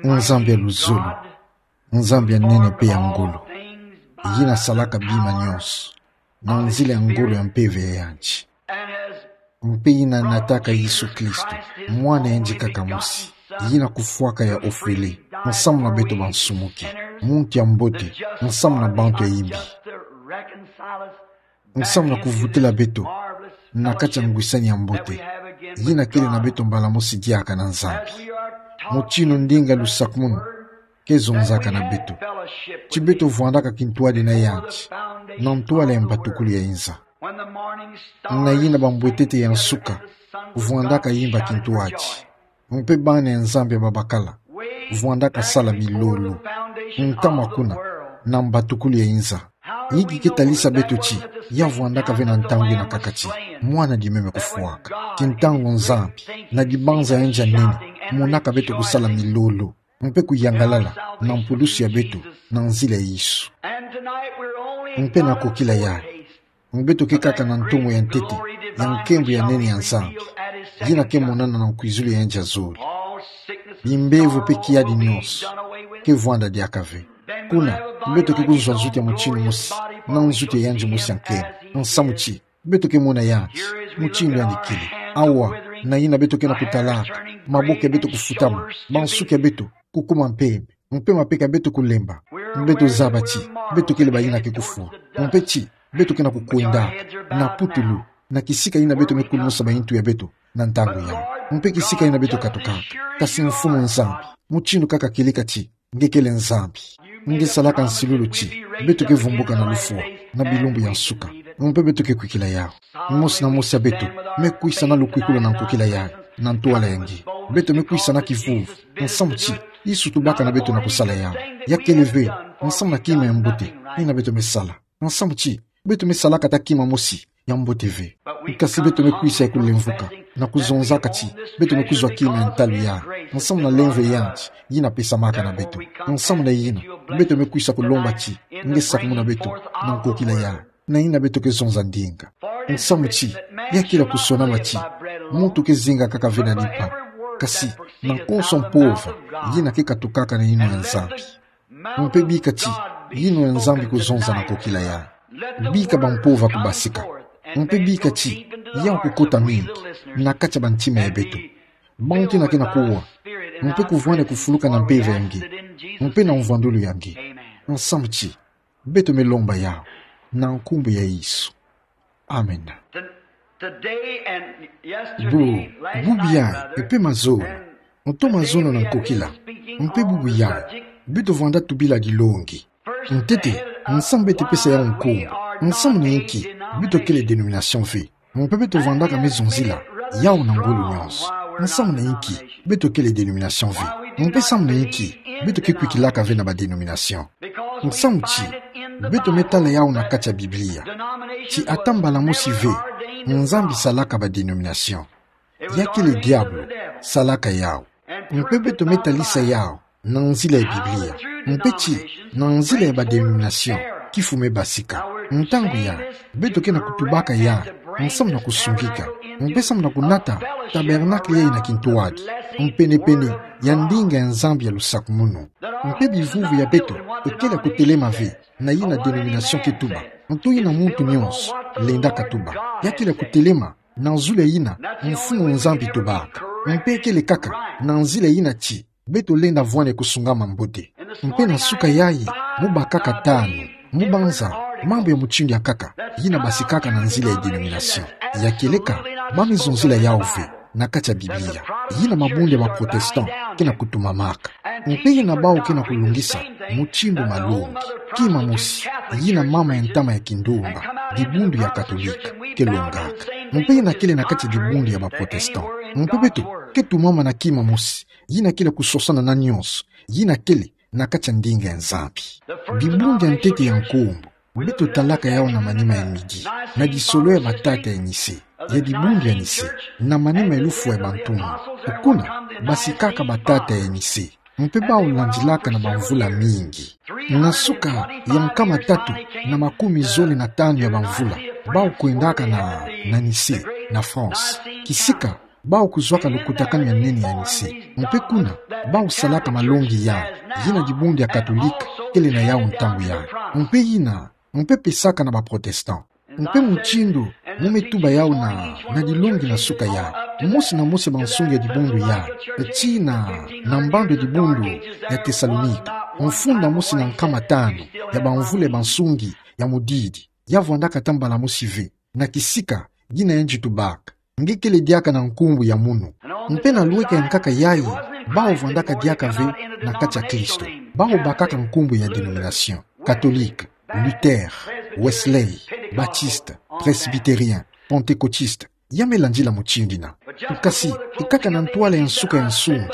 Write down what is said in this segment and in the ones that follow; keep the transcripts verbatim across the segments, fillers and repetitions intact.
Nzambi ya luzolo, Nzambi ya nene mpe ya ngolo, yina salaka bima nyonso na nzila ya ngolo ya Mpeve ya yandi. Mpe yina nataka Yesu Kristo, Mwana ya yandi kaka mosi, yina kufwaka ya ofele, nsamu na beto bansumuki, muntu ya mbote, nsamu na bantu ya imbi, nsamu na kuvutula beto na kati ya ngwisani ya mbote yina kele na beto mbala mosi diaka na Nzambi. Mutinu ndinga lusakumunu ke zonzaka na beto ti beto vwandaka kintwadi na yandi na ntwala ya mbatukulu ya inza. Na yina bambwetete ya nsuka vwandaka imba kintwadi, mpe bana ya Nzambi ya babakala vwandaka sala milolo, ntama kuna na mbatukulu ya inza. Inki ke talisa beto ti ya vwandaka ve na ntangu ina kaka ti Mwana Dimeme kufwaka? Ti ntangu Nzambi, na dibanza ya yandi ya nene, monaka beto kusala milolo mpe kuyangalala na mpulusu ya beto na nzila ya Yesu. Mpe na kokila yayi, beto ke kaka na ntomo ya ntete ya nkembo ya nene ya Nzambi, yina ke monana na nkwizulu ya yandi ya zole. Bimbevo mpe kiadi nyonso ke vwanda diaka ve. Kuna, beto ke kuzwa nzutu ya mutinu mosi na nzutu ya yandi mosi ya nkembo. Nsamu ti beto ke mona yandi mutinu yandi kele. Awa, na yina beto ke na kutalaka, maboko ya beto kufutama, bansuki ya beto kukuma mpembe, mpe mapeka ya beto kulemba. Beto zaba ti beto kele bayina ke kufwa, mpe ti beto ke na kukwendaka na putulu, na kisika yina beto me kulumusa bayintu ya beto na ntangu yayi, mpe kisika yina beto katukaka. Kasi Mfumu Nzambi, mutinu kaka kieleka ti nge kele Nzambi, nge salaka nsilulu ti beto ke vumbuka na lufwa na bilumbu ya nsuka, mpe beto ke kwikila yawu. Mosi na mosi ya beto me kwisa na lukwikulu na nkokila yayi na ntwala ya nge. Beto me kwisa na kivuvu, nsamu ti Yesu tubaka na beto na kusala yawu. Ya kele ve nsamu na kima ya mbote yina beto me sala. Nsamu ti beto me salaka ata kima mosi ya mbote ve. Kasi beto me kwisa ya kulemvuka na kuzonzaka ti beto me kuzwa kima ya ntalu yayi, nsamu na lemvo ya yandi yina pesamaka na beto. Nsamu na yina, beto me kwisa kulomba ti nge sakumuna beto na nkokila yayi na yina beto ke zonza ndinga. Nsamu ti ya kele ya kusonama ti muntu ke zinga kaka ve na limpa, kasi na konso mpova yina ke katukaka na yinwa ya Nzambi. Mpe bika ti yinwa ya Nzambi kuzonza na nkokila yayi. Bika bampova kubasika. Mpe bika ti yawu kukota mingi na kati ya bantima ya beto, bantu yina ke na kuwa, mpe kuvwanda kufuluka na mpeve ya nge mpe na mvwandulu ya nge. Nsamu ti beto me lomba yawu na nkumbu ya Yesu. Amen. Bubu yayi mpe mazono, ntoma zono na nkokila, mpe bubu yayi beto vwanda tubila dilongi. Ntete, nsamu beto pesa yawu nkumbu. Nsamu na inki? Beto kele dénomination ve. Mpe beto vwandaka me zonzila yawu na ngolo nyonso. Nsamu na inki? Beto kele dénomination ve. Mpe nsamu na inki beto ke kwikilaka ve na ba dénomination? Nsamu ti beto me tala yawu na kati ya Biblia ti ata mbala mosi ve Nzambi salaka ba dénomination. Ya kele diabolo salaka yawu. Mpe beto me talisa yawu na nzila ya Biblia, mpe ti na nzila ya ba dénomination kifu me basika. Ntangu yayi beto ke na kutubaka yawu nsamu na kusungika, mpe samu na kunata tabernacle yayi na kintwadi, mpenepene ya ndinga ya Nzambi ya lusakumunu. Mpe bivuvu ya beto ekele ya kutelema ve na yina dénomination ke tuba, nto yina muntu nyonso lenda katuba. Ya kele ya kutelema na zulu ya yina Mfumu Nzambi tubaka. Mpe ekele kaka na nzila yina ti beto lenda vwanda kusungama mbote. Mpe na suka yayi, mu bakaka tanu, mu banza mambu ya mutindu ya nkaka yina basikaka na nzila ya dénomination. Ya kieleka, ba me zonzila yawu ve na kati ya Biblia, yina mabundu ya ba protestant ke na kutumamaka. Mpe yina bawu ke na kulungisa mutindu malongi, kima mosi, yina mama ya ntama ya kindumba, dibundu ya katolika ke longaka. Mpe yina kele na kati ya dibundu ya ba protestant. Mpe beto ke tumama na kima mosi, yina kele kusosana na nyonso yina kele na kati ya ndinga ya Nzambi. Bibundu ya ntete ya nkumbu, beto talaka yawu na manima ya midi, na disolo ya batata ya Nicée, ya dibundu ya Nicée, na manima ya lufwa ya bantumwa. Kuna basikaka batata ya Nicée, mpe bawu landilaka na bamvula mingi. Na suka ya nkama tatu na makumi zole na tanu ya bamvula, bawu kwendaka na, na Nicée, na France. Kisika bau kuzwaka lukutakanu ya nene ya nise. Mpe kuna, bau salaka malongi yai, yina dibundu ya Katolika kele na yau ntangu yai. Mpe yina, mpe pesaka na ba Protestant. Mpe mutindu mu me tuba yau na, na dilongi na suka yai. Mosi na mosi ya bansungi ya dibundu yai, tii na, na mbandu ya dibundu ya Tesalonika, mfunda mosi na nkama tanu ya bamvula ya bansungi ya mudidi, ya vwandaka ta mbala mosi ve, na kisika, yina yandi tubaka. Nge kele diaka na nkumbu ya munu. Mpe na lweka ya nkaka yai, bau vwandaka diaka ve na kati ya Kristo. Bau bakaka nkumbu ya dénomination. Catholique, Luther, Wesley, Baptiste, Presbytérien, Pentecôtiste. Ya me landila mutindu yina. Kasi, kaka na ntwala ya nsuka ya nsungi,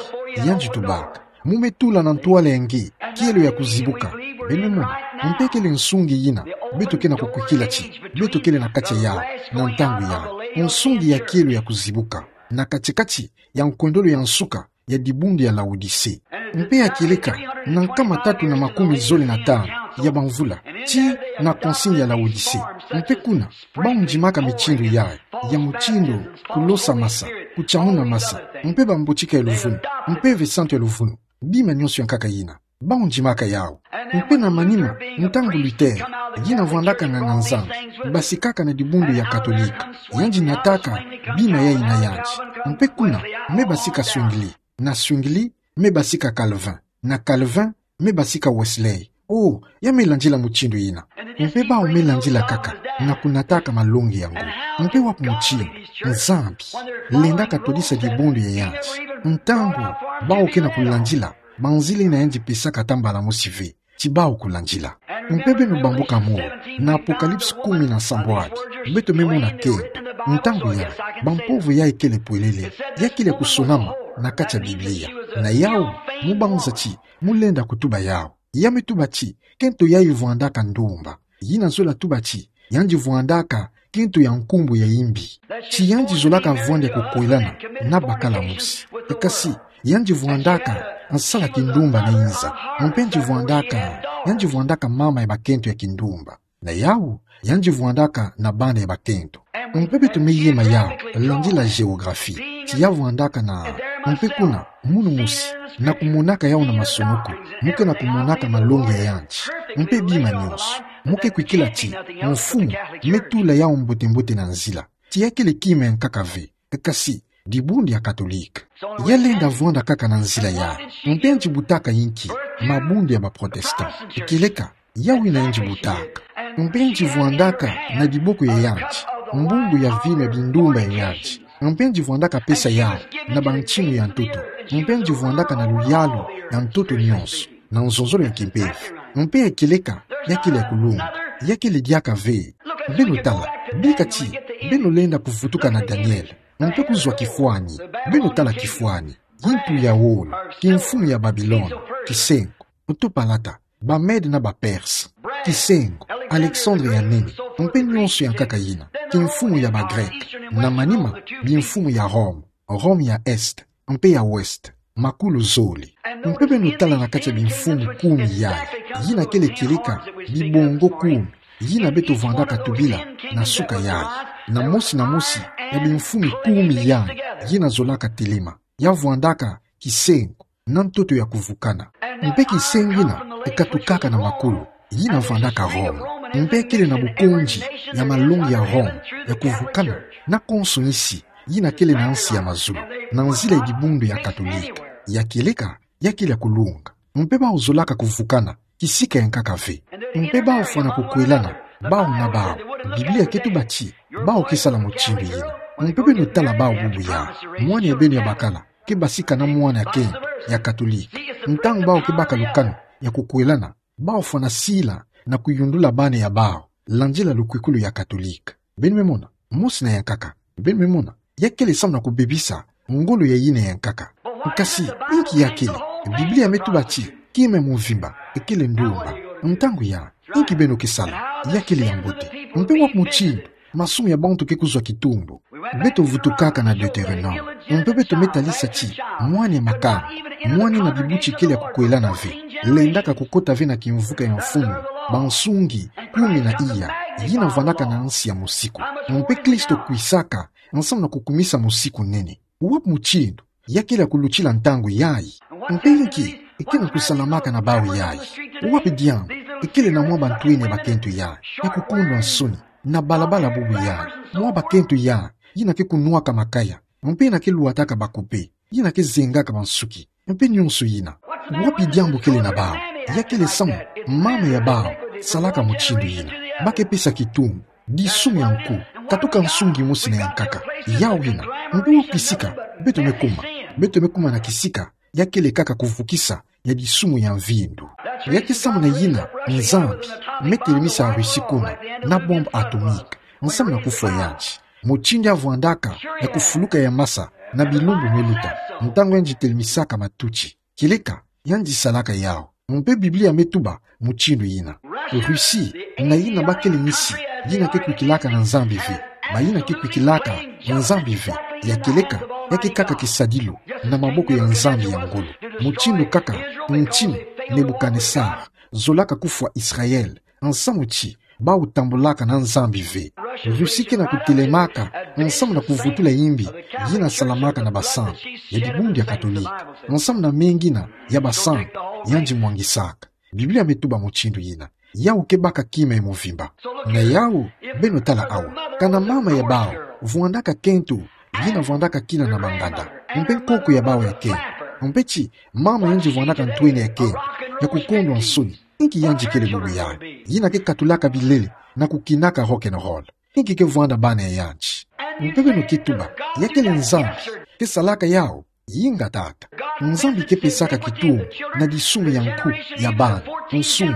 yandi tubaka. Mu me tula na ntwala ya nge, kielo ya kuzibuka. Beno mona, mpe kele nsungi yina, beto ke na kukwikila ti, beto kele na kati ya, na ntangu ya. Nsungi ya kielo ya kuzibuka. Na kati-kati ya nkwendolo ya nsuka ya dibundu ya Laodicée. Mpe ya kieleka, na nkama tatu na makumi zole na tanu ya bamvula, tii na concile ya Laodicée. Mpe kuna, bau ndimaka mitindu yai, ya mutindu, kulosa masa, kutiamuna masa, mpe bambotika ya luvunu, mpe ve santu ya luvunu, bima nionso ya nkaka yina. Bau ndimaka yau. Mpe na manima, ntangu Luther, yina vwandaka nganga-Nzambi, basikaka na dibundu ya Katolika, yandi nataka bima yai na yandi. Mpe kuna, me basika Zwingli, na Zwingli, me basika Calvin, na Calvin, me basika Wesley. Oh, ya me landila mutindu yina. Mpe bau me landila kaka, na kunataka malongi yango. Mpe wapi mutindu, Nzambi lendaka twadisa dibundu ya yandi. Ntangu, bau ke na kulandila, banzila yina yandi pesaka ta mbala mosi ve, ti bau kulandila. Mpe beno bambuka molo, na Apocalypse kumi na sambwadi, beto me mona kento, ntangu ya, bampovo yai kele pwelele, ya kele kusonama, na kati ya Biblia. Na yau, mu banza ti, mu lenda kutuba yau. Ya me tuba ti, kento yai vwandaka ndumba. Yina zola tuba ti, yandi vwandaka kento ya nkumbu ya imbi. Ti yandi zolaka vwanda ya kukwelana na bakala mosi. Kasi, yandi vwandaka nsala kindumba na inza. Mpe yandi vwandaka, yandi vwandaka mama ya bakento ya kindumba. Na yau, yandi vwandaka na bana ya bakento. Mpe beto me yema yau, landila géographie. Ti ya vwandaka na, mpe kuna, munu mosi, na kumonaka yau na masonoko, mu ke na kumonaka malongi ya yandi. Mpe bima nionso, mu ke kwikila ti, mfumu, me tula yau mbote-mbote na nzila. Ti ya kele kima ya nkaka ve, kasi, dibundu ya Katolika. Ya lenda vwanda kaka na nzila yai, mpe yandi butaka inki, mabundu ya ba Protestant. Kieleka, yau yina yandi butaka. Mpe yandi vwandaka na diboko ya yandi, mbumbu ya vinu ya bindumba ya yandi. Mpe yandi vwandaka pesa yau, na bantinu ya ntoto. Mpe yandi vwandaka na luyalu ya ntoto nionso, na nzonzolo ya kimpeve. Mpe ya kieleka, ya kele ya kulunga, ya kele diaka ve. Beno tala, bika ti, beno lenda kuvutuka na Daniel. Mpe kuzwa kifwani, beno tala kifwani. Yintu ya wolo, kimfumu ya Babilona, kisengo, ntopalata, ba Mede na ba Perse, kisengo, Alexandre ya nene, mpe nionso ya nkaka yina, kimfumu ya ba Grec, na manima, bimfumu ya Rome, Rome ya Est, mpe ya Ouest, makulu zole. Mpe beno tala na kati ya bimfumu kumi yai, yina kele kieleka, bibongo kumi, yina beto vwandaka tubila, na suka yai, na mosi na mosi, ya bimfumu kumi yai, yina zolaka telema, ya vwandaka, kisengo, na ntoto ya kuvukana. Mpe kisengo yina, ekatukaka na makulu, yina vwandaka Rome. Mpe kele na bukonzi, ya malongi ya Rome, ya kuvukana, na konso nsi, yina kele na nsi ya mazulu, na nzila ya dibundu ya Katolika. Ya kieleka, ya kele ya kulunga. Mpe bau zolaka kuvukana, kisika ya nkaka ve. Mpe bau fwana kukwelana, bau na bau. Biblia ke tuba ti, bau ke sala mutindu yina. Mpe beno tala bau bubu yai. Mwana ya beno ya bakala, ke basika na mwana ya kento, ya Katolika. Ntangu bau ke baka lukanu, ya kukwelana, bau fwana sila, na kuyundula bana ya bau, landila lukwikulu ya Katolika. Beno me mona, mosi na ya nkaka. Beno me mona, ya kele samu na kubebisa, ngolo ya yina ya nkaka. Kasi, inki ya kele, Biblia me tuba ti, kima ya mvimba, ekele ndumba. Ntangu yai, inki beno ke sala, ya kele ya mbote. Mpe wapi mutindu, masumu ya bantu ke kuzwa kitumbu. Beto vutukaka na Deutéronome. Mpe beto me talisa ti, mwana ya makamba, mwana na bibuti kele ya kukwelana ve, lendaka kukota ve na kimvuka ya mfumu, bansungi, kumi na iya, yina vwandaka na nsi ya mosiku. Mpe Kristo kwisaka, nsamu na kukumisa mosiku nene. Wapi mutindu ya kele ya kulutila ntangu yayi? Mpe inki ke na kusalamaka na bawu yayi? Wapi diambu ekele na mwa bantwenia bakento yayi ya kukondwa nsoni na balabala bubu yayi? Mwa bakento yayi yina ke kunwaka makaya, mpe yina ke lwataka bakupe, yina ke zengaka bansuki, mpe nionso yina. Wapi diambu kele na bawu? Ya kele samu mama ya bawu salaka mutindu yina. Ba ke pesa kitumbu, disumu ya nku, katuka nsungi mosi na ya nkaka. Yawu yina, nku kisika beto me kuma, beto me kuma na kisika ya kele kaka kuvukisa ya disumu ya mvindu. Ya ke samu na yina Nzambi me telemisa Russie kuna na bombe atomique, nsamu na kufwa yandi. Mutindu ya vwandaka ya kufuluka ya masa na bilumbu me luta, ntangu yandi telemisaka matuti. Kieleka, yandi salaka yawu. Mpe Biblia me tuba mutindu yina. Russie na yina ba kele misi yina ke kwikilaka na Nzambi ve. Bayina ke kwikilaka na Nzambi ve. Ya kieleka, ya ke kaka kisadilu na maboko ya nzambi ya ngolo. Mutindu kaka ntinu Nebukanesare zolaka kufwa Israel, nsamu ti bawu tambulaka na Nzambi ve. Russie ke na kutelemaka nsamu na kuvutula imbi yina salamaka na basantu ya dibundu ya Katolike, nsamu na mengi na ya basantu yandi mwangisaka. Biblia me tuba mutindu yina. Yawu ke baka kima ya muvimba. Na yawu, beno tala awa. Kana mama ya bawu vwandaka kento yina vwandaka kina na banganda, mpe nkoko ya bawu ya kento, mpe ti mama yandi vwandaka ntwenia ya kento ya kukondwa nsoni, inki yandi kele bubu yayi? Yina ke katulaka bilele na kukinaka rock and roll. Inki ke vwanda bana ya yandi? Mpe beno ke tuba ya kele Nzambi ke salaka yawu? Inga tata. Nzambi ke pesaka kitumbu na disumu ya nku ya bana, nsungi,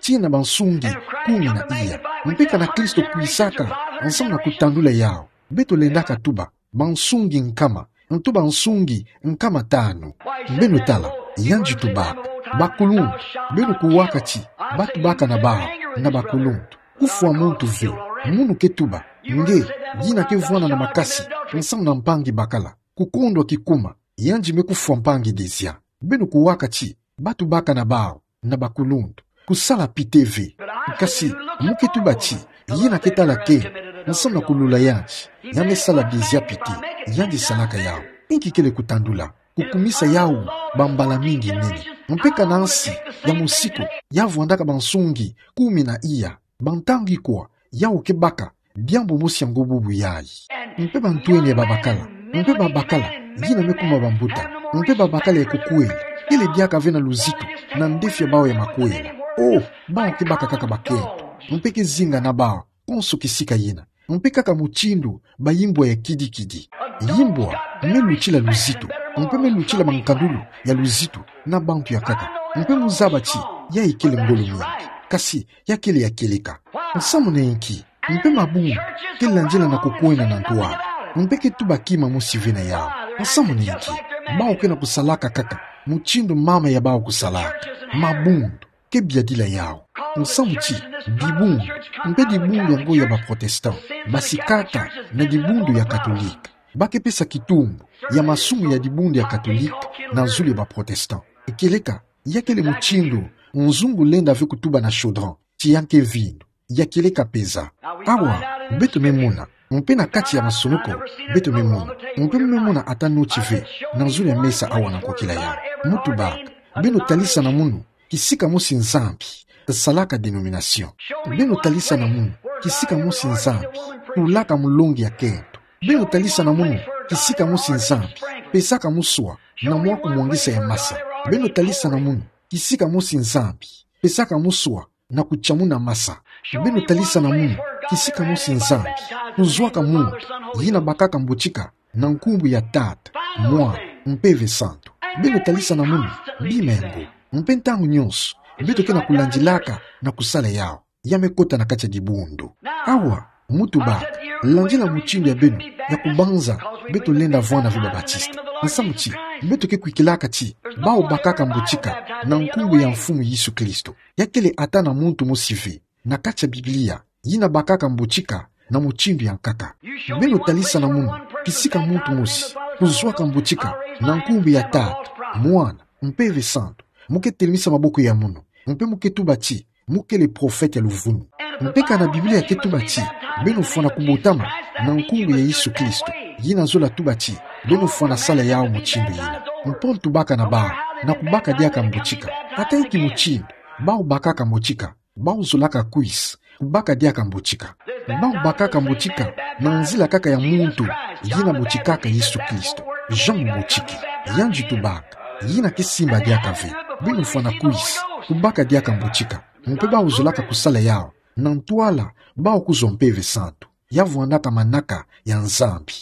tii na bansungi kumi na iya. Mpe kana Kristo kwisaka nsamu na kutandula yawu, beto lendaka tuba bansungi nkama, ntu bansungi nkama tanu. Beno tala, yandi tubaka bakuluntu. Beno kuwaka ti ba tubaka na bawu na bakuluntu. Kufwa muntu ve. Munu ke tuba nge, yina ke vwanda na makasi nsamu na mpangi bakala, kukondwa kikuma, yandi me kufwa mpangi dezia. Beno kuwaka ti ba tubaka na bawu na bakuluntu. Kusala pite ve. Kasi mu ke tuba ti yina ke tala kento nsamu na kulula yandi, ya me sala dezia pite. Yandi salaka yawu. Inki kele kutandula? Kukumisa yawu bambala mingi nene. Mpe kana nsi ya musiku ya vwandaka bansungi kumi na iya, bantangi kwa yawu ke baka diambu mosi ya ngo bubu yayi. Mpe bantwenia babakala, mpe babakala yina me kuma bambuta, mpe babakala ya kukwela, kele diaka ve na luzitu na ndefi ya bawu ya makwela. Oh, bawu ke baka kaka bakento, mpe ke zinga na bawu konso kisika yina. Mpe kaka mutindu bayimbwa ya kidikidi. Yimbwa me lutila luzitu, mpe me lutila mankandulu ya luzitu na bantu ya nkaka. Mpe mu zaba ti yayi kele ngolo mingi, kasi ya kele ya kieleka. Nsamu na inki? Mpe mabundu ke landila na kukwenda na ntwala, mpe ke tuba kima mosi ve na yawu. Nsamu na inki? Bawu ke na kusalaka kaka mutindu mama ya bawu kusalaka. Mabundu ke biadila yawu. Nsamu ti dibundu, mpe dibundu ya ngo ya ba protestant, basikaka na dibundu ya katolike, ba ke pesa kitumbu ya masumu ya dibundu ya katolike na zulu ya ba protestant. Kieleka, ya kele mutindu nzungu lenda ve kutuba na chaudron ti ya nke mvindu. Ya kieleka peza. Awa, beto me mona, mpe na kati ya masonoko, beto me mona, mpe me mona ata noti ve na zulu ya mesa awa na nkokila yayi. Mu tubaka, beno talisa na munu kisika mosi Nzambi salaka dénomination. Beno talisa na munu kisika mosi Nzambi tulaka mulongi ya kento. Beno talisa na munu kisika mosi Nzambi pesaka muswa na mwa kumwangisa ya masa. Beno talisa na munu kisika mosi Nzambi pesaka muswa na kutia muna masa. Beno talisa na munu kisika mosi Nzambi kuzwaka muntu yina bakaka mbotika na nkumbu ya Tata, Mwana, Mpeve Santu. Beno talisa na munu bima ya ngo. Mpe ntangu nyonso beto ke na kulandilaka na kusala yawu, ya me kota na kati ya dibundu. Awa, mu tubaka, landila mutindu ya beno ya kubanza beto lenda vwanda ve ba Batista. Nsamu ti beto ke kwikilaka ti bawu bakaka mbotika na nkumbu ya Mfumu Yesu Kristo. Ya kele ata na muntu mosi ve na kati ya Biblia yina bakaka mbotika na mutindu ya nkaka. Beno talisa na munu kisika muntu mosi kuzwaka mbotika na nkumbu ya Tata, Mwana, Mpeve Santu. Mu ke telemisa maboko ya munu, mpe mu ke tuba ti mu kele profete ya luvunu. Mpe kana Biblia ke tuba ti beno fwana kubotama na nkumbu ya Yesu Kristo, yina zola tuba ti Beno fwana sala yawu mutindu yina. Paul tubaka na bawu, na kubaka diaka mbotika. Ata inki mutindu bawu bakaka mbotika, bawu zolaka kwisa kubaka diaka mbotika. Bawu bakaka mbotika na nzila kaka ya muntu yina botikaka Yesu Kristo, Jean Mubotiki. Yandi tubaka, yina ke simba diaka ve. Beno fwana kwisa kubaka diaka mbotika. Mpe bawu zolaka kusala yawu na ntwala bawu kuzwa Mpeve Santu, ya vwandaka manaka ya Nzambi.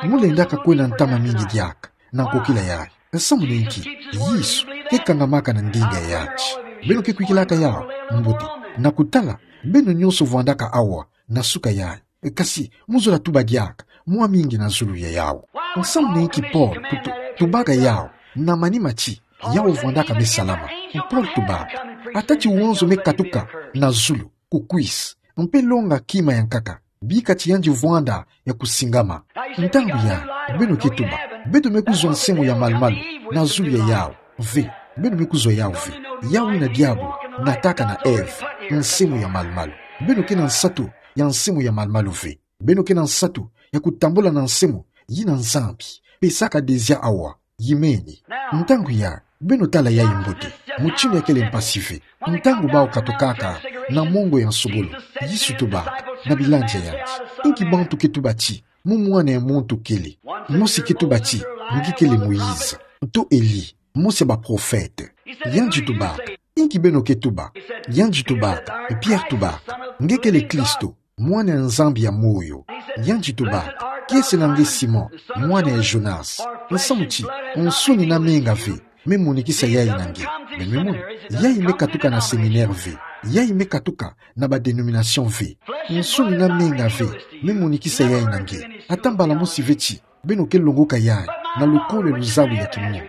Mu lendaka kwena ntama mingi diaka na nkokila yayi. Samu na inki? Yesu ke kangamaka na ndinga ya yandi. Beno ke kwikilaka yawu mbote. Na kutala, beno nyonso vwandaka awa na suka yayi. Kasi mu zola tuba diaka mwa mingi na zulu ya yawu. Samu na inki Paul tu-, tu-, tubaka yawu na manima ti yawu vwandaka me salama? Paul tubaka, ata ti wanzo me katuka na zulu, kukwisa, mpe longa kima ya nkaka, bika ti yandi vwanda ya kusingama. Ntangu yayi, beno ke tuba, beto me kuzwa nsemo ya malu-malu na zulu ya yawu? Ve, beno me kuzwa yawu ve. Yawu yina diabu nataka na Eve, nsemo ya malu-malu. Beno ke na nsatu ya nsemo ya malu-malu ve. Beno ke na nsatu ya kutambula na nsemo yina Nzambi pesaka dezia awa. Yimeni. Ntangu yayi, beno tala yayi mbote, mutindu ya kele mpasi ve. Ntangu bawu katukaka na mongo ya nsobolo, Yesu tubaka na bilandi ya yandi: Inki bantu ke tuba ti Mu Mwana ya muntu kele? Mosi ke tuba ti: Nge kele Moïse, to Elie, mosi ya baprofete. Yandi tubaka: Inki beno ke tuba? Yandi tubaka, Pierre tubaka: Nge kele Kristo, Mwana ya Nzambi ya moyo. Yandi tubaka: Kiese na nge Simon, mwana ya Jonas? Nsamu ti nsuni na menga ve me monikisa yayi na nge. Beno me mona, yayi me katuka na séminaire ve. Yayi me katuka na ba dénomination ve. Nsuni na menga ve me monikisa yayi na nge. Ata mbala mosi ve ti beno ke longoka yayi na lukolo ya luzabu ya kimunu.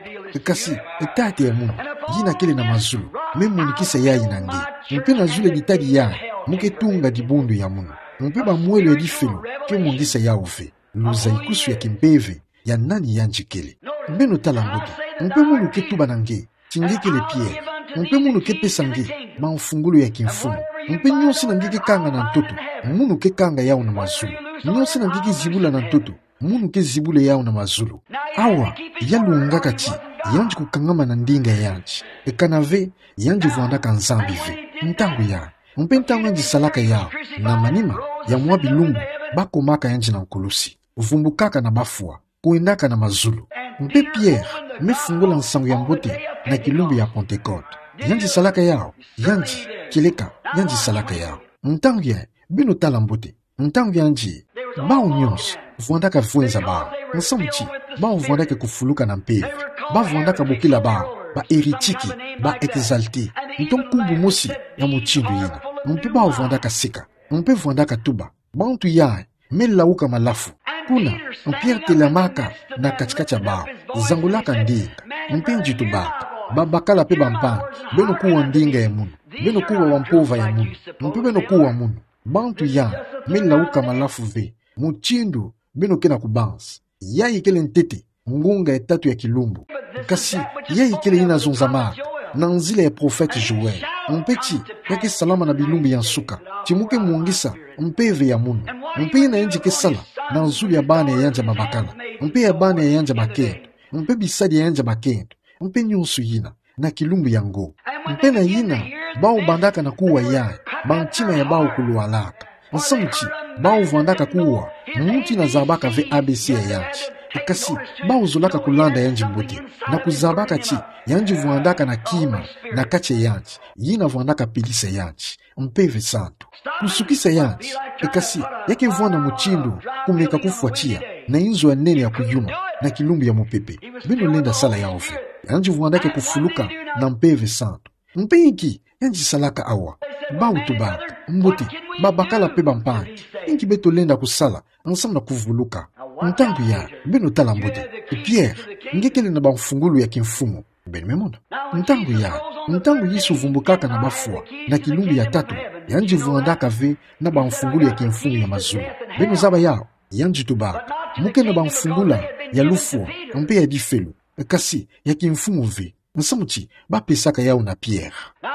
Kasi Tata ya munu, yina kele na mazulu, me monikisa yayi na nge. Mpe na zulu ya ditadi yayi, mu ke tunga dibundu ya munu. Mpe bamwelo ya difelo ke mwangisa yawu ve. Luzayikusu ya kimpeve ya nani yandi kele. Beno tala mbote. Mpe munu ke tuba na nge ti nge kele Pierre. Mpe munu ke pesa nge bamfungulu ya kimfumu. Mpe nyonso yina nge ke kanga na ntoto, munu ke kanga yawu na mazulu. Nyonso yina nge ke zibula na ntoto, munu ke zibula yawu na mazulu. Awa, ya lungaka ti yandi kukangama na ndinga ya yandi. Kana ve yandi vwandaka Nzambi ve. Ntangu yayi, mpe ntangu yandi salaka yawu, na manima ya mwa bilumbu, bakomaka yandi na nkulusi, vumbukaka na bafwa, kwendaka na mazulu. Mpe Pierre me fungula nsangu ya mbote na kilumbu ya Pentecôte. Yandi salaka yawu, yandi, kieleka, yandi salaka yawu. Ntangu yayi, beno tala mbote. Ntangu yandi, bawu nyonso vwandaka vwenza bawu. Nsamu ti bawu vwandaka kufuluka na mpeve. Ba vwandaka bokila bawu ba hérétiques, ba exaltés. Nto nkumbu mosi ya mutindu yina. Mpe bawu vwandaka seka. Mpe vwandaka tuba: Bantu yayi me lauka malafu. Kuna, Pierre telamaka na kati-kati ya bawu, zangulaka ndinga, mpe yandi tubaka: Babakala mpe bampangi, beno kuwa ndinga ya munu, beno kuwa bampova ya munu, mpe beno kuwa munu. Bantu yayi me lauka malafu ve mutindu beno ke na kubanza. Yayi kele ntete ngunga ya tatu ya kilumbu. Kasi yayi kele yina zonzamaka na nzila ya prophète Joël. Mpe ti ya ke salama na bilumbu ya nsuka, ti mu ke mwangisa mpeve ya munu. Mpe yina yandi ke sala na zulu ya bana ya yandi ya babakala, mpe ya bana ya yandi ya bakento, mpe bisadi ya yandi ya bakento, mpe nyonso yina na kilumbu yango. Mpe na yina bawu bandaka na kuwa yayi, bantima ya bawu kulwalaka. Nsamu ti bawu vwandaka kuwa muntu yina zabaka ve A B C ya yandi. Kasi bawu zolaka kulanda yandi mbote, na kuzabaka ti yandi vwandaka na kima na kati ya yandi, yina vwandaka pelisa yandi, Mpeve Santu. Kusukisa yandi, kasi ya ke vwanda mutindu kumeka kufwa tiya na inzo ya nene ya kuyuma na kilumbu ya mupepe. Beno lenda sala yawu ve. Yandi vwandaka kufuluka na Mpeve Santu. Mpe inki yandi salaka awa? Bawu tubaka: Mbote, babakala mpe bampangi, inki beto lenda kusala nsamu na kuvuluka? Ntangu yayi, beno tala mbote. Pierre, nge kele na bamfungulu ya kimfumu. Beno me mona. Ntangu yayi, ntangu Yesu vumbukaka na bafwa na kilumbu ya tatu, yandi vwandaka ve na bamfungulu ya kimfumu ya mazulu. Beno zaba yawu? Yandi tubaka: Mu ke na bamfungula ya lufwa mpe ya difelo, kasi ya kimfumu ve. Nsamu ti ba pesaka yawu na Pierre.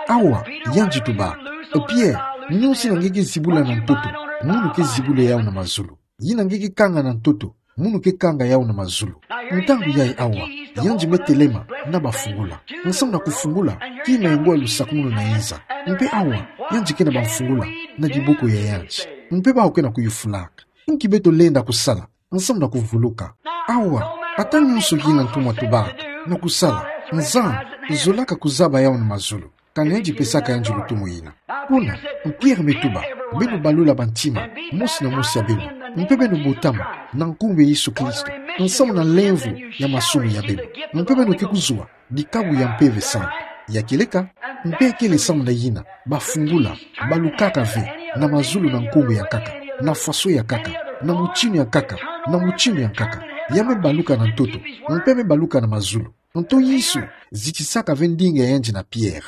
Awa, yandi tubaka: Pierre, nyonso yina nge ke zibula na ntoto, munu ke zibula yawu na mazulu. Yina nge ke kanga na ntoto, Munu ke kanga yau na mazulu. Ntangu yayi awa, yandi me telema na bafungula. Nsamu na kufungula, kima ye ngwa lusakumunu na inza. Mpe awa, yandi kena bamfungula na dibuku ya yandi. Mpe bawu kena kuyufulaka. Nki beto lenda kusala, nsamu na kuvuluka. Awa, ata nyonso yina ntumwa tubaka na kusala, Nzambi zolaka kuzaba yau na mazulu. Ka yandi pesaka yandi lutumu yina. Kuna, Pierre me tuba, beno balula bantima, mosi na mosi ya beno, mpe beno botama na nkumbu ya Yesu Kristo, nsamu na lemvo ya masumu ya beno. Mpe beno ke kuzwa dikabu ya Mpeve Santu. Ya kieleka, mpe kele samu na yina, bafungula, balukaka ve, na mazulu na nkumbu ya nkaka, na faso ya nkaka, na mutinu ya nkaka, na mutinu ya nkaka. Ya me baluka na ntoto, mpe me baluka na mazulu. Nto Yesu zitisaka ve ndinga ya yandi na Pierre.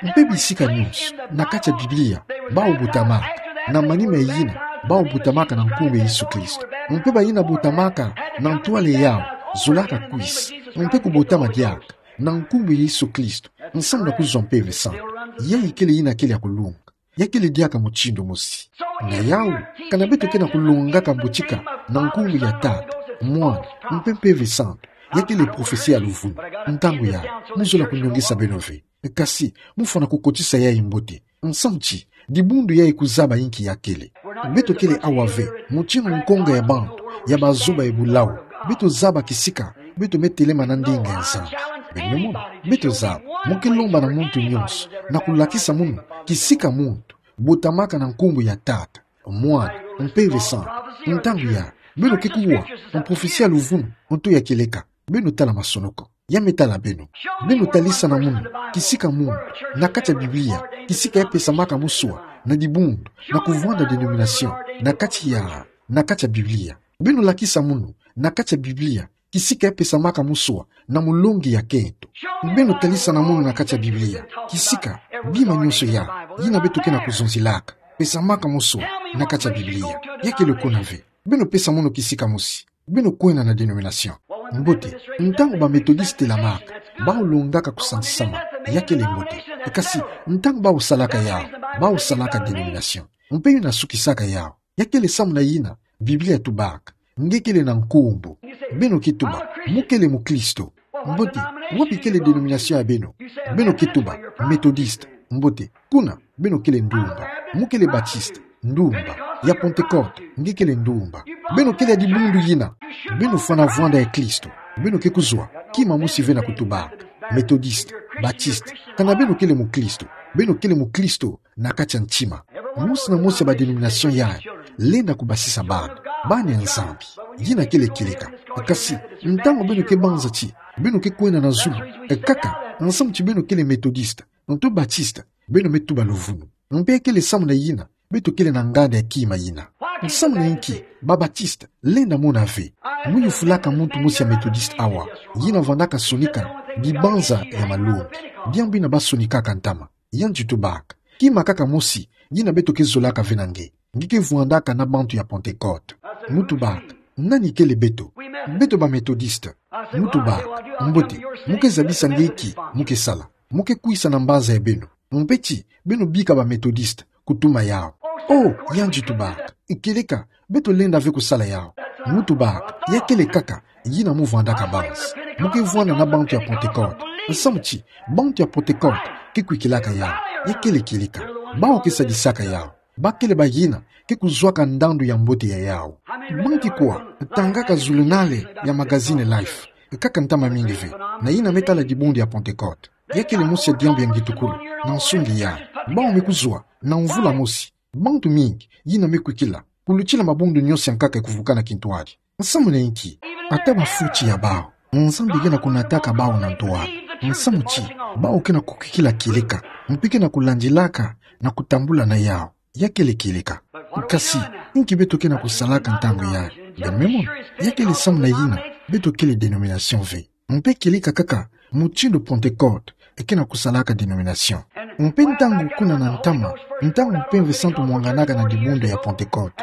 Mpe bisika nyonso, na kati ya Biblia, bawu botamaka, na manima ya yina, bawu botamaka na nkumbu ya Yesu Kristo. Mpe bayina botamaka na ntwala yawu, zolaka kwisa, mpe kubotama diaka na nkumbu ya Yesu Kristo, nsamu na kuzwa Mpeve Santu. Yayi kele yina kele ya kulunga. Ya kele diaka mutindu mosi. Na yawu, kana beto kena kulongaka mbotika na nkumbu ya Tata, Mwana, mpe Mpeve Santu, ya kele profesi ya luvunu. Ntangu yayi, mu zola kunyongisa beno ve. Kasi, mu fwana kukotisa yayi mbote. Nsamu ti, dibundu yayi kuzaba inki ya kele. Beto kele awa ve, mutinu nkonga ya bantu, ya bazoba ya bulawu. Beto zaba kisika beto me telema na ndinga ya Nzambi. Beno me mona, beto zaba, mu ke lomba na muntu nyonso, na kulakisa munu kisika muntu botamaka na nkumbu ya Tata, Mwana, Mpeve Santu. Ntangu yayi, beno ke kuwa, mprofesi ya luvunu, nto ya kieleka. Beno tala masonoko. Ya me tala beno. Beno talisa na munu kisika muntu, na kati ya Biblia, kisika ya pesamaka muswa na dibundu, na kuvwanda denomination, na kati ya, na kati ya Biblia. Beno lakisa munu, na kati ya Biblia, kisika ya pesamaka muswa na mulongi ya kento. Beno talisa na munu na kati ya Biblia, kisika bima nyonso yayi, yina beto kena kuzonzelaka, pesamaka muswa na kati ya Biblia. Ya kele kuna ve. Beno pesa munu kisika mosi. Beno kwenda na denomination. Mbote, ntangu ba Methodiste telamaka, bawu longaka kusantisama, ya kele mbote. Kasi, ntangu bawu salaka yawu, bawu salaka denomination. Mpe yina sukisaka yawu. Ya kele samu na yina, Biblia tubaka, nge kele na nkumbu. Beno ke tuba, mu kele mukristo. Mbote, wapi kele denomination ya beno? Beno ke tuba, Methodiste. Mbote, kuna, beno kele ndumba. Mu kele Baptiste, ndumba. Ya Pentecôte, nge kele ndumba. Beno kele ya dibundu yina. Beno fwana vwanda ya Kristo. Beno ke kuzwa kima mosi ve na kutubaka, Methodiste, Baptiste. Kana beno kele mukristo. Beno kele mukristo na kati ya ntima. Mosi na mosi ya ba denomination yayi lenda kubasisa bana, bana ya Nzambi. Yina kele kieleka. Kasi, ntangu beno ke banza ti beno ke kwenda na zulu, nkaka, nsamu ti beno kele Methodiste, nto Baptiste, beno me tuba luvunu. Mpe kele samu na yina beto kele na nganda ya kima yina. Nsamu na inki ba Baptiste lenda mona ve? Mu yufulaka muntu mosi ya Methodiste awa, yina vwandaka sonika dibanza ya malongi. Diambu yina basonikaka ntama. Yandi tubaka, kima kaka mosi yina beto ke zolaka ve na nge, nge ke vwandaka na bantu ya Pentecôte. Mu tubaka, nani kele beto? Beto ba Methodiste. Mu tubaka, mbote, mu ke zabisa nge inki mu ke sala. Mu ke kwisa na mbanza ya beno. Mpe ti beno bika ba Methodiste kutuma yawu. Oh, yandi tubaka, kieleka, beto lenda ve kusala yawu. Mu tubaka, ya kele nkaka yina mu vwandaka banza. Mu ke vwanda na bantu ya Pentecôte. Nsamu ti bantu ya Pentecôte ke kwikilaka yawu. Ya kele kieleka. Bawu ke sadisaka yawu. Ba kele bayina ke kuzwaka ndandu ya mbote ya yawu. Banki kwa tangaka zulunale ya magazine Life? Nkaka ntama mingi ve, na yina me tala dibundu ya Pentecôte. Ya kele mosi ya diambu ya ngitukulu na nsungi yayi. Bawu me kuzwa na mvula mosi bantu mingi yina me kwikila kulutila mabundu nyonso ya nkaka ya kuvukana kintwadi. Nsamu na inki? Ata ba fioti ya bawu, Nzambi kena kunataka bawu na ntwala. Nsamu ti bawu kena kukwikila kieleka, mpe kena kulandilaka na kutambula na yawu. Ya kele kieleka. Kasi, inki beto kena kusalaka ntangu yayi? Beno me mona, ya kele samu na yina beto kele denomination ve. Mpe kieleka kaka mutindu Pentecôte kena kusalaka denomination. Mpe ntangu kuna na ntama, ntangu Mpeve Santu mwanganaka na dibundu ya Pentecôte,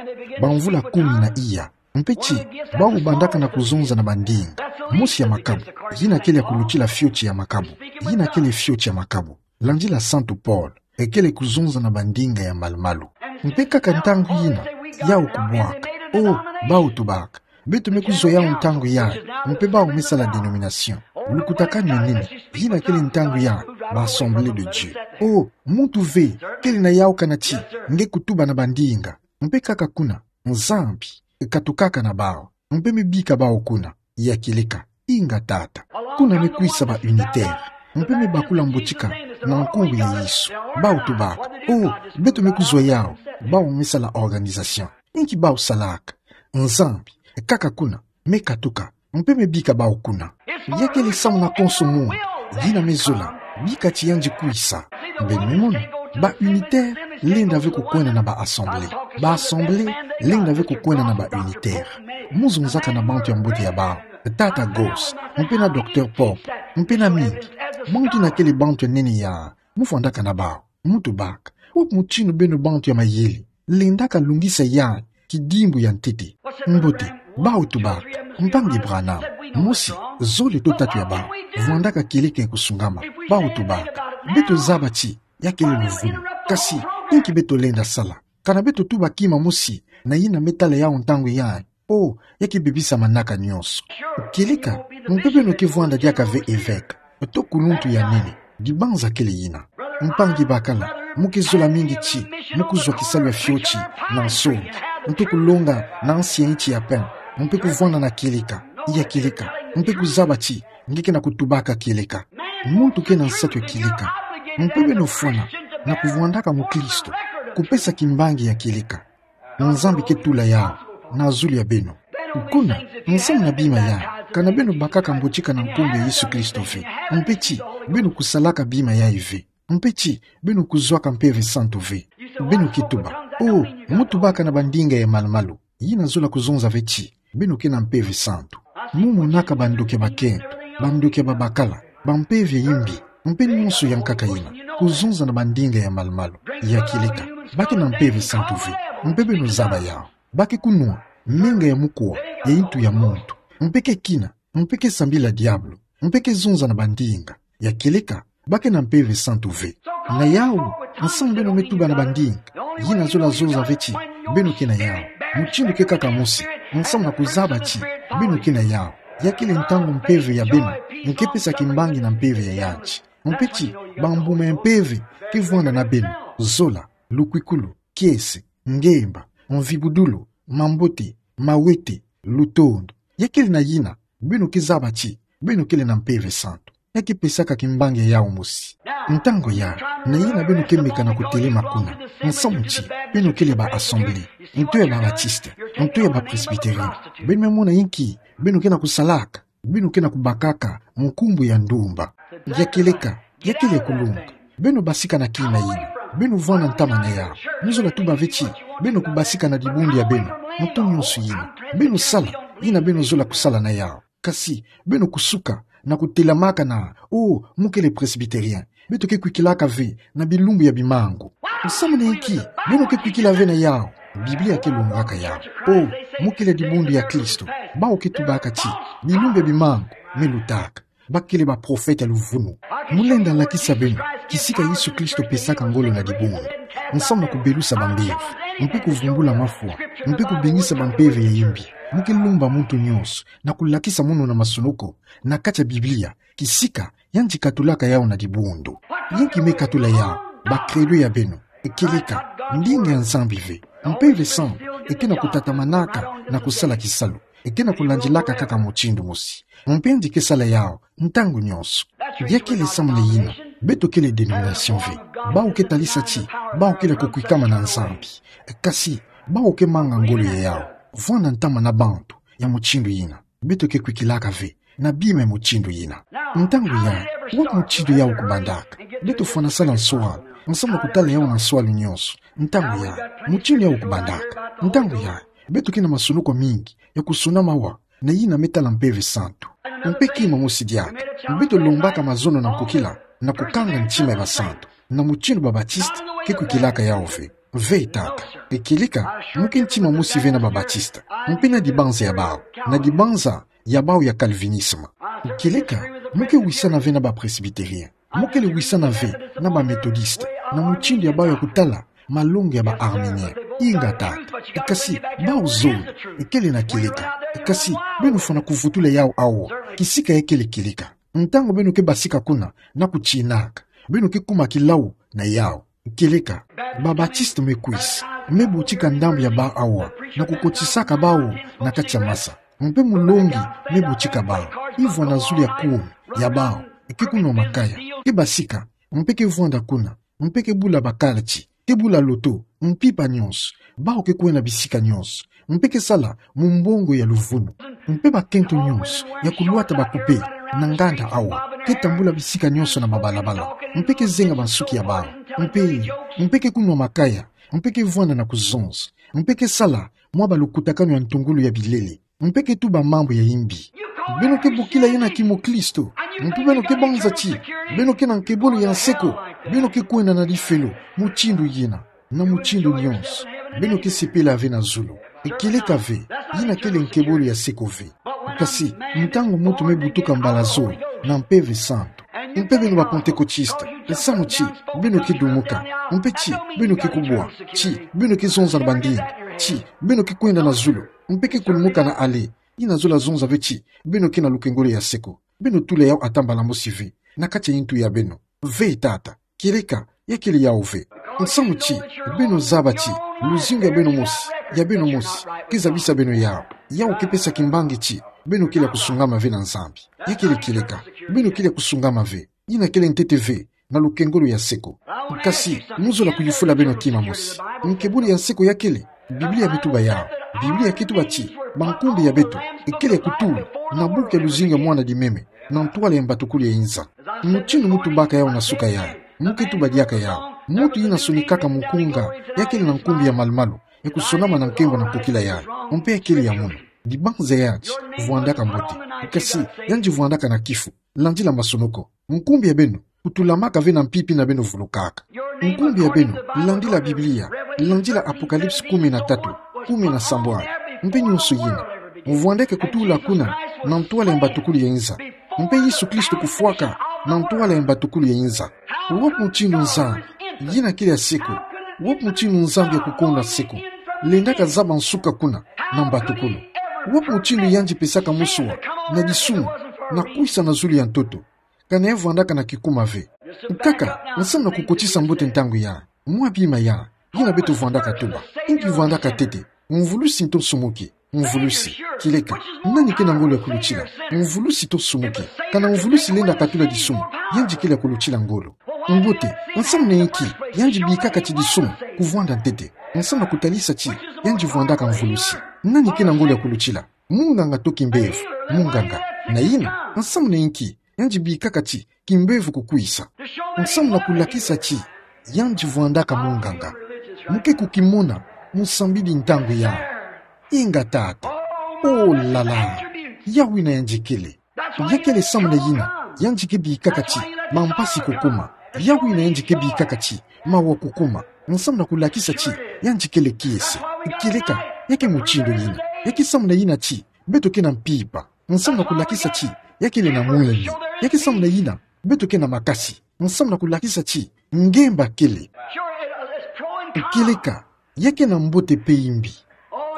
bamvula kumi na iya. Mpe ti bawu bandaka na kuzonza na bandinga mosi ya makabu, yina kele ya kulutila fioti ya makabu, yina kele fioti ya makabu. Landila Santu Paul, kele kuzonza na bandinga ya malu-malu. Mpe kaka ntangu yina, yawu kubwaka. Oh, bawu tubaka, Beto me kuzwa yau ntangu yayi, mpe bau me sala dénomination. Lukutakanu ya nene, yina kele ntangu yayi, ba Assemblée de Dieu. Oh, muntu ve, kele na yau kanati, nge kutuba na bandinga. Mpe kaka kuna, Nzambi, katukaka na bau. Mpe me bika bau kuna, ya kieleka, inga tata. Kuna me kwisa ba unitaire. Mpe me bakula mbotika, na nkumbu ya Yesu. Bau tubaka. Oh, beto me kuzwa yau, bau me sala organisation. Inki bau salaka? Nzambi, kaka kuna, me katuka, mpe me bika bau kuna. Ya kele samu na konso munu, yina me zola, bika ti yandi kwisa. Beno me mona, ba unitaire, lenda ve kukwenda na ba Assemblée. Ba Assemblée, lenda ve kukwenda na ba unitaire. Mu zonzaka na bantu ya mbote ya bau, tata Goss, mpe na docteur Pope, mpe na mingi. Bantu na kele bantu ya nene ya, mu fwandaka na bau, mu tubaka. Wapi mutindu beno bantu ya mayele, lendaka lungisa yayi, kidimbu ya ntete. Mbote, bau tubaka, mpangi Branham, mosi, zole to tatu ya bau, vwandaka kieleka ya kusungama, bau tubaka. Beto zaba ti, ya kele luvunu. Kasi, inki beto lenda sala? Kana beto tuba kima mosi, na yina me tala yau ntangu yayi, oh, ya ke bebisa manaka nyonso. Kieleka, mpe beno ke vwanda diaka ve évêque, to kuluntu ya nene, dibanza kele yina. Mpangi bakala, mu ke zola mingi ti, mu kuzwa kisalu ya fioti, na nsongi, mpe kulonga, na nsi ya inti ya pain, mpe kuvwanda na kieleka, ya kieleka, mpe kuzaba ti, nge ke na kutubaka kieleka. Muntu ke na nsatu ya kieleka, mpe beno fwana, na kuvwandaka mukristo, kupesa kimbangi ya kieleka. Nzambi ke tula yau na zulu ya beno. Kuna, nsamu na bima yayi, kana beno bakaka mbotika na nkumbu ya Yesu Kristo ve. Mpe ti, beno kusalaka bima yayi ve. Mpe ti, beno kuzwaka Mpeve Santu ve. Beno ke tuba, oh, mu tubaka na bandinga ya malu-malu. Yina zola kuzonza ve ti, beno ke na Mpeve Santu. Mu monaka bandoki ya bakento, bandoki ya babakala, bampeve ya imbi, mpe nyonso ya nkaka yina, kuzonza na bandinga ya malu-malu, ya kieleka, ba ke na Mpeve Santu ve, mpe beno zaba yau. Ba ke kunwa menga ya mukuwa ya intu ya muntu, mpe ke kina, mpe ke sambila diabolo, mpe ke zonza na bandinga, ya kieleka, ba ke na Mpeve Santu ve. Na yau, nsamu beno me tuba na bandinga, yina zola zonza ve ti, beno ke na yau. Mutindu ke kaka mosi, nsamu na kuzaba ti, beno ke na yau. Ya kele ntangu mpeve ya beno, nge ke pesa kimbangi na mpeve ya yandi. Mpe ti, bambuma ya mpeve, ke vwanda na beno, zola, lukwikulu, kiese, ngemba, mvibudulu, mambote, mawete, lutondo. Ya kele na yina, beno ke zaba ti, beno kele na Mpeve Santu. Ya ke pesaka kimbangi ya yau mosi. Ntangu yayi, na yina beno ke meka na kutelema kuna. Nsamu ti, beno kele ba Assemblée, nto ya ba Baptiste, nto ya ba Presbytérien. Beno me mona inki, beno ke na kusalaka. Beno ke na kubakaka nkumbu ya ndumba. Ya kieleka, ya kele kulunga. Beno basika na kima yina. Beno vwanda ntama na yau. Mu zola tuba ve ti, beno kubasika na dibundu ya beno, mutu nyonso yina. Beno sala yina beno zola kusala na yau. Kasi, beno kusuka na kutelamaka na, oh, mu kele Presbytérien. Beto ke kwikilaka ve na bilumbu ya bimangu. Nsamu na inki, beno ke kwikila ve na yau. Biblia ke longaka yau. Oh, mu kele dibundu ya Kristo. Bau ke tubaka ti, bilumbu ya bimangu me lutaka. Ba kele baprofeta ya luvunu. Mu lenda lakisa beno kisika Yesu Kristo pesaka ngolo na dibundu. Nsamu na kubelusa bambevo, mpe kuvumbula mafwa, mpe kubingisa bampeve ya imbi. Mu ke lomba muntu nyonso na kulakisa munu na masunuku, na kati ya Biblia, kisika yandi katulaka yau na dibundu. Inki me katula yau? Ba credo ya beno. Kieleka, ndinga ya Nzambi ve. Mpeve Santu ke na kutatamanaka na kusala kisalu. Ke na kulandilaka kaka mutindu mosi. Mpe yandi ke sala yau ntangu nyonso. Ya kele nsamu na yina, beto kele dénomination ve. Bau ke talisa ti bau kele kukwikama na Nzambi. Kasi, bau ke manga ngolo ya yau. Vwanda ntama na bantu ya mutindu yina. Beto ke kwikilaka ve na bima ya mutindu yina. Ntangu yayi, wapi mutindu yau kubandaka? Beto fwana sala nswalu, nsamu na kutala yau na nswalu nyonso. Ntangu yayi, mutindu yau kubandaka? Ntangu yayi, beto ke na masunuku mingi ya kusona mawa na yina me tala Mpeve Santu. Mpe kima mosi diaka, beto lombaka mazono na nkokila, na kukanga ntima ya basantu, na mutindu ba Baptiste ke kwikilaka yau ve. Ve tata. Kieleka, mu ke ntima mosi ve na ba Baptiste. Mpe na dibanza ya bau. Na dibanza ya bau ya Calvinisme. Kieleka, mu ke wisana ve na ba Presbytérien. Mu kele wisana ve na ba Methodiste. Na mutindu ya bau ya kutala malongi ya ba Arminien. Inga tata. Kasi, bau zole, ekele na kieleka. Kasi, beno fwana kuvutula yau awa, kisika ekele kieleka. Ntangu beno ke basika kuna, na kutinaka, beno ke kuma kilau na yau. Kieleka, ba-Baptiste me kwisa, me butika ndambu ya bau awa, na kukotisaka bau na kati ya masa. Mpe mulongi me butika bau, ivwa na zulu ya kumi ya bau, eke kunwa makaya, ke basika, mpe ke vwanda kuna, mpe ke bula ba kalati, ke bula loto, mpimpa nyonso, bau ke kwenda bisika nyonso, mpe ke sala mumbongo ya luvunu. Mpe bakento nyonso ya kulwata ba poupée na nganda awa, ke tambula bisika nyonso na mabalabala, mpe ke zenga bansuki ya bau, mpe, mpe ke kunwa makaya, mpe ke vwanda na kuzonza, mpe ke sala mwa balukutakanu ya ntungulu ya bilele, mpe ke tuba mambu ya imbi. Beno ke bokila yena kimoklisto, mpe beno ke banza ti beno ke na nkebolo ya nse ko, beno ke kwenda na lifelo mutindu yena, na mutindu nyonso. Beno ke sepela ve na zulu. Kieleka ve, yina kele nkebolo ya nse ko ve. Kasi, ntangu muntu me butuka mbala zole na Mpeve Santu, mpe beno ba-Pantekotiste, nsamu ti beno ke dumuka, mpe ti beno ke kubwa, ti beno ke zonza na bandinga, ti beno ke kwenda na zulu, mpe ke kulumuka na allée, yina zola zonza ve ti beno ke na lukengolo ya nse ko. Beno tula yau ata mbala mosi ve na kati ya ntu ya beno. Ve tata, kieleka, ya kele yau ve. Nsamu ti beno zaba ti luzingu ya beno mosi, ya beno mosi, ke zabisa beno yau. Yau ke pesa kimbangi ti beno kele ya kusungama ve na Nzambi. Ya kele kieleka, beno kele ya kusungama ve. Yina kele ntete ve na lukengolo ya nse ko. Kasi, mu zola kuyufula beno kima mosi. Nkebolo ya nse ko ya kele? Biblia me tuba yau. Biblia ke tuba ti bankumbi ya beto ekele ya kutula na buku ya luzingu ya Mwana Dimeme, na ntwala ya mbatukulu ya inza. Mutindu mu tubaka yau na suka yai, mu ke tuba diaka yau. Muntu yina sonikaka mukunga, ya kele na nkumbi ya malumalu, ya kusonama na nkembo na nkokila yai. Mpe ya kele ya munu. Dibanza yandi vwandaka mbote. Kasi, yandi vwandaka na kifu. Landila masonoko. Nkumbi ya beno kutulamaka ve na mpimpi na beno vulukaka. Nkumbi ya beno, landila Biblia, landila Apocalypse kumi na tatu, kumi na sambwadi, mpe nyonso yina. Mu vwandeke kutula kuna na ntwala ya mbatukulu ya inza. Mpe Yesu Kristo kufwaka na ntwala ya mbatukulu ya inza. Wapi mutindu Nzambi, yina kele ya nse ko, wapi mutindu Nzambi ya kukonda nse ko lendaka zaba nsuka kuna na mbatukulu? Wapi mutindu yandi pesaka muswa na disumu na kwisa na zulu ya ntoto, kana ya vwandaka na kikuma ve? Nkaka, nsamu na kukotisa mbote ntangu yai. Mwa bima yai, yina beto vwandaka tuba: Inki vwandaka ntete, mvulusi nto nsumuki? Mvulusi. Kieleka, nani ke na ngolo ya kulutila? Mvulusi nto nsumuki. Kana mvulusi lenda katula disumu, yandi kele ya kulutila ngolo. Mbote, nsamu na inki yandi bikaka ti disumu kuvwanda ntete? Nsamu na kutalisa ti yandi vwandaka mvulusi. Nani ke na ngolo ya kulutila? Munganga to kimbevo? Munganga. Na yina, nsamu na inki yandi bikaka ti kimbevo kukwisa? Nsamu na kulakisa ti yandi vwandaka munganga. Mu ke kukimona, mu sambidi ntangu yai. Inga tata. Oh la la. Yau yina yandi kele. Ya kele samu na yina yandi ke bikaka ti mampasi kukuma. Yau yina yandi ke bikaka ti mawa kukuma. Nsamu na kulakisa ti yandi kele kiese. Kieleka, ya ke mutindu yina. Ya ke samu na yina ti beto ke na mpimpa. Nsamu na kulakisa ti ya kele na mwini. Ya ke samu na yina beto ke na makasi. Nsamu na kulakisa ti ngemba kele. Kieleka, ya ke na mbote mpe imbi.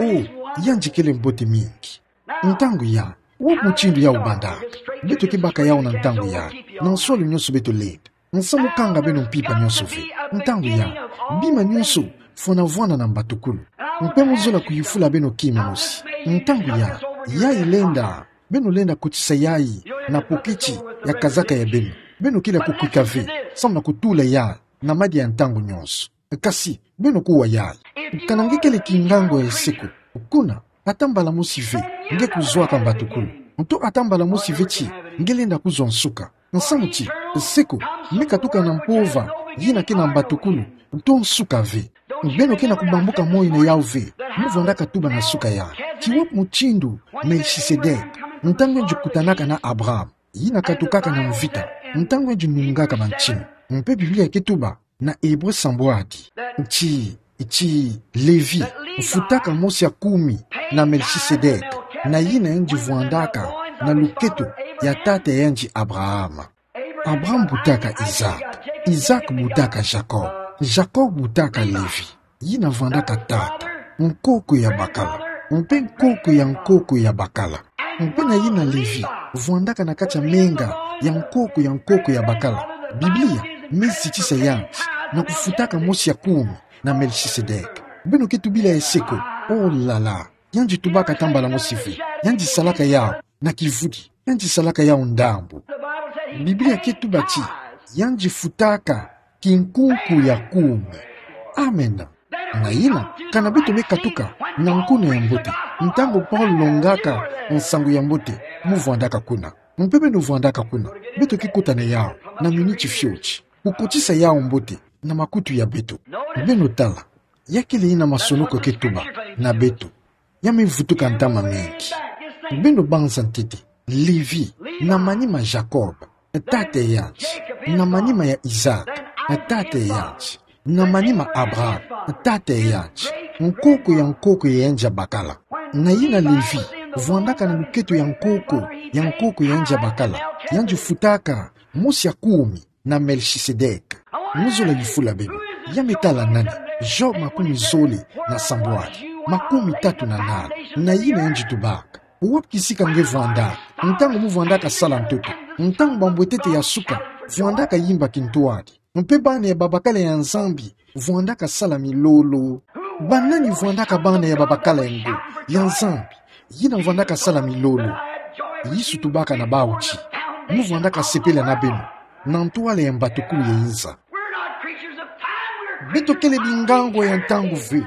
Oh, yandi kele mbote mingi. Ntangu yai, wapi mutindu yau bandaka? Beto ke baka yau na ntangu yai, na nswalu nyonso beto lenda. Nsamu kanga beno mpimpa nyonso ve. Ntangu yai, bima nyonso fwana vwanda na mbatukulu. Mpe mu zola kuyufula beno kima mosi. Ntangu yai, yai lenda, beno lenda kotisa yai na poketi ya kazaka ya beno. Beno kele ya kukwika ve, samu na kutula yai na madia ya ntangu nyonso. Kasi, beno kuwa yai. Kana nge kele kingango ya nse ko, kuna, ata mbala mosi ve nge kuzwaka mbatukulu. Nto ata mbala mosi ve ti nge lenda kuzwa nsuka. Nsamu ti nse ko me katuka na mpova yina ke na mbatukulu, nto nsuka ve. Beno ke na kubambuka moi na yau ve, mu vwandaka tuba na suka yai. Ti wapi mutindu Melchisedek, ntangu yandi kutanaka na Abraham, yina katukaka na mvita, ntangu yandi nungaka bantinu? Mpe Biblia ke tuba na Ebre sambwadi ti, ti Levi mfutaka mosi ya kumi na Melchisedek, na yina yandi vwandaka na luketo ya tata yandi Abraham. Abraham butaka Isaac, Isaac butaka Jacob, Jacob butaka Levi. yina vwandaka tata, nkoko ya bakala, mpe nkoko ya nkoko ya bakala. Mpe na yina Levi, vwandaka na kati ya menga ya nkoko ya nkoko ya bakala. Biblia me zitisa yandi na kufutaka mosi ya kumi na Melchisedeke. Beno ke tubila ye seko, oh là là. Yandi tubaka ata mbala mosi ve. Yandi salaka yawu na kivudi. Yandi salaka yawu ndambu. Biblia ke tuba ti yandi futaka kinkunku ya kumi. Amen. Na yina, kana beto me katuka na nkuna ya mbote, ntangu Paul longaka nsangu ya mbote, mu vwandaka kuna. Mpe beno vwandaka kuna. Beto ke kota na yawu na miniti fioti, kukotisa yawu mbote na makutu ya beto. Beno tala, ya kele yina masonoko ke tuba na beto. Ya me vutuka ntama mingi. Beno banza ntete, Levi, na manima Jacob, tata ya yandi, na manima ya Isaac, tata ya yandi, na manima Abraham, tata ya yandi, nkoko ya nkoko ya yandi ya bakala. Na yina Levi, vwandaka na luketo ya nkoko ya nkoko ya yandi ya bakala, yandi futaka mosi ya kumi na Melchisedeke. Mu zola yifula beno, ya me tala nani, Job makumi zole na sambwadi, makumi tatu na nani, na yina yandi tubaka: Wapi kisika nge vwandaka, ntangu mu vwandaka sala ntoto, ntangu bambwetete ya suka vwandaka yimba kintwadi, mpe bana ya babakala ya Nzambi vwandaka sala milolo? Banani vwandaka bana ya babakala ya ngo, ya Nzambi, yina vwandaka sala milolo? Yesu tubaka na bawu ti: Mu vwandaka sepela na beno na ntwala ya mbatukulu ya inza. Beto kele bingangwa ya ntangu ve.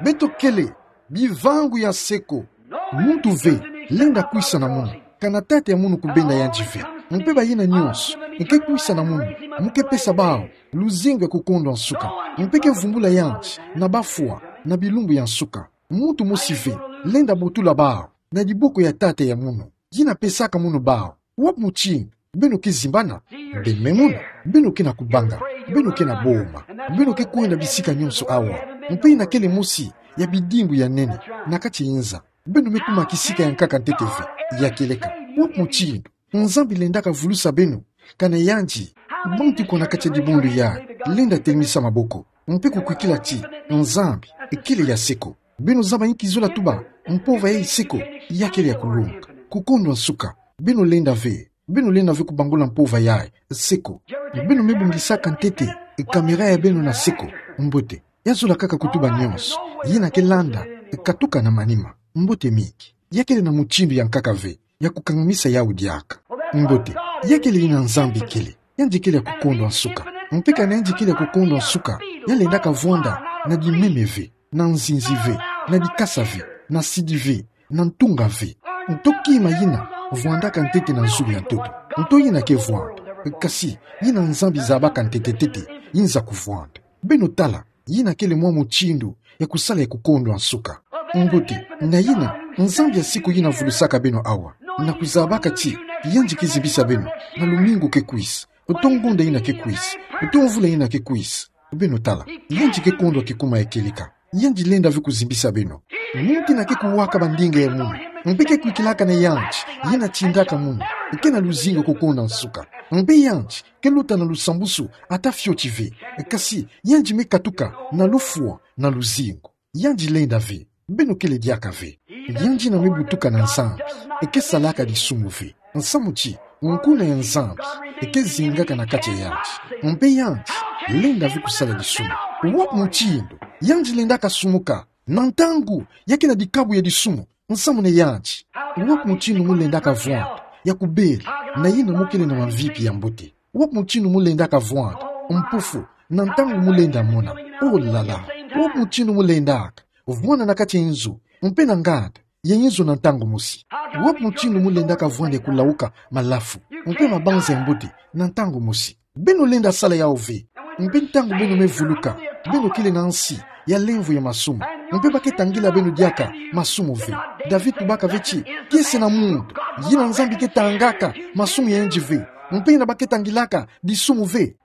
Beto kele bivangu ya seko. Muntu ve lenda kwisa na munu, kana tata ya munu kubenda yandi ve. Mpe bayina nyonso ke kwisa na munu, mu ke pesa bawu luzingu ya kukondwa nsuka. Mpe ke vumbula yandi na bafwa na bilumbu ya nsuka. Muntu mosi ve lenda botula bawu na diboko ya tata ya munu, yina pesaka munu bawu. Wapi mutindu beno ke zimbana? Beno me mona, beno ke na kubanga, beno ke na boma, beno ke kwenda bisika nyonso awa. Mpe yina kele mosi ya bidimbu ya nene na kati ya inza. Beno me kuma kisika ya nkaka ntete ve. Ya kieleka, wapi mutindu Nzambi lendaka vulusa beno, kana yandi, bantu ko na kati ya dibundu yayi, lenda telimisa maboko, mpe kukwikila ti Nzambi kele ya seko? Beno zaba inki zola tuba mpova yayi seko? Ya kele ya kulonga. Kukondwa nsuka. Beno lenda ve, beno lenda ve kubangula mpova yayi seko. Beno me bongisaka ntete kamera ya beno na seko. Mbote. Ya zola kaka kutuba nyonso, yina ke landa, katuka na manima. Mbote mingi. Ya kele na mutindu ya nkaka ve ya kukangamisa yawu diaka. Mbote. Ya kele yina Nzambi kele. Yandi kele ya kukondwa nsuka. Mpe kana yandi kele ya kukondwa nsuka, ya lendaka vwanda na dimeme ve, na nzinzi ve, na dikasa ve, na sidi ve, na ntunga ve. Nto kima yina vwandaka ntete na zulu ya ntoto. Nto yina ke vwanda. Kasi, yina Nzambi zabaka ntete-ntete, yinza kuvwanda. Beno tala, yina kele mwa mutindu ya kusala ya kukondwa nsuka. Mbote. Na yina, Nzambi ya seko yina vulusaka beno awa, na kuzabaka ti yandi ke zimbisa beno na lumingu ke kwisa, uto ngonda yina ke kwisa, uto mvula yina ke kwisa. Beno tala, yandi ke kondwa kikuma ya kieleka. Yandi lenda ve kuzimbisa beno. Muntu yina ke kuwaka bandinga ya munu, mpe ke kwikilaka na yandi, yina tindaka munu, ke na luzingu ya kukondwa nsuka. Mpe yandi ke luta na lusambusu ata fioti ve. Kasi yandi me katuka na lufwa na luzingu. Yandi lenda ve. Beno kele diaka ve. Yandi yina me butuka na Nzambi ke salaka disumu ve. Nsamu ti, nkuna ya Nzambi ke zingaka na kati ya yandi. Mpe yandi lenda ve kusala disumu. Wapi mutindu yandi lendaka sumuka? Na ntangu ya ke na dikabu ya disumu, nsamu na yandi. Wapi mutindu mu lendaka vwanda ya kubela na yina mu kele na mamvipi ya mbote? Wapi mutindu mu lendaka vwanda mpufu na ntangu mu lenda mona? Oh là là. Wapi mutindu mu lendaka vwanda na kati ya inzo, mpe na nganda ya inzo na ntangu mosi? Wapi mutindu mu lendaka vwanda ya kulawuka malafu, mpe mabanza ya mbote na ntangu mosi? Beno lenda sala yawu ve. Mpe ntangu beno me vuluka, beno kele na nsi ya lemvo ya masumu. Mpe ba ke tangila beno diaka masumu ve. David tubaka ve ti, kiese na muntu yina Nzambi ke tangaka masumu ya yandi ve, mpe yina ba ke tangilaka disumu ve.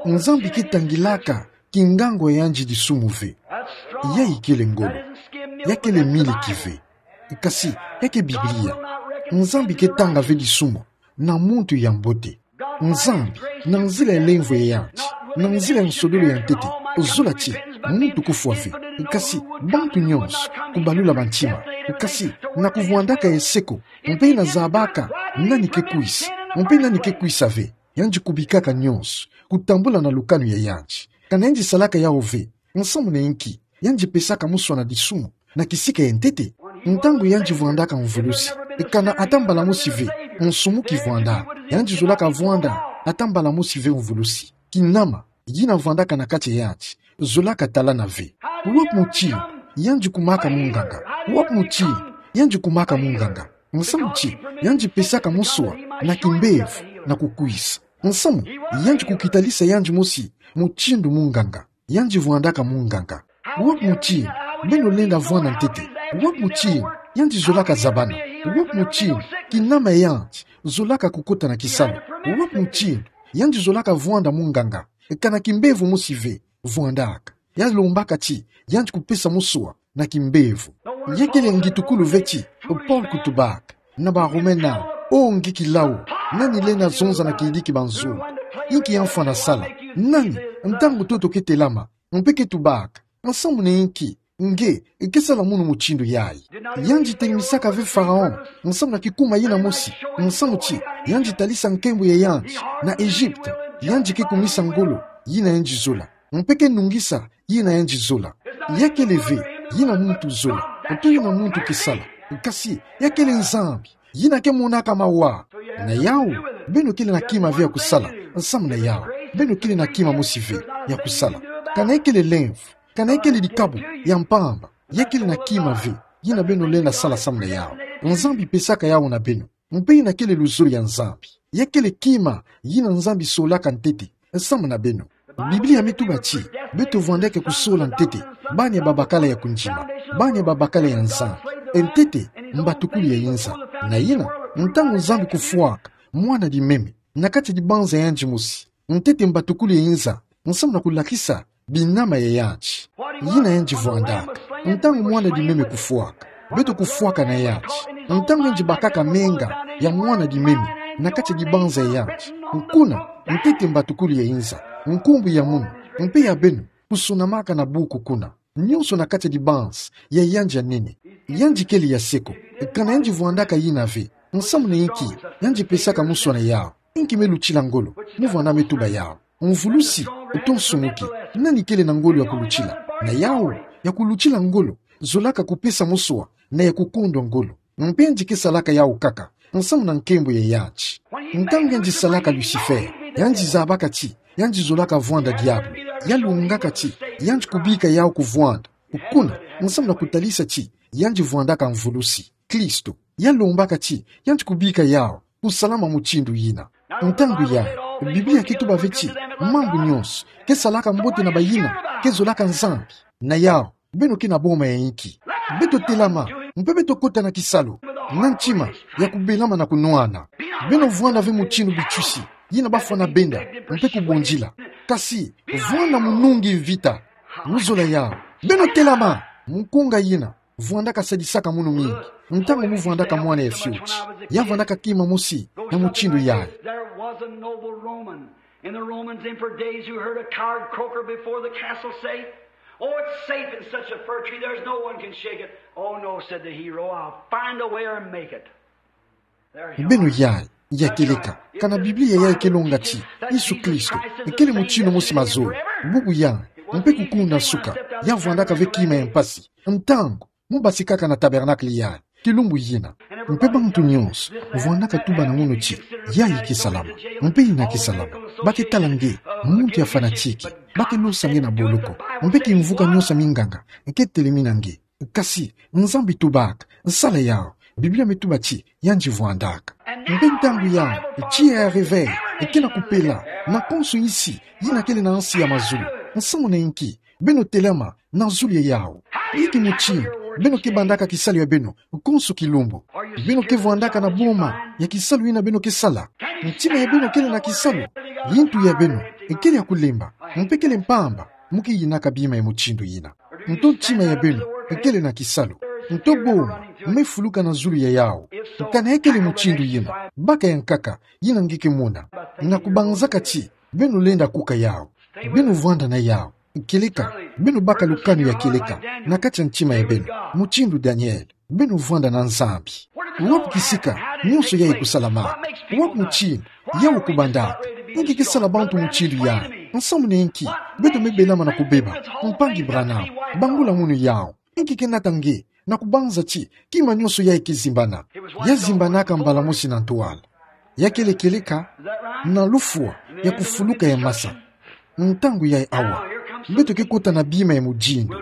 Nzambi ke tangilaka kingangwa ya yandi disumu ve. Yayi kele ngolo. Ya kele miliki ve. Kasi, ya ke Biblia. Nzambi ke tanga ve disumu na muntu ya mbote. Nzambi, na nzila ya lemvo ya yandi, na nzila ya nsodolo ya ntete, zola ti Muntu kufwa ve, kasi bantu nyonso kubalula bantima, kasi na kuvwandaka ya seko, mpe na zabaka nani ke kwisa, mpe nani ke kwisa ve. Yandi kubikaka nyonso, kutambula na lukanu ya yandi. Kana yandi salaka yawu ve, nsamu na inki yandi pesaka muswa na disumu na kisika ya ntete? Ntangu yandi vwandaka mvulusi, kana ata mbala mosi ve nsumu kivwanda, yandi zolaka vwanda ata mbala mosi ve mvulusi. Kinama yina vwandaka na kati ya yandi zolaka talana ve. Wapi mutindu yandi kumaka munganga? Wapi mutindu yandi kumaka munganga? Nsamu ti yandi pesaka muswa na kimbevo na kukwisa? Nsamu yandi kukitalisa yandi mosi mutindu munganga? Yandi vwandaka munganga. Wapi mutindu beno lenda vwanda ntete? Wapi mutindu yandi zolaka zabana? Wapi mutindu kinama ya yandi zolaka kukota na kisalu? Wapi mutindu yandi zolaka vwanda munganga? Kana kimbevo mosi ve vwandaka. Yalombaka ti yandi kupesa muswa na kimbevo. Ya kele ngitukulu ve ti Paul kutubaka na Barome nani: O nge kilau, nani lenda zonza na kidiki banzolo? Inki ya mfwa nasala? Nani, ntangu toto ke telama mpe ke tubaka: Nsamu na inki nge ke sala munu mutindu yayi? Yandi telimisaka ve Pharaon nsamu na kikuma yina mosi, nsamu ti yandi talisa nkembo ya yandi na Egypte. Yandi ke kumisa ngolo yina yandi zola, mpe ke nungisa yina yandi zola. Ya kele ve yina muntu zola, nto yina muntu ke sala, kasi ya kele Nzambi yina ke monaka mawa. Na yawu, beno kele na kima ve ya kusala. Nsamu na yawu, beno kele na kima mosi ve ya kusala. Kana ya kele lemvo, kana ya kele dikabu ya mpamba, ya kele na kima ve yina beno lenda sala samu na yawu. Nzambi pesaka yawu na beno. Mpe yina kele luzolo ya Nzambi. Ya kele kima yina Nzambi solaka ntete samu na beno. Biblia me tuba ti beto vwandeke kusola ntete bani ya babakala ya kundima, bani ya babakala ya Nzambi. Ntete mbatukuli ya inza. Na yina, ntangu Nzambi kufwaka mwana di meme na kati ya dibanza ya yandi mosi, ntete mbatukuli ya inza, nsamu na kulakisa binama ya yandi. Yina yandi vwandaka. Ntangu mwana di meme kufwaka, beto kufwaka na yandi. Ntangu yandi bakaka menga ya mwana di meme na kati ya dibanza ya yandi, kuna ntete mbatukuli ya inza, nkumbu ya munu mpe ya beno kusonamaka na buku kuna, nyonso na kati ya dibanza ya yandi ya nene. Yandi kele ya seko. Kana yandi vwandaka yina ve, nsamu na inki yandi pesaka muswa na yawu? Inki me lutila ngolo? Muvwanda me tuba yawu. Mvulusi, to nsumuki, nani kele na ngolo ya kulutila? Na yawu, ya kulutila ngolo zolaka kupesa muswa na ya kukondwa ngolo. Mpe yandi ke salaka yawu kaka nsamu na nkembo ya yandi. Ntangu yandi salaka Lucifer, yandi zabaka ti yandi zolaka vwanda diabulu. Yalungaka ti yandi kubika yawu kuvwanda, kuna, nsamu na kutalisa ti yandi vwandaka mvulusi, Kristo. Yalombaka ti yandi kubika yawu kusalama mutindu yina. Ntangu yayi, Biblia ke tuba ve ti mambu nyonso ke salaka mbote na bayina ke zolaka Nzambi. Na yawu, beno ke na boma ya inki? Beto telama mpe beto kota na kisalu na ntima ya kubelama na kunwana. Beno vwanda ve mutindu bitwisi yina bafwana benda mpe kubondila. Kasi vwanda munungi mvita mu zola yawu. Beno telama. Mukunga yina vwandaka sadisaka munu mingi. Ntangu muvwandaka mwana ya fioti, ya vwandaka kima mosi ya mutindu yayi. There was a noble Roman in the Roman's emperor days who heard a coward croaker before the castle say, "Oh, it's safe in such a fir tree, there's no one can shake it." "Oh, no," said the hero, "I'll find a way or make it." Beno yayi, ya kieleka. Kana Biblia yayi ke longa ti Yesu Kristo kele mutindu mosi mazolo. Bubu yayi, mpe kukunda suka, ya vwandaka ve kima ya mpasi ntangu mu basikaka na tabernacle yayi kilumbu yina. Mpe bantu nyonso vwandaka tuba na munu ti yayi ke salama, mpe yina ke salama. Ba ke tala nge muntu ya fanatique, ba ke losa nge na boloko, mpe kimvuka nyonso ya minganga ke telemina nge. Kasi Nzambi tubaka: Sala yawu. Biblia me tuba ti yandi vwandaka. Mpe ntangu yayi, tiya ya réveil ke na kupela na konso insi yina kele na nsi ya mazulu. Nsamu na inki? Beno telama na zulu ya yawu. Inki mutindu beno ke bandaka kisalu ya beno konso kilumbu? Beno ke vwandaka na boma ya kisalu yina beno ke sala? Ntima ya beno kele na kisalu? Yintu ya beno kele ya kulemba mpe kele mpamba mu ke yinaka bima ya mutindu yina? Nto ntima ya beno kele na kisalu? Nto boma me fuluka na zulu ya yawu? Kana ya kele mutindu yina, baka ya nkaka yina nge ke mona, na kubanzaka ti beno lenda kuka yawu, beno vwanda na yawu. Kieleka, beno baka lukanu ya kieleka na kati ya ntima ya beno, mutindu Daniele, beno vwanda na Nzambi. Wapi kisika nionso yayi kusalamaka? Wapi mutindu yawu kubandaka? Inki ke sala bantu mutindu yayi? Nsamu na inki? Beto me belama na kubeba: Mpangi Branham, bangula munu yawu. Inki ke nata nge na kubanza ti kima nionso yayi ke zimbana? Ya zimbanaka mbala mosi na ntwala. Ya kele kieleka, na lufwa ya kufuluka ya masa. Ntangu yayi awa, beto ke kota na bima ya mudindu,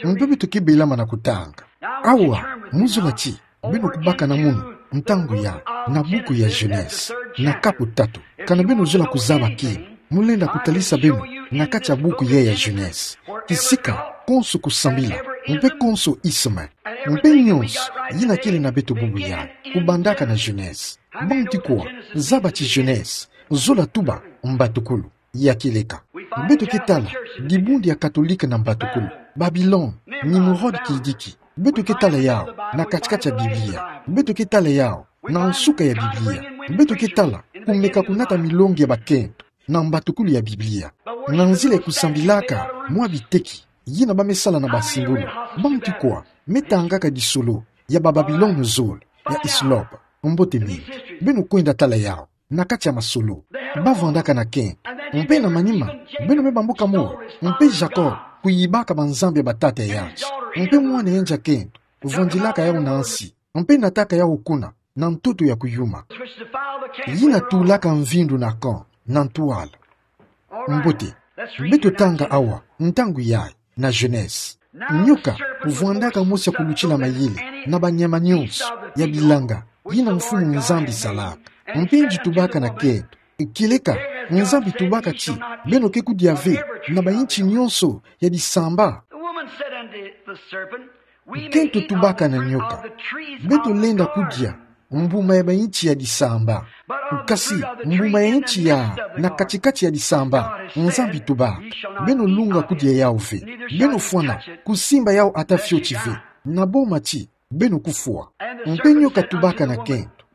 mpe beto ke belama na kutanga. Awa, mu zola ti beno kubaka na munu ntangu yayi na buku ya Genèse, na kapu tatu. Kana beno zola kuzaba kima, mu lenda kutalisa beno na kati ya buku yayi ya Genèse kisika konso kusambila, mpe konso isme, mpe nionso yina kele na beto bubu yayi, kubandaka na Genèse. Bantu kwa zaba ti Genèse zola tuba mbatukulu ya kieleka. Beto ke tala dibundu ya Katolika na mbatukulu, Babilone, Nimrod kidiki. Beto ke tala yawu na kati-kati ya Biblia. Beto ke tala yawu na nsuka ya Biblia. Beto ke tala kumeka kunata milongi ya bakento na mbatukulu ya Biblia, na nzila ya kusambilaka mwa biteki yina ba me sala na basimbulu. Bantu kwa me tangaka disolo ya Bababilone zole, ya Hislop. Mbote mingi. Beno kwenda tala yawu na kati ya masolo. Ba vwandaka na kento. Mpe na manima, beno me bambuka mura, mpe Jacob kuyibaka banzambi ya batata ya yanti, mpe mwana yandi ya kento vwandilaka yawu na nsi, mpe nataka yawu kuna na ntoto ya kuyuma, yina tulaka mvindu na camp na ntwala. Mbote. Beto tanga awa ntangu yayi na Genèse. Nioka vwandaka mosi ya kulutila mayele na banyama nionso ya bilanga yina Mfumu Nzambi salaka. Mpe yandi tubaka na kento. Kieleka, Nzambi tubaka ti beno ke kudia ve na bayinti nionso ya disamba. The woman said unto the serpent, Kento tubaka na nioka: Beto lenda kudia mbuma ya bayinti ya disamba. Kasi mbuma ya yinti ya na kati-kati ya disamba, Nzambi tubaka: Beno lunga kudia yawu ve, beno fwana kusimba yawu ata fioti ve, na boma ti beno kufwa. Mpe nioka tubaka na kento: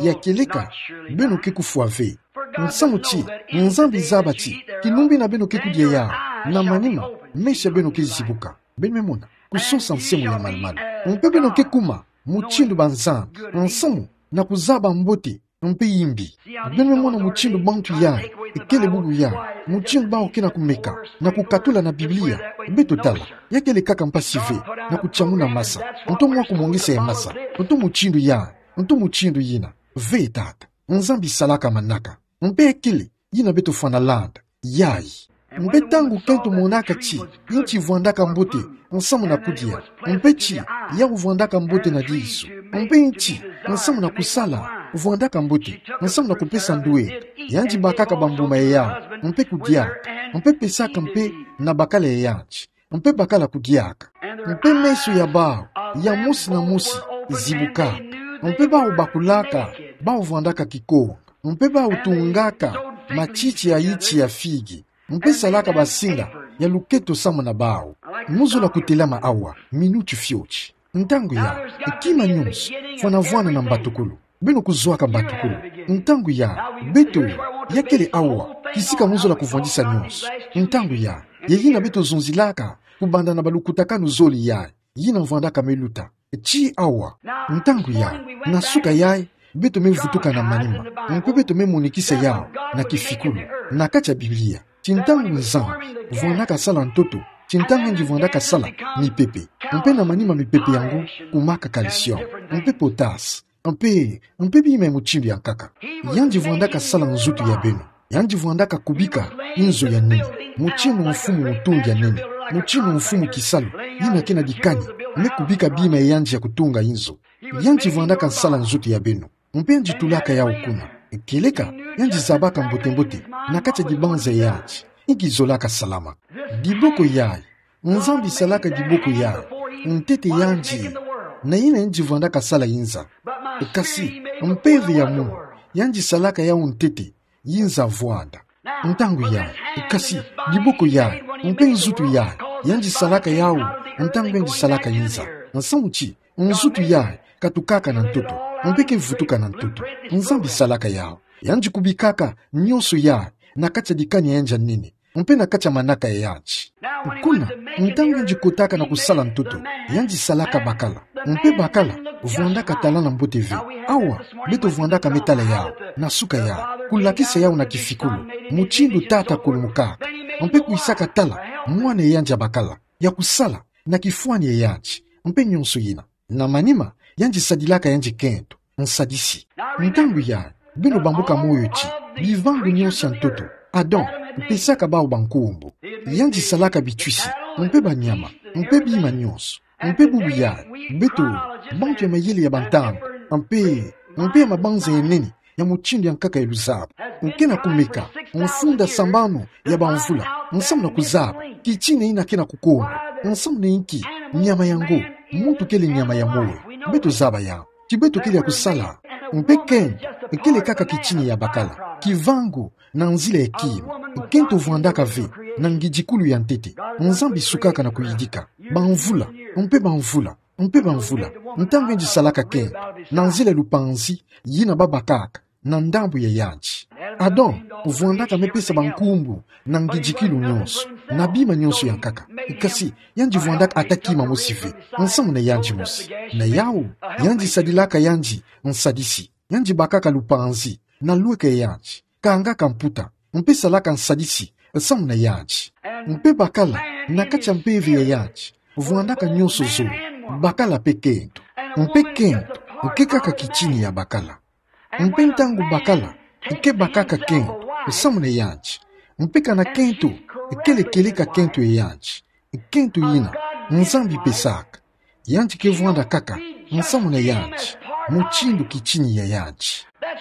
Ya kieleka, beno ke kufwa ve. Nsamu ti Nzambi zaba ti kinumbi na beno ke kudia yawu. Na manima, meso ya beno ke zibuka. Beno me mona kusosa nse mu ya malu-malu. Mpe beno ke kuma mutindu banzambi, nsamu na kuzaba mbote mpe yimbi. Beno me mona mutindu bantu yayi kele bubu yayi, mutindu bawu ke na kumeka na kukatula na Biblia. Beto tala, ya kele kaka mpasi ve na kutiamuna masa, nto mwa kumongesa ya masa, nto mutindu yayi, nto mutindu yina. Ve tata, Nzambi salaka manaka. Mpe kele yina beto fwana landa yayi. Mpe ntangu kento monaka ti yinti vwandaka mbote nsamu na kudia, mpe ti yawu vwandaka mbote na disu, mpe yinti nsamu na kusala vwandaka mbote nsamu na kupesa ndwenda, yandi bakaka bambuma ya yawu, mpe kudiaka, mpe pesaka mpe na bakala ya yandi, mpe bakala kudiaka. Mpe meso ya bawu ya mosi na mosi zibukaka, mpe bawu bakulaka bawu vwandaka kikonga, mpe bawu tungaka matiti ya yiti ya figi, mpe salaka basinga ya luketo samu na bawu. Mu zola kutelama awa minuti fioti. Ntangu yayi, kima nionso fwana vwana na mbatukulu. Beno kuzwaka mbatukulu. Ntangu yayi, beto, ya kele awa kisika mu zola kuvwandisa nionso. Ntangu yayi, ya yina beto zonzilaka kubanda na balukutakanu zole yayi, yina vwandaka me luta. Ti awa, ntangu yayi, na suka yayi, beto me vutuka na manima, mpe beto me monikisa yawu na kifikulu, na kati ya Biblia, ti ntangu Nzambi vwandaka sala ntoto, ti ntangu yandi vwandaka sala mipepe, mpe na manima mipepe yango kumaka calcium, mpe potasse, mpe, mpe bima ya mutindu ya nkaka. Yandi vwandaka sala nzutu ya beno. Yandi vwandaka kubika inzo ya nene. Mutindu mfumu mutungi ya nene, mutindu mfumu kisalu yina ke na dikani, me kubika bima ya yandi ya kutunga inzo. Yandi vwandaka sala nzutu ya beno. Mpe yandi tulaka yawu kuna. Kieleka, yandi zabaka mbote-mbote na kati ya dibanza ya yandi inki zolaka salama. Diboko yayi, Nzambi salaka diboko yayi ntete yandi, na yina yandi vwandaka sala inza. Kasi mpeve ya munu, yandi salaka yawu ntete inza vwanda. Ntangu yayi, kasi diboko yayi, mpe nzutu yayi, yandi salaka yawu ntangu yandi salaka inza. Nsamu ti nzutu yayi katukaka na ntoto, mpe ke vutuka na ntoto. Nzambi salaka yawu. Yandi kubikaka nionso yayi na kati ya dikani ya yandi ya nene. mpe na kati ya manaka ya yandi. Kuna, ntangu yandi kotaka na kusala ntoto, yandi salaka bakala. Mpe bakala vwandaka talana mbote ve. Awa, beto vwandaka me tala yau, na suka yau, kulakisa yau na kifikulu, mutindu tata akulumukaka, mpe kwisaka tala mwana ya yandi ya bakala, ya kusala na kifwani ya yandi, mpe nionso yina. Na manima, yandi sadilaka yandi kento, nsadisi. Ntangu yayi, beno bambuka moyo ti, bivangu nionso ya ntoto, Adam pesaka bau bankumbu. Yandi salaka bitwisi, mpe banyama, mpe bima nionso. Mpe bubu yayi, beto, bantu ya mayele ya bantambu, mpe, mpe ya mabanza ya nene, ya mutindu ya nkaka ya luzaba, nke na kumeka, mfunda sambanu ya bamvula, nsamu na kuzaba kitina yina ke na kukondo, nsamu na inki, nyama yango, muntu kele nyama ya moyo. Beto zaba yau, ti beto kele ya kusala. Mpe kento kele kaka kitina ya bakala, kivangu na nzila ya kima. Kento vwandaka ve na ngidikulu ya ntete. Nzambi sukaka na kuyidika bamvula, mpe bamvula, mpe bamvula. Ntangu yandi salaka kento, na nzila ya lupanzi yina babakaka na ndambu ya yandi. Adam vwandaka me pesa bankumbu na ngidikilu nionso, na bima nionso ya nkaka. Kasi, yandi vwandaka ata kima mosi ve, nsamu na yandi mosi. Na yau, yandi sadilaka yandi nsadisi. Yandi bakaka lupanzi na lweka ya yandi, kangaka mputa, mpe salaka nsadisi nsamu na yandi. Mpe bakala, na kati ya mpeve ya yandi, vwandaka nionso zole, bakala mpe kento. Mpe kento ke kaka kitina ya bakala. Mpe ntangu bakala ke bakaka kento nsamu na yandi, mpe kana kento kele kieleka kento ya yandi, kento yina Nzambi pesaka, yandi ke vwanda kaka nsamu na yandi, mutindu kitina ya yandi.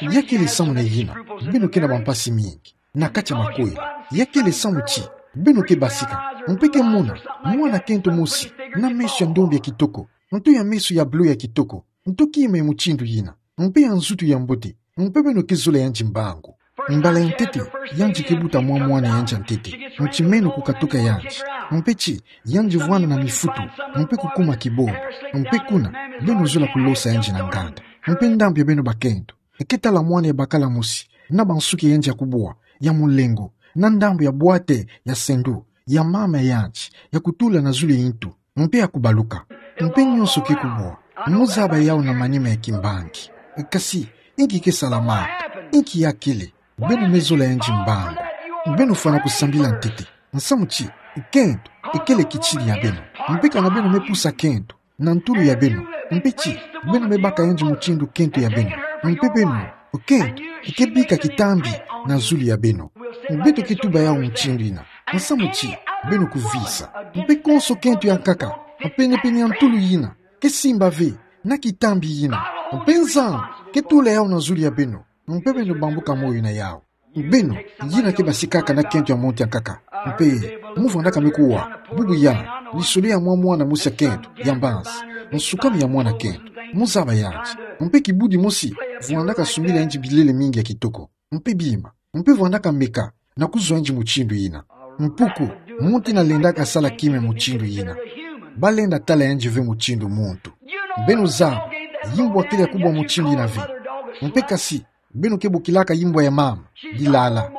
Ya kele samu na yina beno ke na bampasi mingi na kati ya makwela. Ya kele samu ti beno ke basika, mpe ke mona mwana kento mosi na meso ya ndombi ya kitoko, nto ya meso ya bleu ya kitoko, nto kima ya mutindu yina, mpe ya nzutu ya mbote, mpe beno ke zola yandi mbangu. Mbala ya ntete, yandi ke buta mwa mwana ya yandi ya ntete nti meno kukatuka yandi, mpe ti yandi vwanda na mifutu, mpe kukuma kibonda, mpe kuna, beno zola kulosa yandi na nganda. Mpe ndambu ya beno bakento ke tala mwana ya bakala mosi, na bansuki ya yandi ya kubwa ya mulengo, na ndambu ya bwate ya sendu ya mama ya yandi, ya kutula na zulu ya ntu, mpe ya kubaluka. Mpe nionso ke kubwa, muzaba yau na manima ya kimbangi. Kasi, inki ke salamaka? Inki ya kele? Beno me zola yandi mbangu. Beno fwana kusambila ntete, nsamu ti kento kele kitina ya beno. Mpe kana beno me pusa kento na ntulu ya beno, mpe ti beno me baka yandi mutindu kento ya beno, mpe beno, kento ke bika kitambi na zulu ya beno. Beto ke tuba yau mutindu yina, nsamu ti beno kuvisa. Mpe konso kento ya nkaka penepene ya ntulu yina ke simba ve na kitambi yina, mpe Nzambi ke tula yau na zulu ya beno, mpe beno bambuka moyo na yau. Beno, yina ke basikaka na kento ya muntu ya nkaka, mpe mu vwandaka me kuwa bubu yandi, lisolo ya mwa mwana mosi ya kento ya mbanzi, nsukami ya mwana kento, muzaba yandi. Mpe kibudi mosi vwandaka sumbila yandi bilele mingi ya kitoko, mpe bima, mpe vwandaka meka na kuzwa yandi mutindu yina. Mpuku, muntu yina lendaka sala kima ya mutindu yina, balenda tala yandi ve mutindu muntu. Beno zaba, yimbu akele ya kubwa mutindu yina ve. Mpe kasi, beno ke bokilaka yimbu ya mama dilala.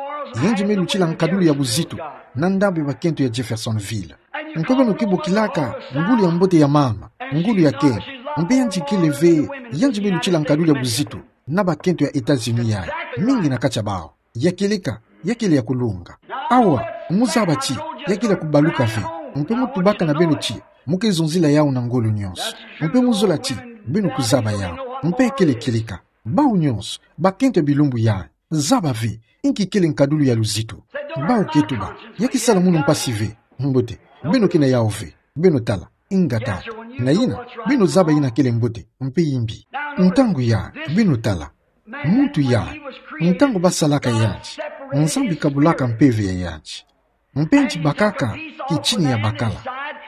Yandi me lutila nkadulu ya buzitu na ndambu ya bakento ya Jeffersonville. Mpe beno ke bokilaka ngulu ya mbote ya mama ngulu ya kento. Mpe yandi kele ve, yandi me lutila nkadulu ya buzitu na bakento ya États-Unis yayi, mingi na kati ya bau. Ya kieleka, ya kele ya kulunga. Awa, muzaba ti ya kele ya kubaluka ve. Mpe mu tubaka na beno ti mu ke zonzila yau na ngolo nionso. Mpe mu zola ti beno kuzaba yau. Mpe ya kele kieleka. Bau nionso, bakento ya bilumbu yayi, zaba ve inki kele nkadulu ya luzitu. Bau ke tuba, ya ke sala munu mpasi ve. Mbote, beno ke na yau ve. Beno tala, ingeta. Na yina, beno zaba yina kele mbote mpe yimbi. Ntangu yayi, beno tala, muntu yayi, ntangu basalaka yandi, Nzambi kabulaka mpeve ya yandi. Mpe yandi bakaka kitina ya bakala,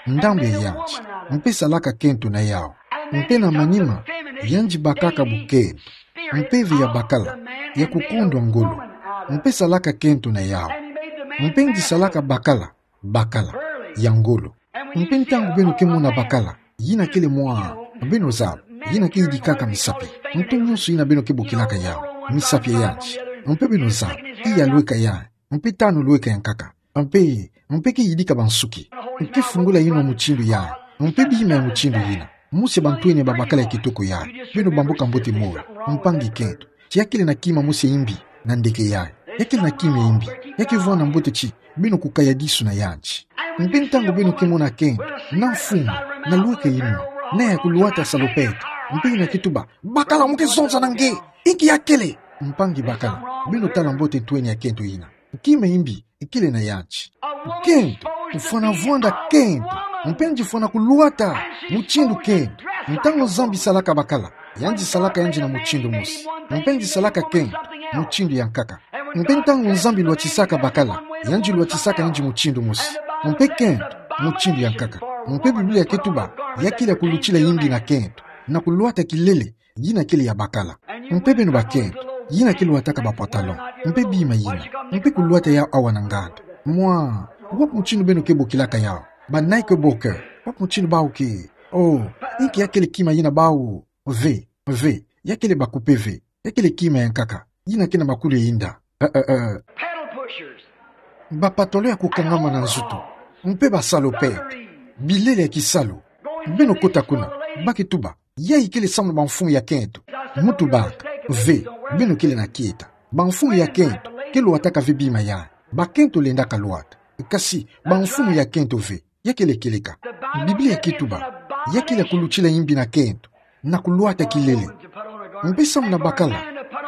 ndambu ya yandi, mpe salaka kento na yau. Mpe na manima, yandi bakaka bukento, mpeve ya bakala, ya kukondwa ngolo, mpe salaka kento na yau. Mpe yandi salaka bakala, bakala ya ngolo. Mpe ntangu beno ke mona bakala yina kele mwa, beno zaba, yina ke yidikaka misapi. Nto nionso yina beno ke bokilaka yau misapi ya yandi. Mpe beno zaba, iya lweka yayi, mpe tanu lweka ya nkaka. Mpe, mpe ke yidika bansuki. Mpe fungula inwa mutindu ya. Mpe bima ya mutindu yina. Mosi ya bantwenia babakala ya kitoko ya. Beno bambuka mbote moyo. Mpangi kento. Ti ya kele na kima mosi ya imbi na ndeke ya. Ya kele na kima ya imbi. Ya ke vwanda mbote ti beno kukaya disu na yandi. Mpe ntangu beno ke mona kento, na mfumu, na lweka inwa, na ya kulwata salopette. Mpe yina ke tuba: Bakala, mo ke zonza na nge. Inki ya kele? Mpangi bakala, beno tala mbote ntwenia ya kento yina. Kima ya imbi ikele na yandi. Kento, kufwana vwanda kento. Mpe yandi fwana kulwata mutindu kento. Ntangu Nzambi salaka bakala, yandi salaka yandi na mutindu mosi. Mpe yandi salaka kento mutindu ya nkaka. Mpe ntangu Nzambi lwatisaka bakala, yandi lwatisaka yandi mutindu mosi. Mpe kento mutindu ya nkaka. Mpe Biblia ke tuba, ya kele ya kulutila imbi na kento, na kulwata kilele, yina kele ya bakala. Mpe beno bakento, yina ke lwataka ba pantalon, mpe bima yina, mpe kulwata ya awa na nganda. Mwa, wapi mutindu beno ke bokilaka yau? Ba Knickerbocker, wapi mutindu bau ke? Oh, inki ya kele kima yina bau? Ve, ve, ya kele ba coupe ve, ya kele kima ya nkaka, yina ke na makulu ya inda. Eh, eh, eh. Ba pantalon ya kukangama na nzutu, mpe ba salopette, bilele ya kisalu. Beno kota kuna, ba ke tuba, ya ikele samu na ba mfumu ya kento. Mu tubaka, ve, beno kele na kieta. Ba mfumu ya kento ke lwataka ve bima ya. Bakento lendaka lwata. Kasi ba mfumu ya kento ve, ya kele kieleka. Biblia ke tuba, ya kele ya kulutila imbi na kento, na kulwata kilele. Mpe samu na bakala,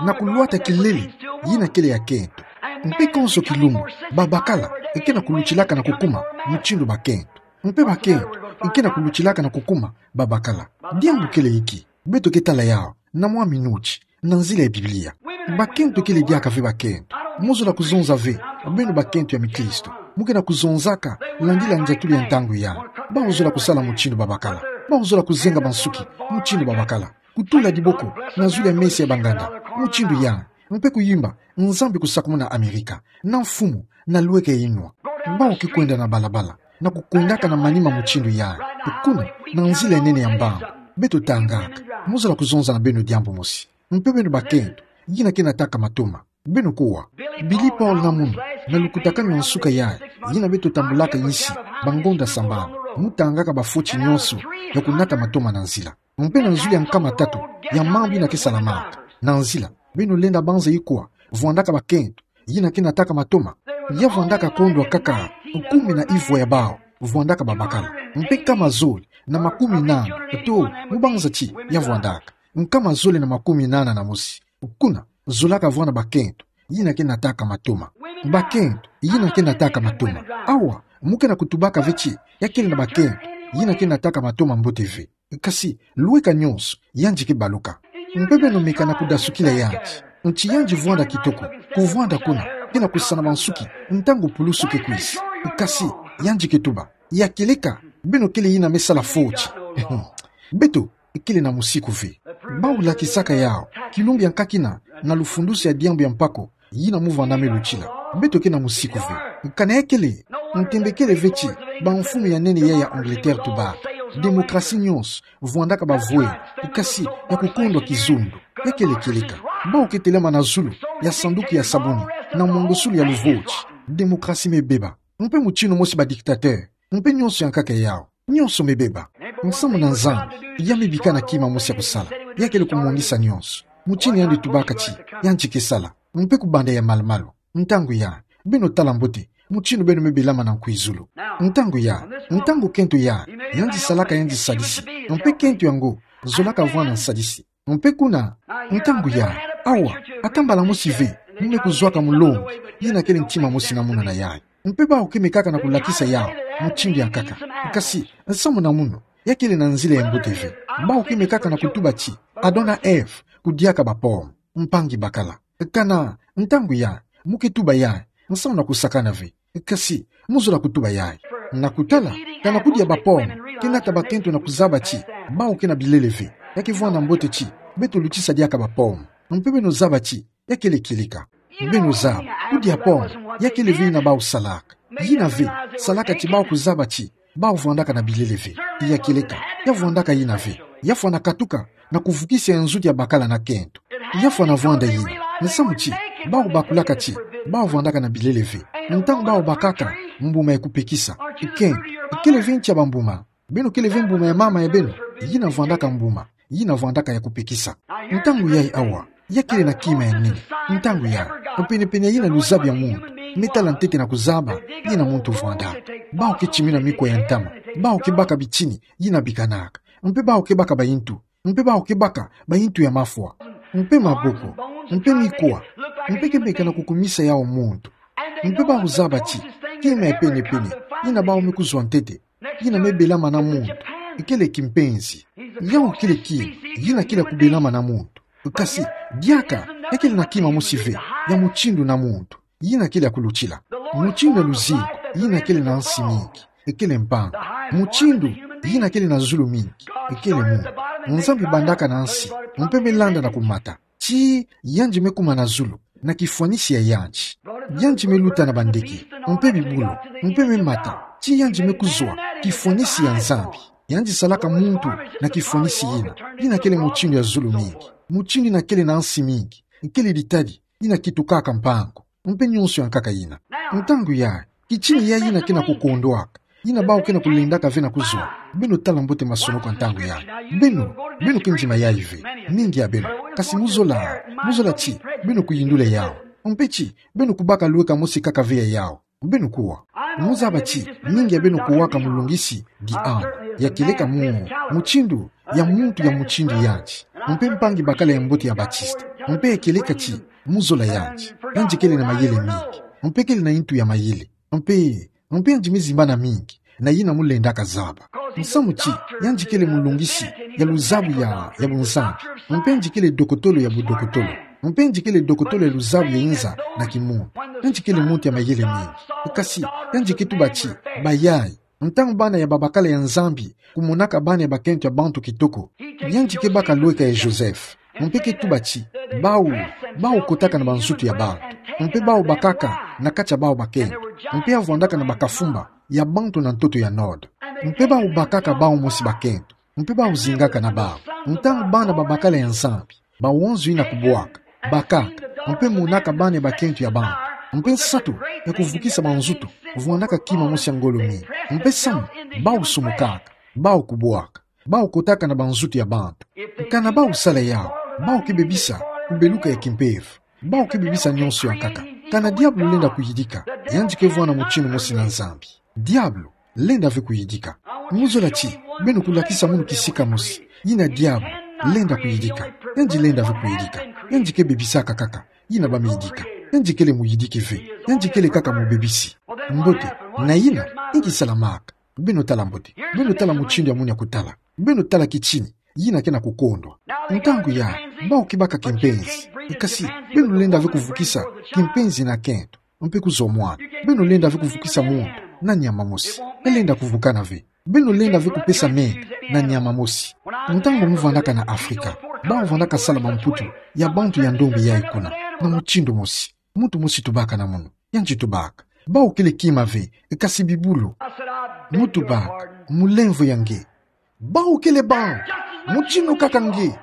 na kulwata kilele, yina kele ya kento. Mpe konso kilumbu, ba bakala ke na kulutilaka na kukuma mutindu bakento. Mpe bakento ke na kulutilaka na kukuma ba bakala. Diambu kele inki? Beto ke tala yau na mwa minuti, na nzila ya Biblia. Bakento kele diaka ve bakento. Mo zola kuzonza ve, beno bakento ya mikristo, mo ke na kuzonzaka landila ndiatulu ya ntangu ya. Bau zola kusala mutindu ba bakala. Bau zola kuzenga bansuki mutindu ba bakala. Kutula diboko na zulu ya mesa ya banganda mutindu ya. Mpe kuyimba Nzambi kusakumuna Amerika, na mfumu, na lweka inwa. Bau ke kwenda na balabala, na kukwendaka na manima mutindu ya. Kuna, na nzila ya nene ya mbangu, beto tangaka. Mo zola kuzonza na beno diambu mosi. Mpe beno bakento, yina ke nataka matoma. Beno kuwa, Billy Paul na munu, na lukutakanu ya nsuka ya, yina beto tambulaka insi, bangonda sambanu, mu tangaka bafoti nyonso, ya kunata matoma na nzila. Mpe na nzulu ya nkama tatu ya mambu yina ke salamaka na nzila, beno lenda banza ikuwa, vwandaka bakento, yina ke nataka matoma. Ya vwandaka kondwa kaka kumi na ivwa ya bau vwandaka babakala. Mpe nkama zole na makumi nana, to, mu banza ti ya vwandaka nkama zole na makumi nana na mosi. Kuna, zolaka vwanda bakento, yina ke nataka matoma. Bakento, yina ke nataka matoma. Awa, mo ke na kutubaka ve ti ya kele na bakento, yina ke nataka matoma mbote ve. Kasi, lweka nyonso, yandi ke baluka. Mpe beno meka na kudasukila yandi. Nti yandi vwanda kitoko, kuvwanda kuna, ke na kusana bansuki, ntangu pulusu ke kwisa. Kasi, yandi ke tuba, ya kieleka, beno kele yina me sala foti. Beto kele na musiku ve. Bau lakisaka yau, kilumbu ya nkakina, na lufundusi ya diambu ya mpako, yina mu vanda me lutila. Beto ke na musiku ve. Kana ya kele, ntembe kele ve ti bamfumu ya nene ya ya Angleterre tubaka: Demokrasi nyonso vwandaka bavwele, kasi ya kukondwa kizundu. Ya kele kieleka. Bau ke telama na zulu ya sanduku ya sabuni, na mongosulu ya luvoti. Demokrasi me beba. Mpe mutindu mosi ba dictateur. Mpe nyonso ya nkaka yau. Nyonso me beba. Nsamu na Nzambi, ya me bika na kima mosi ya kusala. Ya kele kumongisa nyonso. Mutindu yandi tubaka ti yandi ke sala. Mpe kubanda ya malu-malu, ntangu ya, beno tala mbote mutindu beno me belama na nkwizulu. Ntangu ya, ntangu kento ya, yandi salaka yandi nsadisi. Mpe kento yango zolaka vwanda nsadisi. Mpe kuna, ntangu ya, awa, ata mbala mosi ve, mo me kuzwaka mulongi yina kele ntima mosi na munu na yayi. Mpe bau ke mekaka na kulakisa yau mutindu ya nkaka. Kasi, nsamu na munu, ya kele na nzila ya mbote ve. Bau ke mekaka na kutuba ti Adam na Ève kudiaka ba pomme. Mpangi bakala. Kana, ntangu ya, mo ke tuba ya, nsamu na kusakana ve. Kasi, mo zola kutuba yayi. Na kutala, kana kudia ba pomme ke nata bakento na kuzaba ti bau ke na bilele ve. Ya ke vwanda mbote ti beto lutisa diaka ba pomme. Mpe beno zaba ti ya kele kieleka. Beno zaba, kudia pomme, ya kele ve yina bau salaka. Yina ve salaka ti bau kuzaba ti bau vwandaka na bilele ve. Ya kieleka, ya vwandaka yina ve. Ya fwana katuka na kuvukisa ya nzuti ya bakala na kento. Ya fwana vwanda yina, nsamu ti bau bakulaka ti Bau vandaka na bilele ve. Ntangu bau bakaka mbuma ya kupekisa, ken, kele ve nti ya bambuma? Beno kele ve mbuma ya mama ya beno? Yina vandaka mbuma, yina vandaka ya kupekisa. Ntangu yayi awa, ya kele na kima ya nene. Ntangu yayi, penepene yina luzabi ya muntu, me tala ntete na kuzaba, yina muntu vwanda. Bau ke timina mikuwa ya ntama, bau ke baka bitini, yina bikanaka. Mpe bau ke baka bayintu, mpe bau ke baka bayintu ya mafwa, mpe maboko, mpe mikuwa, mpe ke meka na kukumisa yau muntu. Mpe bau zaba ti, kima ya penepene, yina bau me kuzwa ntete, yina me belama na muntu, kele kimpenzi. Yau kele kima, yina kele ya kubelama na muntu. Kasi, diaka, ya kele na kima mosi ve, ya mutindu na muntu. Yina kele ya kulutila. Mutindu ya luzingu, yina kele na nsi mingi, kele mpangi. Mutindu, yina kele na zulu mingi, kele muntu. Nzambi bandaka na nsi, mpe me landa na kumata, tii yandi me kuma na zulu, na kifwanisi ya yandi. Yandi me luta na bandeke, mpe bibulu, mpe me mata, tii yandi me kuzwa kifwanisi ya Nzambi. Yandi salaka muntu na kifwanisi yina, yina kele mutindu ya zulu mingi. Mutindu yina kele na nsi mingi, kele ditadi, yina kitukaka mpangu, mpe nionso ya nkaka yina. Ntangu yayi, kitini yayi yina ke na kukondwaka, yina bau ke na kulendaka ve na kuzwa. Beno tala mbote masonoko ya ntangu yayi. Beno, beno ke ndima yayi ve, mingi ya beno. Kasi mu zola, mu zola ti, beno kuyindula yau. Mpe ti, beno kubaka lweka mosi kaka ve ya yau. Beno kuwa. Mu zaba ti, mingi ya beno kuwaka mulungisi, di ana, ya kieleka mu, mutindu, ya muntu ya mutindu yandi. Mpe mpangi bakala ya mbote ya Batista. Mpe ya kieleka ti, mu zola yandi, yandi kele na mayele mingi. Mpe kele na yintu ya mayele. Mpe, mpe yandi me zimbana mingi, na yina mu lendaka zaba. Musamu ti, yandi kele mulungisi ya luzabu ya, ya bunzambi. Mpe yandi kele dokotolo ya budokotolo. Mpe yandi kele dokotolo ya luzabu ya inza na kimuntu. Yandi kele muntu ya mayele mingi. Kasi, yandi ke tuba ti, bayayi, ntangu bana ya babakala ya Nzambi kumonaka bana ya bakento ya bantu kitoko, yandi ke baka lweka ya Joseph. Mpe ke tuba ti, bau, bau kotaka na banzutu ya bantu, mpe bau bakaka na kati ya bau bakento, mpe ya vwandaka na bakafumba ya bantu na ntoto ya nord. Mpe bau bakaka bau mosi bakento, mpe bau zingaka na bau. Ntangu bana babakala ya Nzambi, bawonzo yina kubwaka, bakaka, mpe monaka bana ya bakento ya bantu, mpe nsatu ya kuvukisa banzutu, vwandaka kima mosi ya ngolo mingi. Mpe samu, bau sumukaka, bau kubwaka, bau kotaka na banzutu ya bantu. Kana bau sala yau, bau ke bebisa kubeluka ya kimpeve. Bau ke bebisa nionso ya nkaka. Kana diabulu lenda kuyidika, yandi ke vwanda mutindu mosi na Nzambi. Diabulu lenda ve kuyidika. Mu zola ti, beno kulakisa munu kisika mosi, yina diabulu lenda kuyidika. Yandi lenda ve kuyidika. Yandi ke bebisaka kaka yina bamiyidika. Yandi kele muyidiki ve. Yandi kele kaka mubebisi. Mbote, na yina, inki salamaka? Beno tala mbote. Beno tala mutindu ya munu ya kutala. Beno tala kitini yina ke na kukondwa. Ntangu yayi, bau ke baka kimpenzi. Kasi, beno lenda ve kuvukisa kimpenzi na kento, mpe kuzwa mwana. Beno lenda ve kuvukisa muntu na nyama mosi. Elenda kuvukana ve. Beno lenda ve kupesa menga na nyama mosi. Ntangu mu vwandaka na Afrika, bau vwandaka sala bamputu ya bantu ya ndombi yayi kuna, na mutindu mosi. Muntu mosi tubaka na munu. Yandi tubaka: Bau kele kima ve, kasi bibulu. Mu tubaka: Mulemvo ya nge. Bau kele bau, mutindu kaka nge.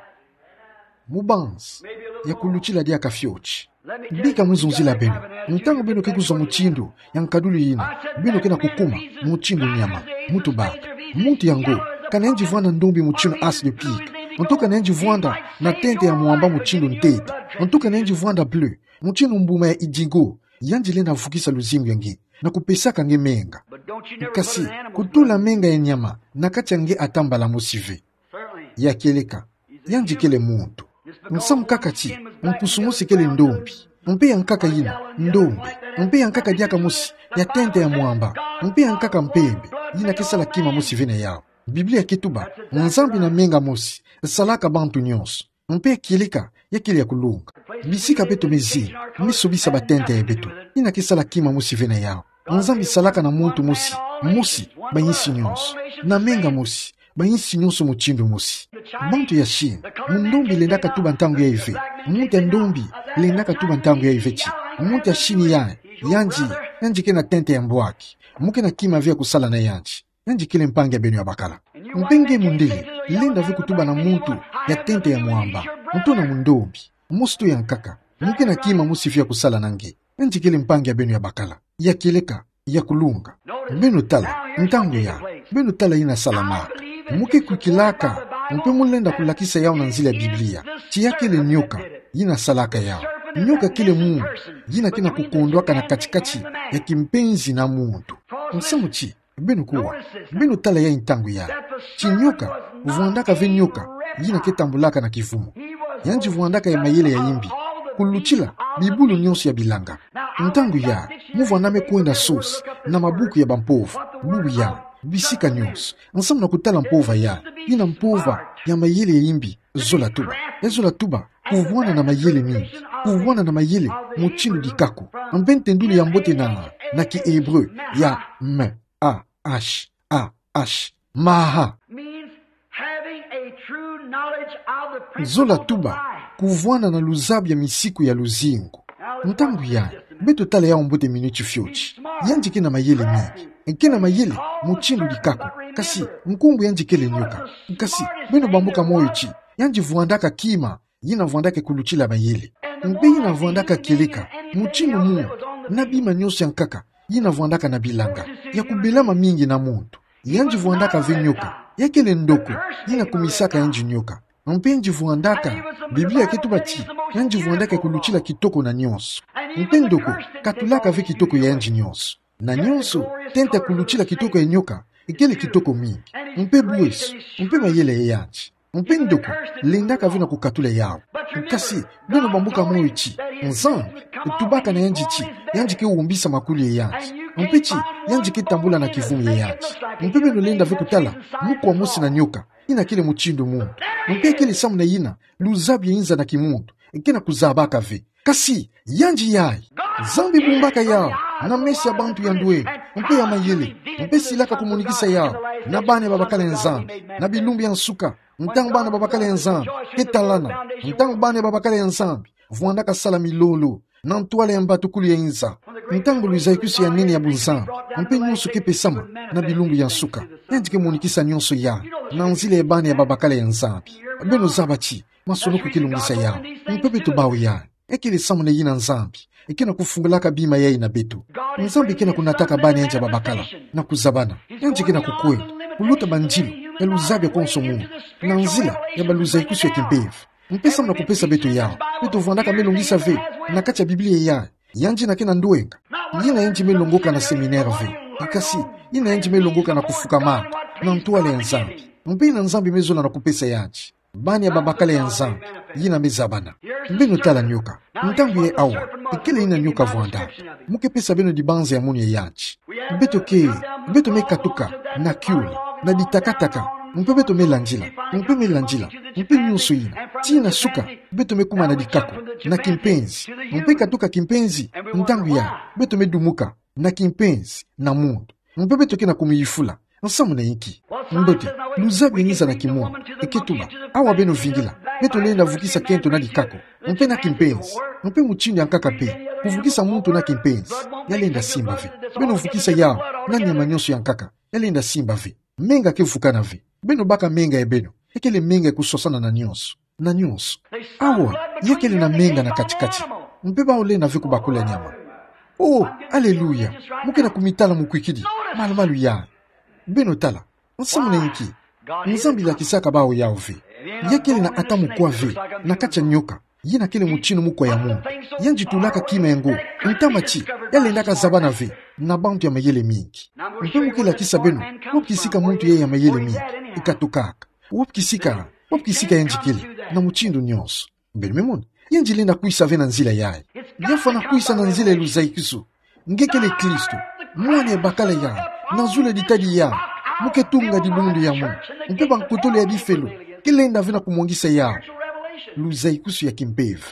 Mubanzi, ya kulutila diaka fioti. Bika mu zonzila beno, ntangu beno ke kuzwa mutindu ya nkadulu yina, beno ke na kukuma mutindu nyama. Mu tubaka: Muntu yango, kana yandi vwanda ndombi mutindu as de pique, nto kana yandi vwanda na tente ya mwamba mutindu ntete, nto kana yandi vwanda bleu, mutindu mbuma ya indigo, yandi lenda vukisa luzingu ya nge na kupesaka nge menga. Kasi, kutula menga ya nyama na kati ya nge ata mbala mosi ve. Ya kieleka, yandi kele muntu. Nsamu kaka ti, mpusu mosi kele ndombi, mpe ya nkaka yina ndombi, mpe ya nkaka diaka mosi ya tente ya mwamba, mpe ya nkaka mpembe, yina ke sala kima mosi ve na yau. Biblia ke tuba: Nzambi na menga mosi salaka bantu nionso. Mpe ya kieleka, ya kele ya kulunga. Bisika beto me zinga, me sobisa batente ya beto, yina ke sala kima mosi ve na yau. Nzambi salaka na muntu mosi, mosi, bayinsi nionso, na menga mosi, bayinsi nionso mutindu mosi. Bantu ya Chine, mu ndombi lendaka tuba ntangu yayi ve, muntu ya ndombi lendaka tuba ntangu yayi ve ti, muntu ya Chine yayi, yandi, yandi ke na tente ya mbwaki, mu ke na kima ve ya kusala na yandi. Yandi kele mpangi ya beno ya bakala. Mpe nge mundele, lenda ve kutuba na muntu ya tente ya mwamba, nto na mundombi, mosi tu ya nkaka, mu ke na kima mosi ve ya kusala na nge. Yandi kele mpangi ya beno ya bakala, ya kieleka, ya kulunga. Beno tala, ntangu ya, beno tala yina salamaka. Mo ke kwikilaka, mo mpe mo lenda kulakisa yau na nzila ya Biblia. Ti ya kele nyoka, yina salaka yau. Nyoka kele muntu, yina ke na kukondwaka na kati-kati ya kimpenzi na muntu. Nsamu ti, beno kuwa, beno tala ya ntangu ya. Ti nyoka, vwandaka ve nyoka, yina ke tambulaka na kivumu. Yandi vwandaka ya mayele ya yimbi, kulutila bibulu nyonso ya bilanga. Ntangu ya, mo vwandame kwenda sosi na mabuku ya bampova, bubu ya, bisika nyonso, nsamu na kutala mpova ya, yina mpova ya mayele ya yimbi, zola tuba. Ya zola tuba, kuvwana na mayele mingi, kuvwana na mayele mutindu dikako. Mpe ntendulu ya mbote na, na ki-Hébreu, ya M A H A H, maha. Means having a true knowledge of the principles of life. Zola tuba, kuvwana na luzabi ya misiku ya luzingu. Ntangu ya, beto tala yau mbote miniti fioti. Yandi ke na mayele mingi. Ke na mayele mutindu dikako. Kasi, nkumbu yandi kele nyoka. Kasi, beno bambuka moyo ti, yandi vwandaka kima, yina vwandaka kulutila mayele. Mpe yina vwandaka kieleka, mutindu muntu, na bima nyonso ya nkaka, yina vwandaka na bilanga, ya kubelama mingi na muntu. Yandi vwandaka ve nyoka, ya kele ndoko, yina kumisaka yandi nyoka. Mpe yandi vwandaka, Biblia ke tuba ti, yandi vwandaka kulutila kitoko na nyonso. Mpe ndoko, katulaka ve kitoko ya yandi nyonso. Na nyonso, tenta kulutila kitoko ya nyoka, kele kitoko mingi. Mpe bweso, mpe mayele ya yandi. Mpe ndoko, lendaka ve na kukatula yau. Kasi, beno bambuka moyo ti, Nzambi, tubaka na yandi ti, yandi ke wombisa makuli ya yandi. Mpe ti, yandi ke tambula na kivumu ya yandi. Mpe beno lenda ve kutala, mukwa mosi na nyoka, yina kele mutindu muntu. Mpe kele samu na yina, luzabi ya inza na kimuntu, ke na kuzabaka ve. Kasi, yandi yayi. Nzambi bumbaka yau, na meso ya bantu ya ndwe, mpe ya mayele, mpe silaka kumonikisa yau, na bana babakala ya Nzambi, na bilumbu ya nsuka, ntangu bana babakala ya Nzambi, ke talana, ntangu bana babakala ya Nzambi, vwandaka sala milolo, na ntwala ya mbatukulu ya inza, ntangu luzaikusu ya nene ya bunzambi, mpe nyonso ke pesama, na bilumbu ya nsuka, yandi ke monikisa nyonso ya, na nzila ya bana babakala ya Nzambi. Beno zaba ti, masolo ke longisa yau. Mpe beto bau ya. Kele samu na yina Nzambi. Ke na kufungulaka bima yayi na beto. Nzambi ke na kunataka bana yandi babakala. Na kuzabana. Yandi ke na kukwenda. Kuluta banzilo. Ya luzabi ya konso muntu. Na nzila ya baluzaikusu ya kimpeve. Mpe samu na kupesa beto yau. Beto vwandaka me longisa ve. Na kati ya Biblia yayi. Yandi yina ke na ndwenga. Yina yandi me longoka na séminaire ve. Kasi. Yina yandi me longoka na kufukamaka. Na ntwala ya Nzambi. Mpe yina Nzambi me zola na kupesa yandi. Bana babakala ya Nzambi, yina me zabana. Beno tala nyoka. Ntangu yayi awa, kele yina nyoka vwandaka. Mo ke pesa beno dibanza ya munu ya yandi. Beto ke, beto me katuka, na kiula, na ditakataka, mpe beto me landila, mpe me landila, mpe nyonso yina. Tii na suka, beto me kuma na dikako, na kimpenzi. Mpe katuka kimpenzi, ntangu yayi, beto me dumuka, na kimpenzi, na muntu. Mpe beto ke na kumiyufula. Nsamu na inki? Mbote, luzabi ya ngiza na kimuntu. Eke tuba, awa beno vingila. Beto lenda vukisa kento na dikako. Mpe na kimpenzi. Mpe mutindu ya nkaka mpe. Kuvukisa muntu na kimpenzi. Ya lenda simba ve. Beno vukisa yau. Na nyama nyonso ya nkaka. Ya lenda simba ve. Menga ke vukana ve. Beno baka menga ya beno. Ekele menga ya kusosana na nyonso. Na nyonso. Awa, ya kele na menga na kati-kati. Mpe bau lenda ve kubakula nyama. Oh, aleluya. Mo ke na kumitala mukwikidi. Malu-malu ya. Beno tala. Nsamu na inki? Nzambi lakisaka bau yau ve. Ya kele na ata mukwa ve. Na kati ya nyoka. Yina kele mutindu mukwa ya muntu. Yandi tulaka kima ya ngo. Ntama ti. Ya lendaka zabana ve. Na bantu ya mayele mingi. Mpe mo ke lakisa beno. Wapi kisika muntu ya, ya mayele mingi. Ikatukaka. Wapi kisika, wapi kisika yandi kele, na mutindu nyonso. Beno me mona, yandi lenda kwisa ve na nzila yayi. Ya fwana kwisa na nzila ya luzaikusu. Nge kele Kristo, mwana ya bakala yayi, na zulu ya ditadi yayi, mo ke tunga dibundu ya munu, mpe bankotolo ya difelo, ke lenda ve na kumwangisa yawu. Luzaikusu ya kimpeve.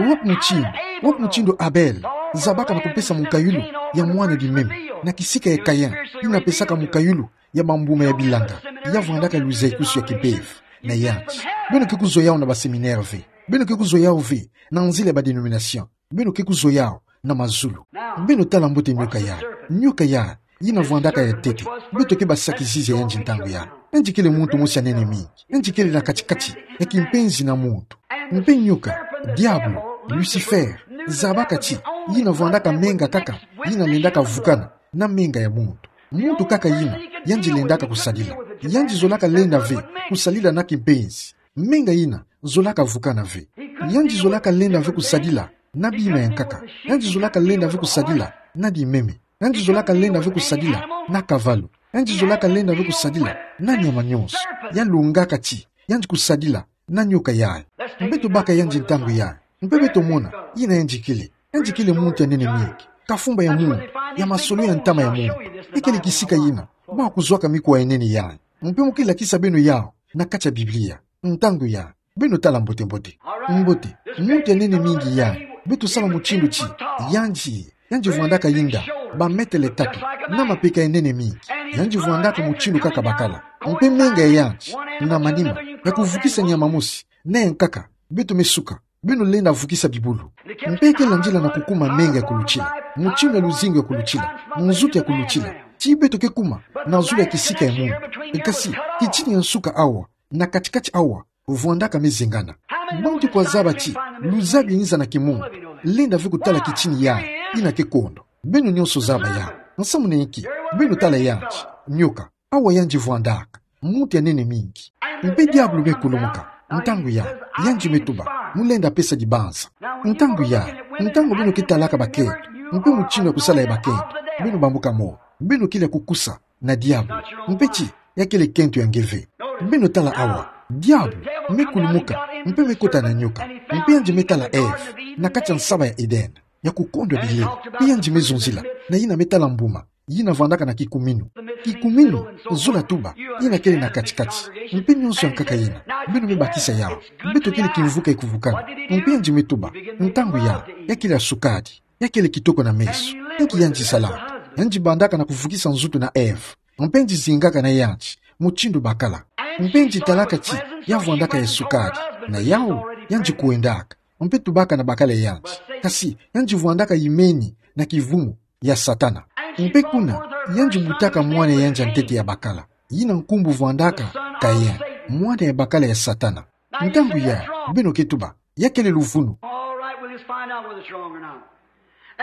Wapi mutindu, wapi mutindu Abel zabaka na kupesa mukayulu ya mwana di meme, na kisika ya Kain, yina pesaka mukayulu ya bambuma ya bilanga, ya vwandaka luzaikusu ya kimpeve, na yandi. Beno ke kuzwa yawu na ba séminaire ve. Beno ke kuzwa yawu ve, na nzila ya ba dénomination. Beno ke kuzwa yawu, na mazulu. Beno tala mbote nyoka yayi. Nyoka yayi, yina vwandaka ya ntete. Beto ke basaki-zizi ya yandi ntangu yayi. Yandi kele muntu mosi ya nene mingi. Yandi kele na kati-kati, ya kimpenzi na muntu. Mpe nyoka, diabolo, Lucifer, zabaka ti, Yina vwandaka menga kaka yina lendaka vukana na menga ya muntu. Muntu kaka yina yandi lendaka kusadila. Yandi zolaka lenda ve kusadila na kimpenzi. Menga yina zolaka vukana ve. Yandi zolaka lenda ve kusadila na bima ya nkaka. Yandi zolaka lenda ve kusadila na dimeme. Yandi zolaka lenda ve kusadila na kavalu. Yandi zolaka lenda ve kusadila na nyama nyonso ya lungaka ti yandi kusadila na nyoka yayi. Mpe tubaka yandi ntangu yayi. Mpe beto mona yina yandi kele. Yandi kele muntu ya nene mingi, kafumba ya muntu, ya masolo ya ntama ya muntu. Ekele kisika yina ba kuzwaka mikuwa ya nene yayi. Mpe mu ke lakisa beno yawu na kati ya Biblia. Ntangu yayi beno tala mbote-mbote. Mbote, muntu ya nene mingi yayi, beto sala mutindu ti yandi, yandi vwandaka yinda ba metele tatu na mapeka ya nene mingi. Yandi vwandaka mutindu kaka bakala. Mpe menga ya yandi na manima ya kuvukisa nyama mosi na ya nkaka, beto me suka. Beno lenda vukisa bibulu. Mpe ke landila na kukuma menga ya kulutila, mutindu ya luzingu ya kulutila, nzutu ya kulutila, ti beto ke kuma na zulu ya kisika ya muntu. Kasi kitini ya nsuka awa, na kati-kati awa, vwandaka me zengana. Bantu kwa zaba ti luzabi yinza na kimuntu lenda ve kutala kitini yayi yina ke kondo? Beno nyonso zaba yawu. Nsamu na inki? Beno tala yandi, nyoka. Awa yandi vwandaka, muntu ya nene mingi. Mpe diabulu me kulumuka. Ntangu yayi, yandi me tuba, mu lenda pesa dibanza. Ntangu yayi, ntangu beno ke talaka bakento, mpe mutindu ya kusala ya bakento, beno bambuka moyo. Beno kele ya kukusa na diabulu. Mpe ti ya kele kento ya nge ve. Beno tala awa, diabulu me kulumuka, mpe me kota na nyoka. Mpe yandi me tala Eve na kati ya nsaba ya Edene, ya kukondwa bilele. Mpe yandi me zonzila na yina me tala mbuma yina vwandaka na kikuminu. Kikuminu, zola tuba, yina kele na kati-kati. Mpe nyonso ya nkaka yina, beno me bakisa yawu. Beto kele kimvuka ya kuvukana. Mpe yandi me tuba, ntangu yayi, ya kele ya sukadi, ya kele kitoko na meso. Inki yandi salaka? Yandi bandaka na kuvukisa nzutu na Eve. Mpe yandi zingaka na yandi mutindu bakala. Mpe yandi talaka ti ya vwandaka ya sukadi. Na yawu, yandi kwendaka. Mpe tubaka na bakala ya yandi. Kasi yandi vwandaka yimeni na kivumu ya Satana. Mpe kuna, yandi butaka mwana ya yandi ya ntete ya bakala, yina nkumbu vwandaka Kain, mwana ya bakala ya Satana. Ntangu yayi, beno ke tuba, ya kele luvunu. All right, we'll just find out whether it's wrong or not.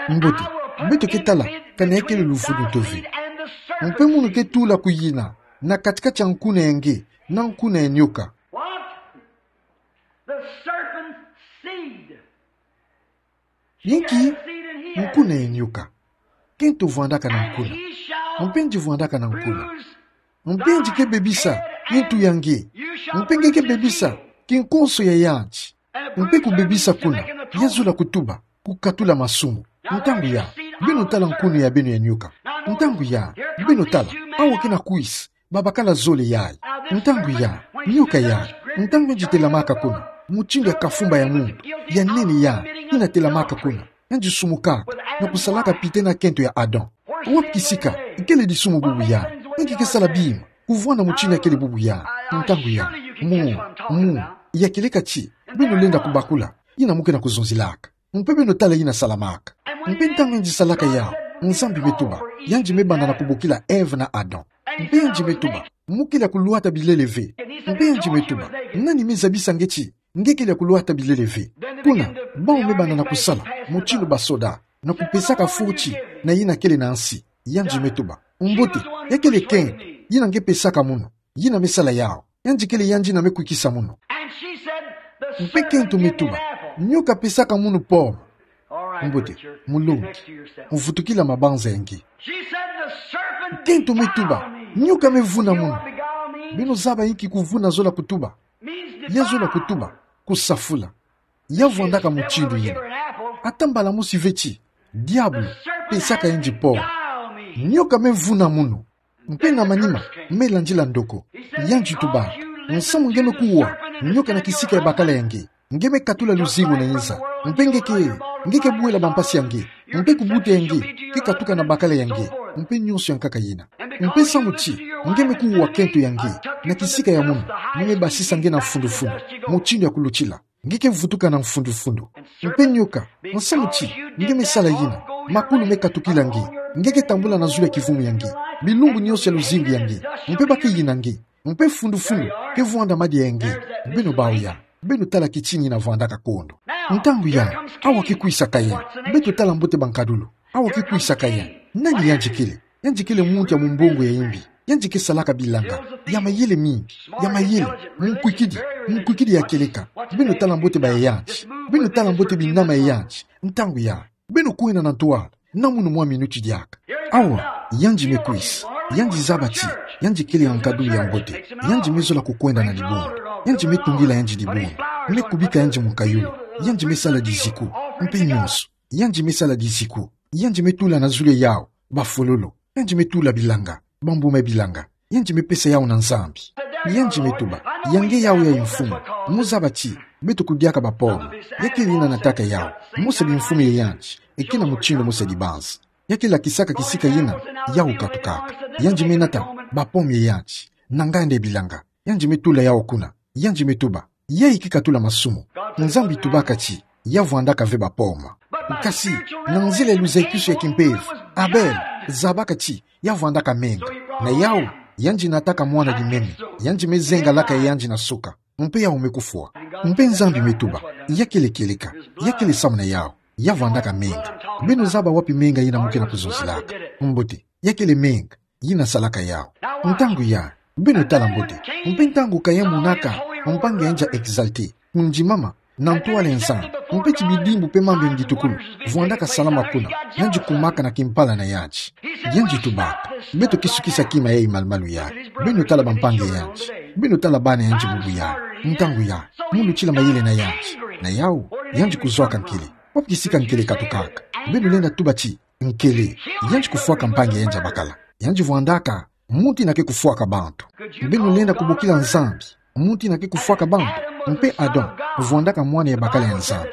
Mbote, beto ke tala kana ya kele luvunu to ve. Mpe munu ke tula kuyina na kati-kati ya nkuna ya nge na nkuna ya nyoka. What? The serpent's seed. Inki? Nkuna ya nyoka. Kento vwandaka na nkuna. Mpe yandi vwandaka na nkuna. Mpe yandi ke bebisa ntu ya nge. Mpe nge ke bebisa kinkonso ya yandi. Mpe kubebisa kuna, ya zola kutuba kukatula masumu. Ntangu yayi, beno tala nkuna ya beno ya nyoka. Ntangu yayi, beno tala, awa ke na kwisa babakala zole yayi. Ntangu yayi, nyoka yayi, ntangu yandi telamaka kuna, mutindu ya kafumba ya muntu ya nene yayi yina telamaka kuna, yandi sumukaka na kusalaka pite na kento ya Adam. Wapi kisika kele disumu bubu yayi? Inki ke sala bima kuvwanda mutindu ya kele bubu yayi? Ntangu yayi, mu, mu, ya kieleka ti beno lenda kubakula yina mu ke na kuzonzelaka. Mpe beno tala yina salamaka. Mpe ntangu yandi salaka yawu, Nzambi me tuba, yandi me banda na kubokila Eve na Adam. Mpe yandi me tuba, mu kele ya kulwata bilele ve. Mpe yandi me tuba, nani me zabisa nge ti nge kele ya kulwata bilele ve? Kuna, bawu me banda na kusala mutindu basoda, na kupesaka foti na yina kele na nsi. Yandi me tuba, mbote, ya kele kento yina nge pesaka munu. Yina me sala yawu. Yandi kele yandi yina me kwikisa munu. Mpe kento me tuba, nyoka pesaka munu pomme. Mbote, mulongi, vutukila mabanza ya nge. Kento me tuba, nyoka me vuna munu. Beno zaba inki kuvuna zola kutuba? Ya zola kutuba kusafula. Ya vwandaka mutindu yina. Ata mbala mosi ve ti diabulu pesaka yandi pomme. Nyoka me vuna munu. Mpe na manima, me landila ndoko. Yandi tuba, nsamu nge me kuwa nyoka na kisika ya bakala ya nge, nge me katula luzingu na yinza. Mpe nge ke, nge ke buela bampasi ya nge. Mpe kubuta ya nge ke katuka na bakala ya nge. Mpe nyonso ya nkaka yina. Mpe samu ti nge me kuwa kento ya nge na kisika ya munu, nge me basisa nge na mfundu-mfundu, mutindu ya kulutila. Nge ke vutuka na mfundu-mfundu. Mpe nyoka, nsamu ti nge me sala yina, makulu me katukila nge. Nge ke tambula na zulu ya kivumu ya nge, bilumbu nyonso ya luzingu ya nge. Mpe ba ke yina nge. Mpe mfundu-mfundu ke vwanda madia ya nge. Beno bawu ya. Beno tala kitingi na vwandaka kondo. Ntangu ya, awa ki kwisa Kayen. Beto tala mbote bankadulu. Awa ki kwisa Kayen. Nani yandi kele? Yandi kele muntu ya mumbongo ya imbi. Yandi ke salaka bilanga. Ya mayele mingi. Ya mayele. Munkwikidi. Munkwikidi ya kieleka. Beno tala mbote ba yandi. Beno tala mbote binama ya yandi. Ntangu ya, beno kwenda na ntwala, na munu mwa minuti diaka. Awa, yandi me kwisa. Yandi zaba ti yandi kele ya nkadulu ya mbote. Yandi me zola kukwenda na dibundu. Yandi me tungila yandi dibundu. Me kubika yandi munkayulu. Yandi me sala diziku. Mpe nyonso. Yandi me sala diziku. Yandi me tula na zulu ya yawu bafololo. Yandi me tula bilanga, bambuma ya bilanga. Yandi me pesa yawu na Nzambi. Yandi me tuba: Ya nge yawu ya, mfumu? Mu zaba ti beto kudiaka ba pomme. Ya kele yina nataka yawu. Mu sa bimfumu ya yandi, e kina mutindu mu sa dibanza. Ya ke lakisaka kisika yina yawu katukaka. Yandi me nata ba pomme ya yandi na nganda ya bilanga. Yandi me tula yawu kuna. Yandi me tuba: Yayi ki katula masumu. Nzambi tubaka ti ya vwandaka ve ba pomme. Kasi, na nzila ya luzayikusu ya kimpeve, Abel zabaka ti ya vwandaka menga. Na yawu, yandi nataka mwana dimeme. Yandi me zenga laka ya yandi na suka. Mpe yawu me kufwa. Mpe Nzambi me tuba: Ya kele kieleka. Ya kele samu na yawu. Ya vwandaka menga. Beno zaba wapi menga yina mu ke na kuzonzilaka? Mbote, ya kele menga yina salaka yawu. Ntangu ya, beno tala mbote. Mpe ntangu Kayen monaka mpangi ya yandi ya Exalté, kundimama na ntwala ya Nzambi, mpe ti bidimbu mpe mambu ya ngitukulu vwandaka salama kuna, yandi kumaka na kimpala na yandi. Yandi tubaka: Beto ke sukisa kima yayi malumalu yayi. Beno tala bampangi ya yandi. Beno tala bana ya yandi bubu yayi. Ntangu ya, mu lutila mayele na yandi. Na yawu, yandi kuzwaka nkele. Wapi kisika nkele katukaka? Beno lenda tuba ti nkele, yandi kufwaka mpangi ya yandi ya bakala. Yandi vwandaka muntu yina ke kufwaka bantu. Beno lenda kubokila Nzambi muntu yina ke kufwaka bantu? Mpe Adam vwandaka mwana ya bakala ya Nzambi.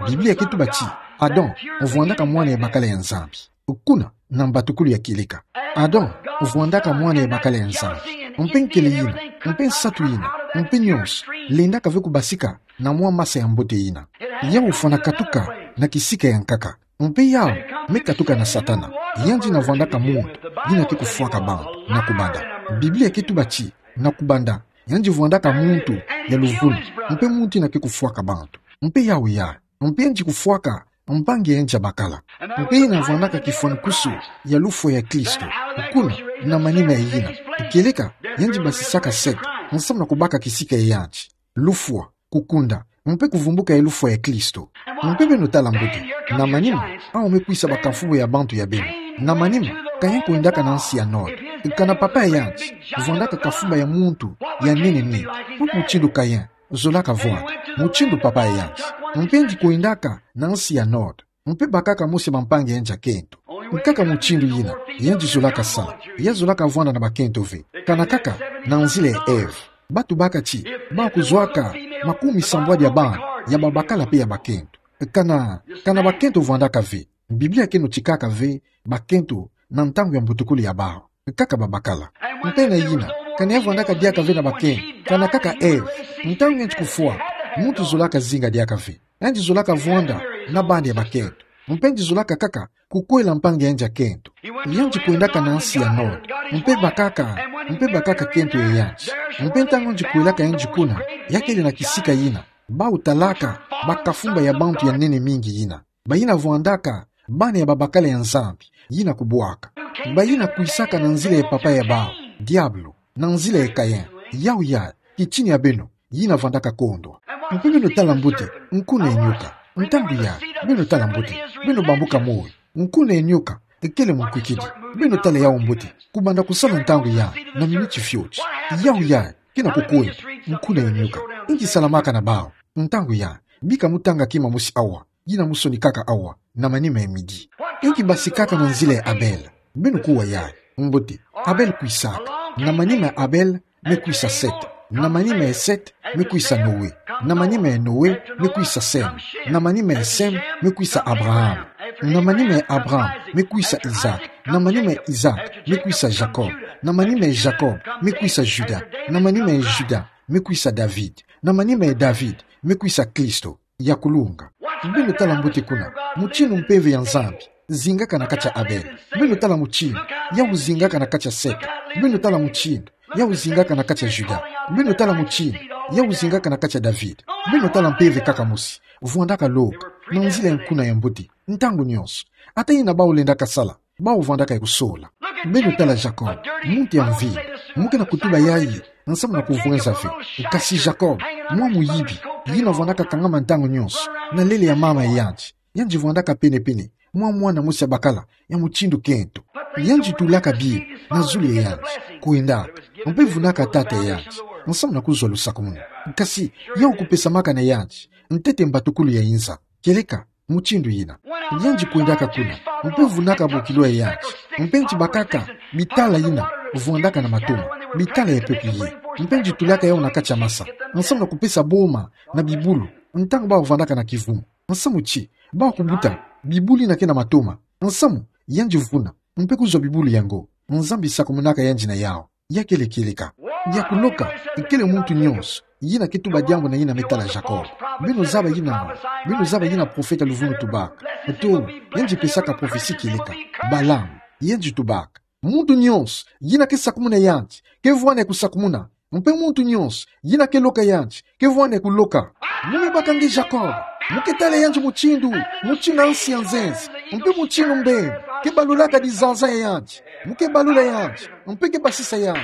Biblia ke tuba ti Adam vwandaka mwana ya bakala ya Nzambi. Kuna, na mbatukulu ya kieleka, Adam vwandaka mwana ya bakala ya Nzambi. Mpe nkele yina, mpe nsatu yina, mpe nyonso, lendaka ve kubasika na mwa masa ya mbote yina. Yawu fwana katuka na kisika ya nkaka. Mpe yawu me katuka na Satana. Yandi yina vwandaka muntu yina ke kufwaka bantu na kubanda. Biblia ke tuba ti na kubanda, yandi vwandaka muntu ya luvunu, mpe muntu yina ke kufwaka bantu. Mpe yawu ya, mpe yandi kufwaka mpangi ya yandi ya bakala. Mpe yina vwandaka kifwanikusu ya lufwa ya Kristo. Kuna, na manima ya yina, kieleka, yandi basisaka Satan nsamu na kubaka kisika ya yandi, lufwa, kukunda, mpe kuvumbuka ya lufwa ya Kristo. Mpe beno tala mbote, na manima, awu me kwisa bakafumba ya bantu ya beno. Na manima, Kayen kwendaka na nsi ya Nod. Kana papa ya yandi vwandaka kafumba ya muntu ya nene mingi, mutindu Kayen zolaka vwanda, mutindu papa ya yandi. Mpe yandi kwendaka na nsi ya Nod, mpe bakaka mose bampangi ya yandi ya kento. Nkaka mutindu yina yandi zolaka sala. Ya zolaka vwanda na bakento ve. Kana kaka na nzila ya Ève. Ba tubaka ti ba kuzwaka makumi sambwadi ya bana, ya babakala mpe ya bakento. Kana, kana bakento vwandaka ve. Biblia ke notikaka ve bakento na ntangu ya mbutukulu ya bawu, kaka babakala. Mpe na yina, kana ya vwandaka diaka ve na bakento, kana kaka Ève. Ntangu yandi kufwa, muntu zolaka zinga diaka ve. Yandi zolaka vwanda na bana ya bakento. Mpe yandi zolaka kaka kukwela mpangi ya yandi ya kento. Yandi kwendaka na nsi ya Nod, mpe bakaka, mpe bakaka kento ya yandi. Mpe ntangu yandi kwelaka yandi kuna, ya kele na kisika yina bawu talaka bakafumba ya bantu ya nene mingi yina, bayina vwandaka bana ya babakala ya Nzambi yina kubwaka. Bayina kwisaka na nzila ya papa ya bawu, diabulu, na nzila ya Kayen. Yawu ya, kitini ya beno yina vwandaka kondwa. Mpe beno tala mbote, nkuna ya nyoka. Ntangu ya, beno tala mbote, beno bambuka moyo. Nkuna ya nyoka kele munkwikidi. Beno tala yawu mbote, kubanda kusala ntangu ya, na minuti fioti. Yawu ya kena kukwenda. Nkuna ya nyoka, inki salamaka na bawu? Ntangu ya, bika mu tanga kima mosi awa, yina mu sonikaka awa, na manima ya midi. Inki basikaka na nzila ya Abel? Beno kuwa yayi mbote, Abel kwisaka. Na manima ya Abel me kwisa Seth. Na manima ya Seth me kwisa Noe. Na manima ya Noe me kwisa Sem. Na manima ya Sem me kwisa Abraham. Na manima ya Abraham me kwisa Isaac. Na manima ya Isaac me kwisa Jacob. Na manima ya Jacob me kwisa Juda. Na manima ya Juda me kwisa David. Na manima ya David me kwisa Kristo ya kulunga. Beno tala mbote kuna, mutindu mpeve ya Nzambi zingaka na kati ya Abel. Beno tala mutindu yawu zingaka na kati ya Seth. Beno tala mutindu yawu zingaka na kati ya Juda. Beno tala mutindu Yau zingaka na kati ya David. Beno tala mpeve kaka mosi. Vwandaka loka. Na nzila ya nkuna ya mbote. Ntangu nyonso. Ata yina bau lendaka sala. Bau vwandaka ya kusola. Beno tala Jacob. Muntu ya mvimba. Mu ke na kutuba yayi. Nsamu na kuvwenza ve. Kasi Jacob. Mwa muyibi. Yina vwandaka kangama ntangu nyonso. Na lele ya mama yandi. Yandi vwandaka pene-pene mwa mwana mosi ya bakala ya mutindu kento. Yandi tulaka bima na zulu ya yandi, kwendaka, mpe vunaka tata ya yandi, nsamu na kuzwa lusakumunu. Kasi, yau kupesamaka na yandi ntete mbatukulu ya inza, kieleka mutindu yina. Yandi kwendaka kuna, mpe vunaka bokilo ya yandi, mpe yandi bakaka bitala yina vwandaka na matoma, bitala ya peuplier, mpe yandi tulaka yau na kati ya masa, nsamu na kupesa boma na bibulu, ntangu bau vwandaka na kivumu. Nsamu ti, bau kubuta bibulu yina ke na matoma. Nsamu, yandi vuna, mpe kuzwa bibulu yango. Nzambi sakumunaka yandi na yau. Ya kele kieleka. Ya kuloka, kele muntu nyonso yina ke tuba diambu na yina me tala Jacob. Beno zaba yina, beno zaba yina profeta luvunu tubaka. To, yandi pesaka prophetie kieleka. Balaam, yandi tubaka. Muntu nyonso yina ke sakumuna yandi, ke vwanda ya kusakumuna. Mpe muntu nyonso yina ke loka yandi, ke vwanda ya kuloka. Mu me baka nge Jacob, mu ke tala yandi mutindu, mutindu na nsi ya nzenza, mpe mutindu mbembe, ke balulaka dizaza ya yandi, mu ke balula yandi, mpe ke basisa yandi.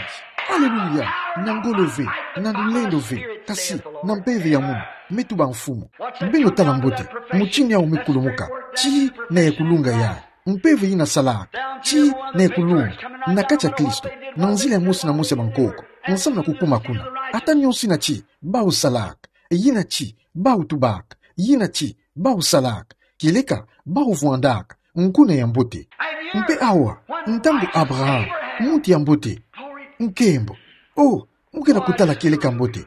Aleluya, na ngolo ve, na lulendo ve, kasi, na mpeve ya munu, me tuba Mfumu. Beno tala mbote, mutindu yau me kulumuka, ti na ya kulunga ya. Mpeve yina salaka, ti na ya kulunga, na kati ya Kristo, na nzila ya mosi na mosi ya bankoko, nsamu na kukuma kuna. Ata nyonso yina ti, bau salaka, yina ti, bau tubaka, yina ti, bau salaka, kieleka, bau vwandaka nkuna ya mbote. Mpe awa, ntangu Abraham, muntu ya mbote, nkembo, oh, mu ke na kutala kieleka mbote.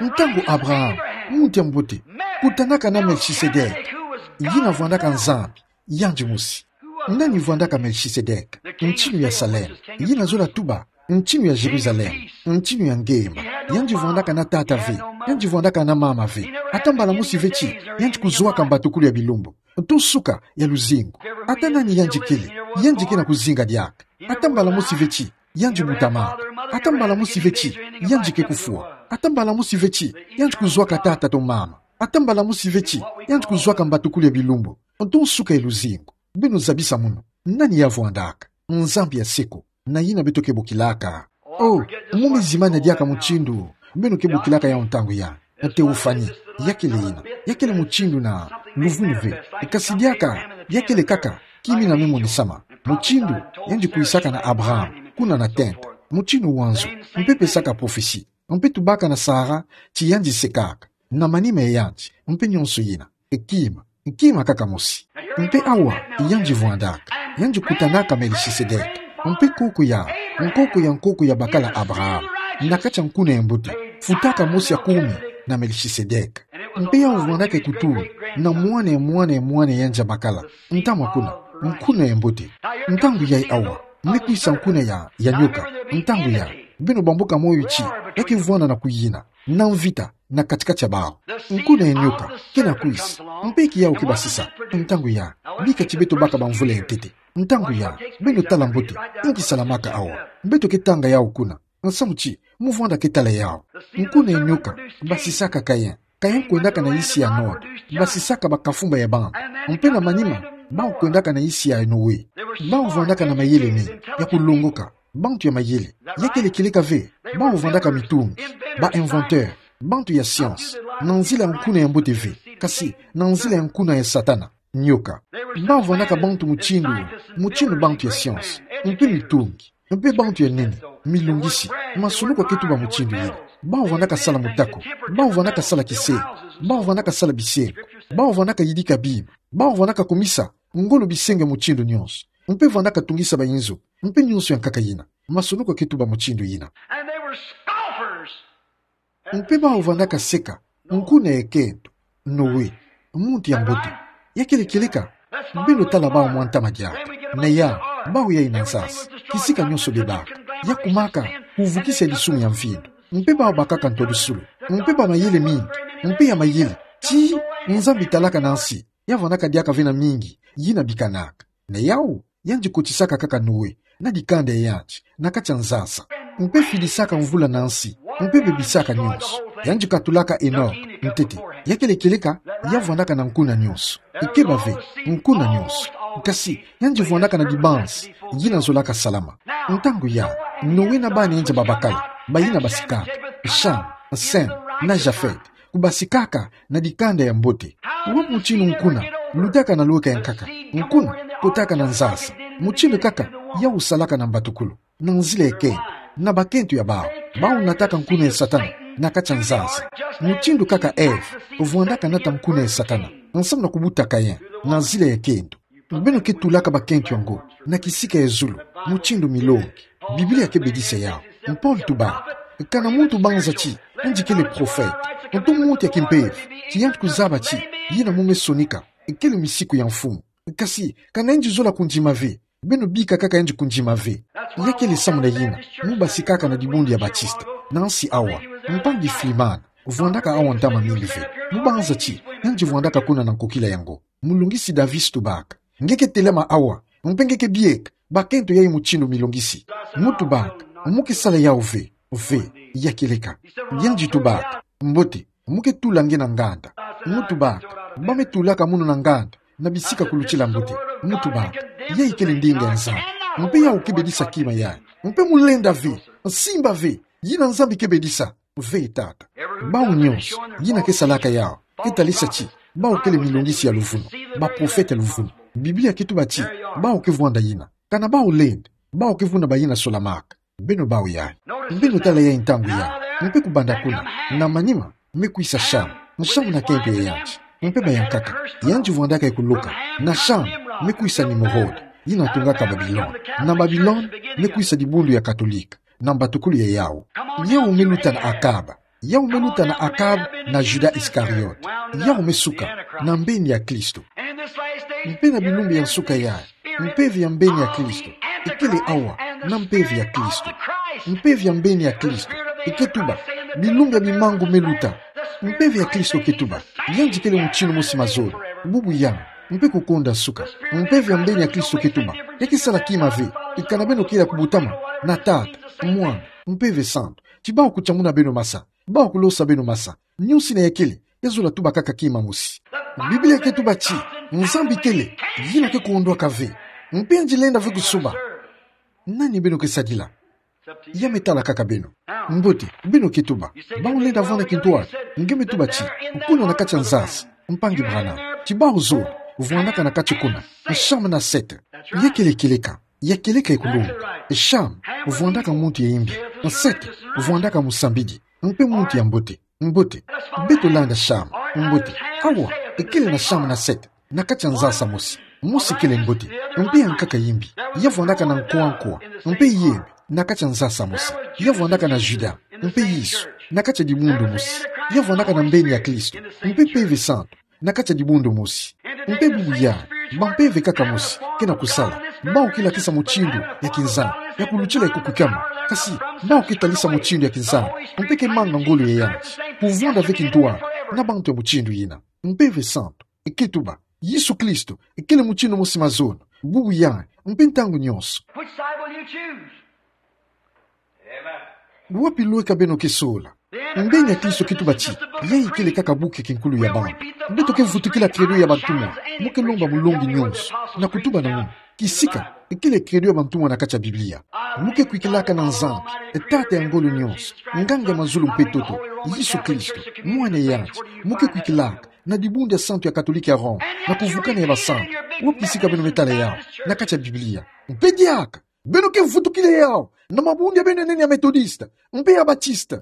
Ntangu Abraham, muntu ya mbote, kutanaka na Melchisedek, yina vwandaka Nzambi, yandi mosi. Nani vwandaka Melchisedek? Ntinu ya Salem, yina zola tuba, ntinu ya Jerusalem, ntinu ya ngemba. Yandi vwandaka na tata ve, yandi vwandaka na mama ve. Ata mbala mosi ve ti yandi kuzwaka mbatukulu ya bilumbu, to nsuka ya luzingu. Ata nani yandi kele, yandi ke na kuzinga diaka. Ata mbala mosi ve ti yandi butamaka. Ata mbala mosi ve ti yandi ke kufwa. Ata mbala mosi ve ti yandi kuzwaka tata to mama. Ata mbala mosi ve ti yandi kuzwaka mbatukulu ya bilumbu, to nsuka ya luzingu. Beno zabisa munu. Nani ya vwandaka? Nzambi ya seko. Na yina beto ke bokilaka. Oh, mu me zimana diaka mutindu beno ke bokilaka yau ntangu ya, na théophanie. Ya kele yina, ya kele mutindu na luvunu ve. Kasi diaka, ya kele kaka kimina me monisama. Mutindu yandi kwisaka na Abraham, kuna na tente. Mutindu wa nzo, mpe pesaka prophetie, mpe tubaka na Sara ti yandi sekaka na manima ya yandi, mpe nyonso yina. Kima, kima kaka mosi. Mpe awa, yandi vwandaka, yandi kutanaka Melchisedek, mpe nkoko ya, nkoko ya nkoko ya bakala Abraham, na kati ya nkuna ya mbote, futaka mosi ya kumi na Melchisedek. Mpe yau vwandaka kutula na mwana ya mwana ya mwana ya yandi ya bakala, ntamwa kuna, nkuna ya mbote. Ntangu yayi awa, me kwisa nkuna ya, ya nyoka, ntangu ya, beno bamboka moyo ti ya ke vwanda na kuyina, na mvita na kati-kati ya bau. Nkuna ya nyoka ke na kwisa, mpe ke yau ke basisa. Ntangu ya, bika ti beto baka bamvula ya ntete. Ntangu ya, beno tala mbote, inki salamaka awa. Beto ke tanga yau kuna. Nsamu ti, mu vwanda ke tala yau. Nkuna ya nyoka basisaka Kain. Kain kwendaka na yisi ya Nod, basisaka bakafumba ya bantu. Mpe na manima, bau kwendaka na yisi ya Noe. Bau vwandaka na mayele mingi ya kulongoka. Bantu ya mayele. Ya kele kieleka ve, bau vwandaka mitungi, ba inventeur, bantu ya science, na nzila ya nkuna ya mbote ve, kasi na nzila ya nkuna ya Satana, nyoka. Bau vwandaka bantu mutindu, mutindu bantu ya science, mpe mitungi, mpe bantu ya nene, milungisi, masolo kwa ke tuba mutindu yina. Bau vwandaka sala motako, bau vwandaka sala kisengo, bau vwandaka sala bisengo, bau vwandaka yidika bima, bau vwandaka kumisa ngolo bisengo ya mutindu nyonso, mpe vwandaka tungisa bainzo, mpe nyonso ya nkaka yina. Masolo kwa ke tuba mutindu yina. And they were scoffers. Mpe bau vwandaka seka, nkuna ya kento, Noe, muntu ya mbote. Ya kele kieleka, beno tala bau mwa ntama diaka. Na ya, bau yayi na nsasa, kisika nyonso bebaka. Ya kumaka, kuvukisa disumu ya mfindu. Mpe bau bakaka ntwadusulu. Mpe ba mayele mingi, mpe ya mayele. Ti, Nzambi talaka na nsi, ya vwandaka diaka ve na mingi yina bikanaka. Na yau, yandi kotisaka kaka Noe na dikanda ya yandi na kati ya nsasa, mpe fidisaka mvula na nsi. Mpe bebisaka nyonso. Yandi katulaka Enok, ntete. Ya kele kieleka, ya vwandaka na nkuna nyonso. Ikeba ve, nkuna nyonso. Kasi, yandi vwandaka na dibanzi, yina zolaka salama. Ntangu ya, Noe na bana yandi babakala, bayina basikaka. Sham, Sem, na Jafet. Kubasikaka na dikanda ya mbote. Wapi mutindu nkuna lutaka na lweka ya nkaka? Nkuna kotaka na nzasa. Mutindu kaka yau salaka na mbatukulu, na nzila ya kento, na bakento ya bau. Bau nataka nkuna ya Satana na kati ya nzasa. Mutindu kaka Eve vwandaka nata nkuna ya Satana, nsamu na kubuta Kain na nzila ya kento. Beno ke tulaka bakento yango na kisika ya zulu, mutindu milongi. Biblia ke bedisa yau. Mpolo tubaka: Kana muntu banza ti yandi kele profete, ntu muntu ya kimpeve, ti yandi kuzaba ti yina mu me sonika, kele misiku ya Mfumu. Kasi, kana yandi zola kundima ve, beno bika kaka yandi kundima ve. Ya kele samu na yina mu basikaka na dibundu ya Batista, na nsi awa. Mpangi Flimana vwandaka awa ntama mingi ve. Mu banza ti yandi vwandaka kuna na nkokila yango. Mulungisi Davis tubaka: Nge ke telama awa, mpe nge ke bieka bakento yai mutindu milungisi. Mu tubaka: Mu ke sala yau ve? Ve, ya kieleka. Yandi tubaka: Mbote, mu ke tula nge na nganda. Mu tubaka: Ba me tulaka munu na nganda na bisika kulutila mbote. Mu tubaka: Yai kele ndinga ya Nzambi. Mpe yau ke bedisa kima yai. Mpe mu lenda ve, simba ve, yina Nzambi ke bedisa. Ve tata. Bau nyonso yina ke salaka yau ke talisa ti bau kele milungisi ya luvunu, baprofete ya luvunu. Biblia ke tuba ti bau ke vwanda yina. Kana bau lenda, bau ke vuna bayina solamaka. Beno bau yai. Beno tala yai ntangu yai. Mpe kubanda kuna, na manima me kwisa Sham, Sham na kento ya yandi. Mpe bayankaka, yandi vwandaka ya kuluka. Na Sham me kwisa Nimrod, yina tungaka Babilone. Na Babilone me kwisa dibundu ya Katolika na mbatukulu ya yau. Yau me luta na Akab. Yau me luta na Akab na Judas Iskariot. Yau me suka na mbeni ya Kristo. Mpe na bilumbu ya nsuka yai, mpeve ya mbeni ya Kristo ikele awa, na mpeve ya Kristo. Mpeve ya mbeni ya Kristo ike tuba: Bilumbu ya bimangu me luta. Mpeve ya Kristo ke tuba: Yandi kele mutindu mosi mazono, bubu yai, mpe kukonda nsuka. Mpeve ya mbeni ya Kristo ke tuba: Ya ke sala kima ve, ikana beno kele ya kubutama na Tata, Mwana, Mpeve Santu, ti bau kutamuna beno masa, bau kulosa beno masa. Nyonso yina ya kele, ya zola tuba kaka kima mosi. Biblia ke tuba ti Nzambi kele, yina ke kuondoka ve, mpe yandi lenda ve kusuba. Nani beno ke sadila? Ya me tala kaka beno. Mbote, beno ke tuba: Bau lenda vwanda kintwari. Nge me tuba ti kuna na kati ya nzasa, mpangi Branham, ti bau zola vwandaka na kati kuna, Sham na Set. Ya kele kieleka, ya kieleka ya kulonga. Sham vwandaka muntu ya imbi. Set vwandaka musambidi, mpe muntu ya mbote. Mbote. Beto landa Sham. Mbote. Awa, ikele na Sham na Set na kati ya nzasa mosi. Mosi kele mbote, mpe ya nkaka imbi. Ya vwandaka na nkwa-nkwa, mpe yembe, na kati ya nzasa mosi. Ya vwandaka na Judas, mpe Yesu, na kati ya dibundu mosi. Ya vwandaka na mbeni ya Kristo, mpe Mpeve Santu, na kati ya dibundu mosi. Mpe bubu yai, bampeve kaka mosi ke na kusala. Bau ke lakisa mutindu ya kinzambi ya kulutila ya kukwikama. Kasi, bau ke talisa mutindu ya kinzambi, mpe ke manga ngolo ya yandi. Kuvwanda ve kintwari na bantu ya mutindu yina. Mpeve Santu ike tuba: Yesu Kristo ikele mutindu mosi mazono, bubu yai, mpe ntangu nyonso. Which side will you choose? Wapi lweka beno ke sola? Mbeni ya Kristo ke tuba ti yai ikele kaka buku ya kinkulu ya bantu. Beto ke vutukila Credo ya bantumwa, mu ke lomba mulongi nyonso na kutuba na munu: Kisika ikele Credo ya bantumwa na kati ya Biblia. Mu ke kwikilaka na Nzambi, Tata ya ngolo nyonso, Nganga ya mazulu mpe ntoto, Yesu Kristo, Mwana ya yandi. Mu ke kwikilaka na dibundu ya santu ya Katolika ya Roma, na kuvukana ya basantu. Wapi kisika beno me tala yau? Na kati ya Biblia. Mpe diaka, beno ke vutukila yau na mabundu ya beno ya nene ya Metodiste mpe ya Batiste.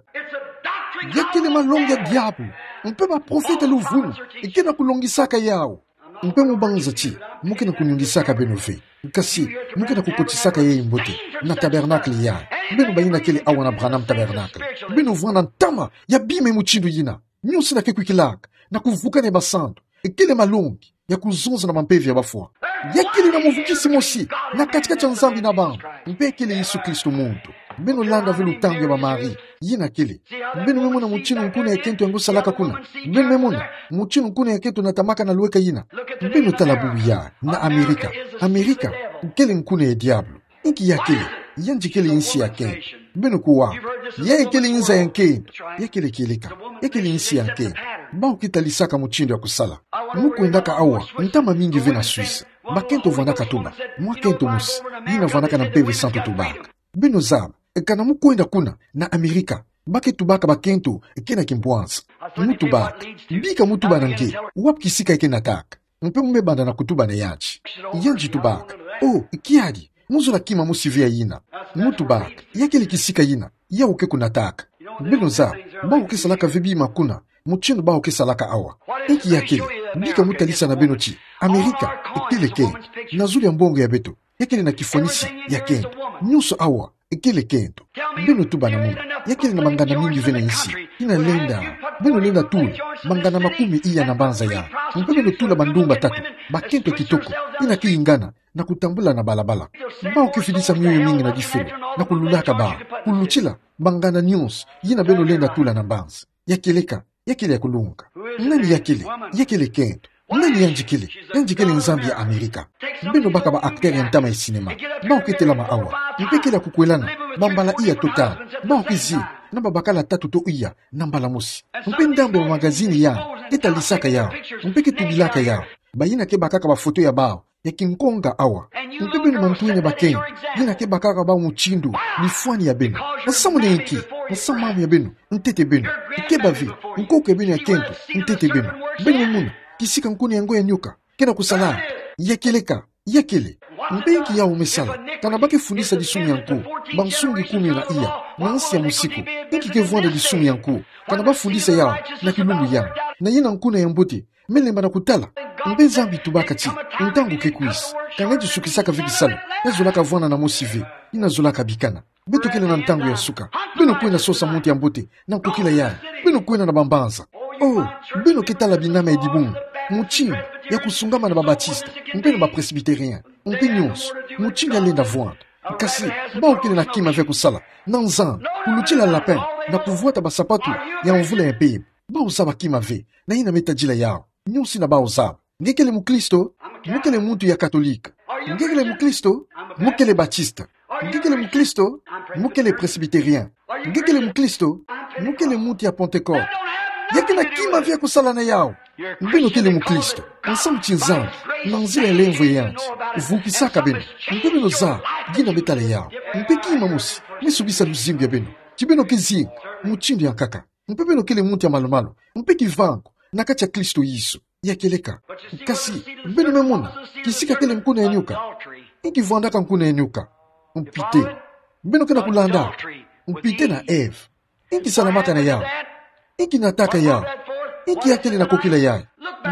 Ya kele malongi ya diabolo, mpe baprofete ya luvunu ike na kulongisaka yau. Mpe mu banza ti mu ke na kunyungisaka beno ve. Kasi, mu ke na kukotisaka yai mbote na tabernacle yai. Beno bayina kele awa na Branham Tabernacle, beno vwanda ntama ya bima ya mutindu yina. Nyonso yina ke kwikilaka na kuvukana ya basantu ikele malongi ya kuzonza na bampeve ya bafwa. Ya kele na muvukisi mosi na kati-kati ya Nzambi na bantu, mpe kele Yesu Kristo muntu. Beno landa ve lutangu ya ba Marie yina kele. Beno me mona mutindu nkuna ya kento yango salaka kuna. Beno me mona mutindu nkuna ya kento natamaka na lweka yina. Beno tala bubu yai na Amerika. Amerika kele nkuna ya diabolo. Inki ya kele? Yandi kele insi ya nkento. Beno kuwa. Ya kele inza ya nkento. Ya kele kieleka. Ya kele insi ya nkento. Bau ke talisaka mutindu ya kusala. Mu kwendaka awa, ntama mingi ve na Suisse. Bakento vwandaka tula. Mwa kento mosi. Yina vwandaka na Mpeve Santu tubaka. Beno zaba, kana mu kwenda kuna, na Amerika, ba ke tubaka bakento ke na kimpwanza. Mu tubaka, bika mu tuba na nge, wapi kisika e ke nataka. Mpe mu me banda na kutuba na yandi. Yandi tubaka, oh, kiadi, mu zola kima mosi ve ya yina. Mu tubaka, ya kele kisika yina, yau ke kunataka. Beno zaba, bau ke salaka ve bima kuna, mutindu bau ke salaka awa. Inki ya kele, bika mu talisa na beno ti, Amerika, e kele nkento. Na zulu ya mbongo ya beto, ya kele na kifwanisi ya nkento. Nyonso awa, e kele nkento. Beno tuba na muna, ya kele na bangana mingi ve na insi, yina lenda, beno lenda tula, bangana makumi iya na mbanza ya. Mpe beno tula bandumba tatu, bakento kitoko, yina ke ingana, na kutambula na balabala. Bau ke fidisa mioyo mingi na difelo, na kululaka bau, kulutila, bangana nyonso, yina beno lenda tula na mbanza. Ya kieleka, ya kele ya kulunga. Nani ya kele, ya kele nkento. Nani yandi kele, yandi kele Nzambi ya Amerika. Beno baka ba acteur ya ntama ya cinéma. Bau ke telama awa. Mpe kele ya kukwelana, bambala iya to tanu. Bau ke zila, na babakala tatu to iya, na mbala mosi. Mpe ndambu ya magazini ya, ke talisaka yau. Mpe ke tubilaka yau. Bayina ke bakaka bafoto ya bau, ya kinkonga awa. Mpe beno mantu-ene bakento, yina ke bakaka bau mutindu, bifwani ya beno. Nsamu na inki, nsamu mamu ya beno, ntete beno. Ke bâ ve, nkoko ya beno ya nkento, ntete beno. Beno mona, kisika nkuna ya ngo ya nioka, ke na kusala. Ya kieleka, ya kele. Mpe inki yau me sala, kana ba ke fundisa disumu ya nko, bansungi kumi na iya, na nsi ya musiku. Inki ke vwanda disumu ya nko, kana ba fundisa yau, na kilumbu yandi. Na yina nkuna ya mbote, me lemba na kutala. Mpe Nzambi tubaka ti, ntangu ke kwisa. Ka nge ti sukisaka ve kisalu, ya zolaka vwanda na mosi ve, yina zolaka bikana. Beto kele na ntangu ya suka. Beno kwenda sosa muntu ya mbote, na nkokila yayi. Beno kwenda na bambanza. Oh, beno ke tala binama ya dibungu. Mutindu, ya kusungama na ba Baptiste, mpe na ba Presbytérien. Mpe nyonso, mutindu ya lenda vwanda. Kasi, bau kele na kima ve ya kusala, na Nzambi, kulutila lapin, na kuvwata basapatu, ya mvula ya mpemba. Bau zaba kima ve, na yina me tadila yau. Nyonso yina bau zaba. Nge kele mukristo, mu kele muntu ya katolika. Nge kele mukristo, mu kele Baptiste. Nge kele mukristo, mu kele Presbytérien. Nge kele mukristo, mu kele muntu ya Pentecôte. Ya ke na kima ve ya kusala na yau. Beno kele mukristo, nsamu ti Nzambi, na nzila ya lemvo ya yandi, vukisaka beno. Mpe beno zaba, yina me tala yau. Mpe kima mosi, me subisa luzingu ya beno. Ti beno ke zinga, mutindu ya nkaka. Mpe beno kele muntu ya malumalu, mpe kivangu, na kati ya Kristo Yesu. Ya kieleka. Kasi, beno me mona, kisika kele nkuna ya nioka. Inki vwandaka nkuna ya nioka? Mpite. Beno ke na kulanda. Mpite na Eve. Inki salamaka na yau? Inki nataka yau? Inki ya kele na nkokila yayi?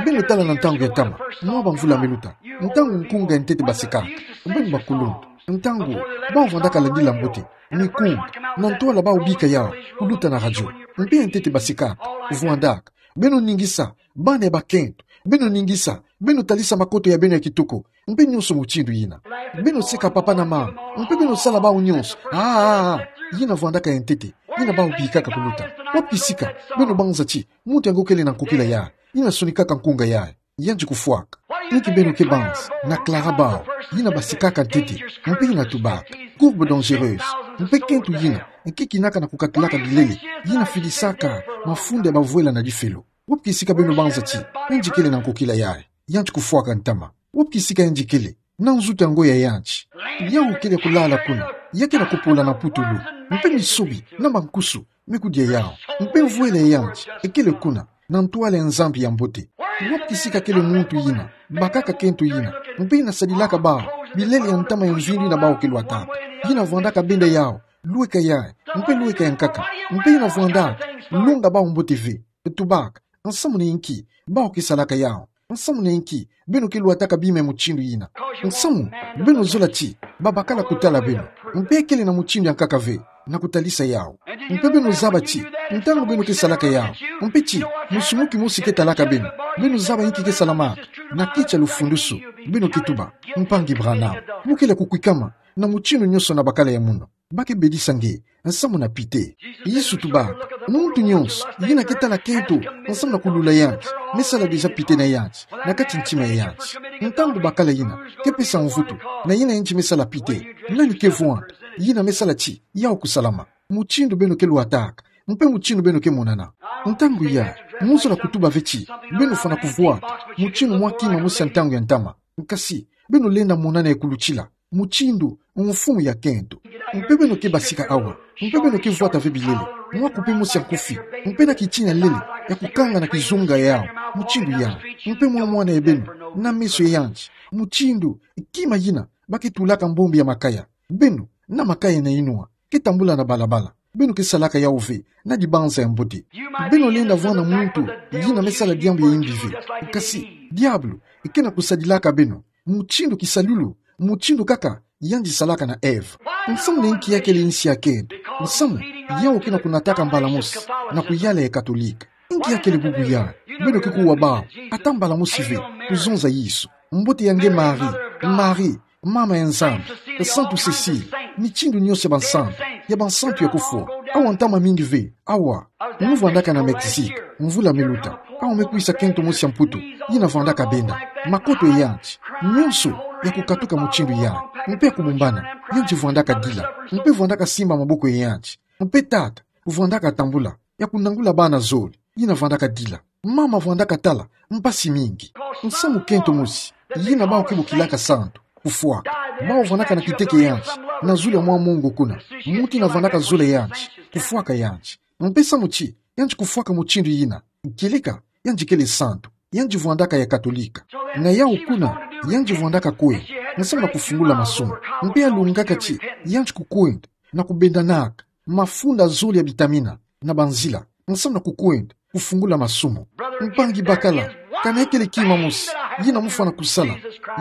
Beno tala na ntangu ya ntama, mwa bamvula me luta. Ntangu nkunga ya ntete basekaka. Beno bakuluntu. Ntangu, bau vwandaka landila mbote. Mikunga, na ntwala bau bika yau, kuluta na radio. Mpe ya ntete basekaka, vwandaka. Beno ningisa, bana ya bakento. Beno ningisa, beno talisa makoto ya beno ya kitoko. Mpe nyonso mutindu yina. Beno seka papa na mama. Mpe beno sala bau nyonso. Ah, ah, ah. Yina vwandaka ya ntete. Yina bau bikaka kuluta. Wapi kisika, beno banza ti, muntu yango kele na nkokila yayi. Yina sonikaka nkunga yayi. Yandi kufwaka. Inki beno ke banza, na Clara Bow, yina basekaka ntete, mpe yina tubaka, courbe dangereuse, mpe kento yina, nki kinaka na kukakilaka bilele, yina fidisaka mafunda ya bavwela na difelo. Wapi kisika beno banza ti, yandi kele na nkokila yayi, yandi kufwaka ntama. Wapi kisika yandi kele, na nzutu yango ya yandi. Yau kele kulala kuna, ya ke na kupola na putulu, mpe misobi, na mankusu, me kudia yau. Mpe mvwela ya yandi, ekele kuna, na ntwala ya Nzambi ya mbote. Wapi kisika kele muntu yina, bakaka kento yina, mpe yina sadilaka bau, bilele ya ntama ya mvindu yina bau ke lwataka. Yina vwandaka benda yau, lweka yayi, mpe lweka ya nkaka, mpe yina vwandaka, longa bau mbote ve, tubaka, nsamu na inki, bau ke salaka yau. Nsamu na inki, beno ke lwataka bima ya mutindu yina. Nsamu, beno zola ti, babakala kutala beno. Mpe kele na mutindu ya nkaka ve, na kutalisa yau. Mpe beno zaba ti, ntangu beno ke salaka yau. Mpe ti, musumu kimosi ke talaka beno. Beno zaba inki ke salamaka. Na keti ya lufundusu, beno ke tuba, Mpangi Branham, mu kele kukwikama, na mutindu nyonso na bakala ya munu. Ba ke bedisa nge, nsamu na pite. Yesu tubaka, muntu nyonso, yina ke tala kento, nsamu na kulula yandi, me sala déjà pite na yandi, na kati ntima ya yandi. Ntangu bakala yina, ke pesa mvutu, na yina yandi me sala pite, nani ke vwanda, Yina me sala ti yau kusalama. Mutindu beno ke lwataka, mpe mutindu beno ke monana. Ntangu ya, mozola kutuba ve ti beno fwana kuvwata mutindu mwa kima mosi ya ntangu ya ntama. Nkasi, beno lenda monana ye kulutila mutindu mfumu ya kento. Mpe beno ke basika awa, mpe beno ke vwata ve bilele, mwa kupe mosi ya nkufi, mpe na kitia lele ya kukanga na kizunga yau, mutindu ya, mpe mwa mwana ya beno na meso ya yandi, mutindu kima yina ba ke tulaka mbombi ya makaya. Beno, na makaya na inwa, ke tambula na balabala. Beno ke salaka yau ve na dibanza ya mbote. Beno lenda vwanda muntu yina me sala diambu ya imbi ve. Nkasi, diabulu ke na kusadilaka beno mutindu kisalulu, mutindu kaka yandi salaka na Eva. Nsamu na inki ya kele insi ya kento? Nsamu yau ke na kunataka mbala mosi na kuyala ya Katolika. Inki ya kele bubu ya? Beno ke kuwa bau ata mbala mosi ve kuzonza Yesu. Mbote ya nge Marie, Marie, mama ya Nzambi, Santu Cécile, mitindu nionso ya bansantu, ya bansantu ya kufwa. Awa ntama mingi ve, awa. Mu vwandaka na Mexique, mvula me luta, awa me kwisa kento mosi ya Mputu, yina vwandaka benda makoto ya yandi, nionso ya kukatuka mutindu yandi, mpe ya kubumbana, yandi vwandaka dila, mpe vwandaka simba maboko ya yandi, mpe tata vwandaka tambula ya kunangula bana zole, yina vwandaka dila. Mama vwandaka tala mpasi mingi. Nsamu kento mosi yina bau ke bokilaka santu, kufwaka. Bau vwandaka na kiteke ya yandi na zulu ya mwa mongo kuna, muntu yina vwandaka zola ya yandi, kufwaka yandi. Mpe samu ti yandi kufwaka mutindu yina, kieleka yandi kele santu, yandi vwandaka ya Katolika. Na yau kuna, yandi vwandaka kwenda nsamu na kufungula masumu. Mpe yalungaka ti yandi kukwenda na kubendanaka mafunda zole ya bitamina na banzila nsamu na kukwenda kufungula masumu. Mpangi bakala, kana ya kele kima mosi yina mu fwana kusala,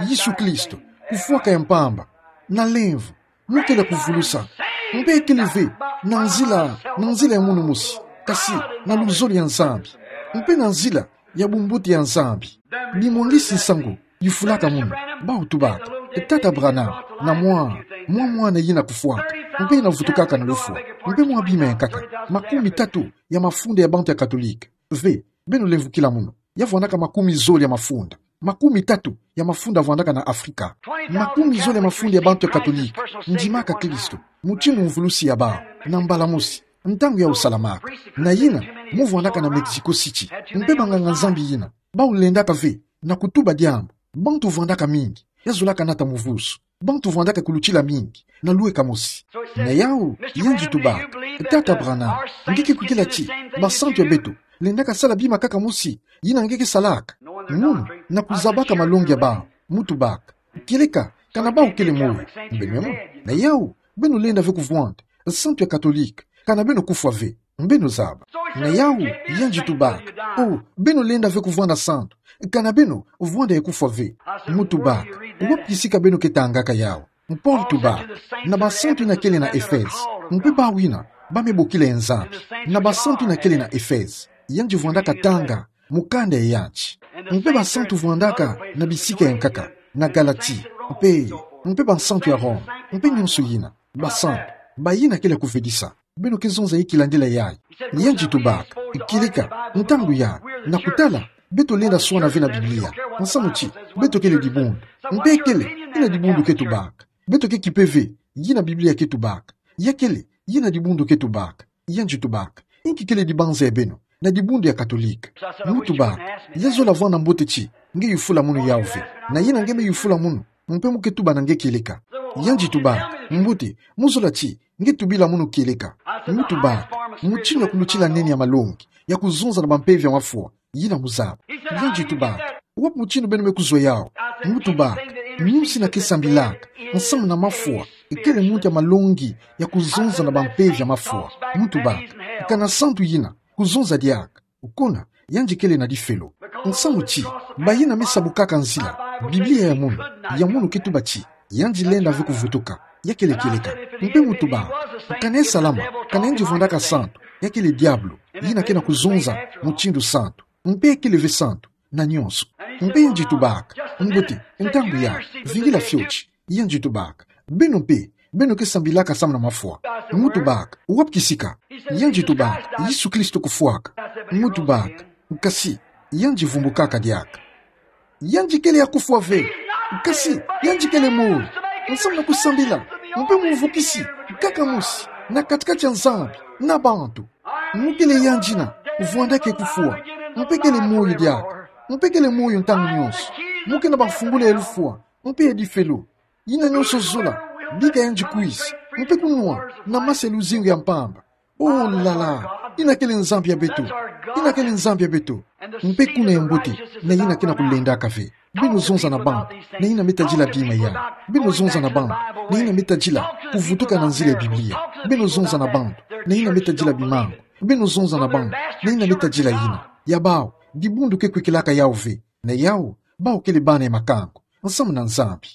Yesu Kristo, kufwaka ya mpamba, na lemvo, mu kele kuvulusa. Mpe ya kele ve na nzila, na nzila ya munu mosi, kasi na luzolo ya Nzambi, mpe na nzila ya bumbote ya Nzambi. Bimwangisi nsangu yufulaka munu, bau tubaka: Tata Branham, na mwa, mwa mwana yina kufwaka, mpe yina vutukaka na lufwa, mpe mwa bima ya nkaka, makumi tatu ya mafunda ya bantu ya Katolika. Ve, beno lemvukila munu, ya vwandaka makumi zole ya mafunda. Makumi tatu ya mafunda vwandaka na Afrika. Makumi zole ya mafunda ya bantu ya Katolika ndimaka Kristo mutindu mvulusi ya bau, na mbala mosi, ntangu yau salamaka. Na yina mu vwandaka na Mexico City, mpe banganga-Nzambi yina bau lendaka ve na kutuba diambu, bantu vwandaka mingi, ya zolaka nata muvuzu. Bantu vwandaka kulutila mingi na lweka mosi. Na yau, yandi tubaka: Tata Branham, nge ke kwikila ti basantu ya beto lendaka sala bima kaka mosi yina nge ke salaka? Munu, na kuzabaka malongi ya bau, mu tubaka: Kieleka kana bau kele moyo, mbe memo. Na yau, beno lenda ve kuvwanda santu ya Katolika kana beno kufwa ve, beno zaba. Na yau, yandi tubaka: Oh, beno lenda ve kuvwanda santu kana beno vwanda ya kufwa ve. Mu tubaka: Wapi kisika beno ke tangaka yau? Paul tubaka na basantu yina kele na Efeze, mpe bau yina ba me bokila ya Nzambi, na basantu yina kele na Efeze, yandi vwandaka tanga mukanda ya yandi. Mpe basantu vwandaka na bisika ya nkaka, na Galati, mpe, mpe basantu ya Roma, mpe nionso yina, basantu, bayina kele kuvedisa. Beno ke zonza ye kilandila yayi. Yandi tubaka: Kieleka, ntangu ya, na kutala, beto lenda swana ve na Biblia, nsamu ti beto kele dibundu. Mpe ya kele yina dibundu ke tubaka. Beto ke kipe ve yina Biblia ke tubaka. Ya kele yina dibundu ke tubaka. Yandi tubaka: Inki kele dibanza ya beno na dibundu ya Katolika? Mu tubaka: Ya zola vwanda mbote ti nge yufula munu yau ve. Na yina nge me yufula munu, mpe mu ke tuba na nge kieleka. Yandi tubaka: Mbote, mu zola ti nge tubila munu kieleka. Mu tubaka: Mutindu ya kulutila nene ya malongi ya kuzonza na bampeve ya mafwa yina mu zaba. Yandi tubaka: Wapi mutindu beno me kuzwa yau? Mu tubaka: Muntu yina ke sambilaka nsamu na mafwa kele muntu ya malongi ya kuzonza na bampeve ya mafwa. Mu tubaka: Kana santu yina kuzonza diaka, kuna yandi kele na difelo. Nsamu ti bayina me sabukaka nzila, Biblia ya munu, ya munu ke tuba ti yandi lenda ve kuvutuka. Ya kele kieleka. Mpe mu tubaka: Kana ya salama, kana yandi vwandaka santu, ya kele diabulu yina ke na kuzonza mutindu santu. Mpe ya kele ve santu na nionso. Mpe yandi tubaka: Mbote, ntangu ya, vingila fioti. Yandi tubaka: Beno mpe, beno ke sambilaka samu na mafwa. Mu tubaka: Wapi kisika? Yandi tubaka: Yesu Kristo kufwaka. Mu tubaka: Nkasi, yandi vumbukaka diaka. Yandi kele ya kufwa ve. Nkasi, yandi kele moyo. Nsamu na kusambila. Mpe muvukisi Kaka mosi, na kati-kati ya Nzambi na bantu. Mu kele yandi na vwandaka kufwa. Mpe kele moyo diaka. Mpe kele moyo ntangu nyonso. Mu kena bafungula ya lufwa mpe ya difelo. Yina nyonso zola, bika yandi kwisa mpe kunwa na masa ya luzingu ya mpamba. Oh là là, yina kele Nzambi ya beto. Yina kele Nzambi ya beto. Mpe kuna ya mbote, na yina ke na kulendaka ve. Beno zonza na bantu na yina me tadila bima yai. Beno zonza na bantu na yina me tadila kuvutuka na nzila ya Biblia. Beno zonza na bantu na yina me tadila bimangu. Beno zonza na bantu na yina me tadila yina. Ya bawu, dibundu ke kwikilaka yawu ve. Na yawu, bawu kele bana ya makango nsamu na Nzambi.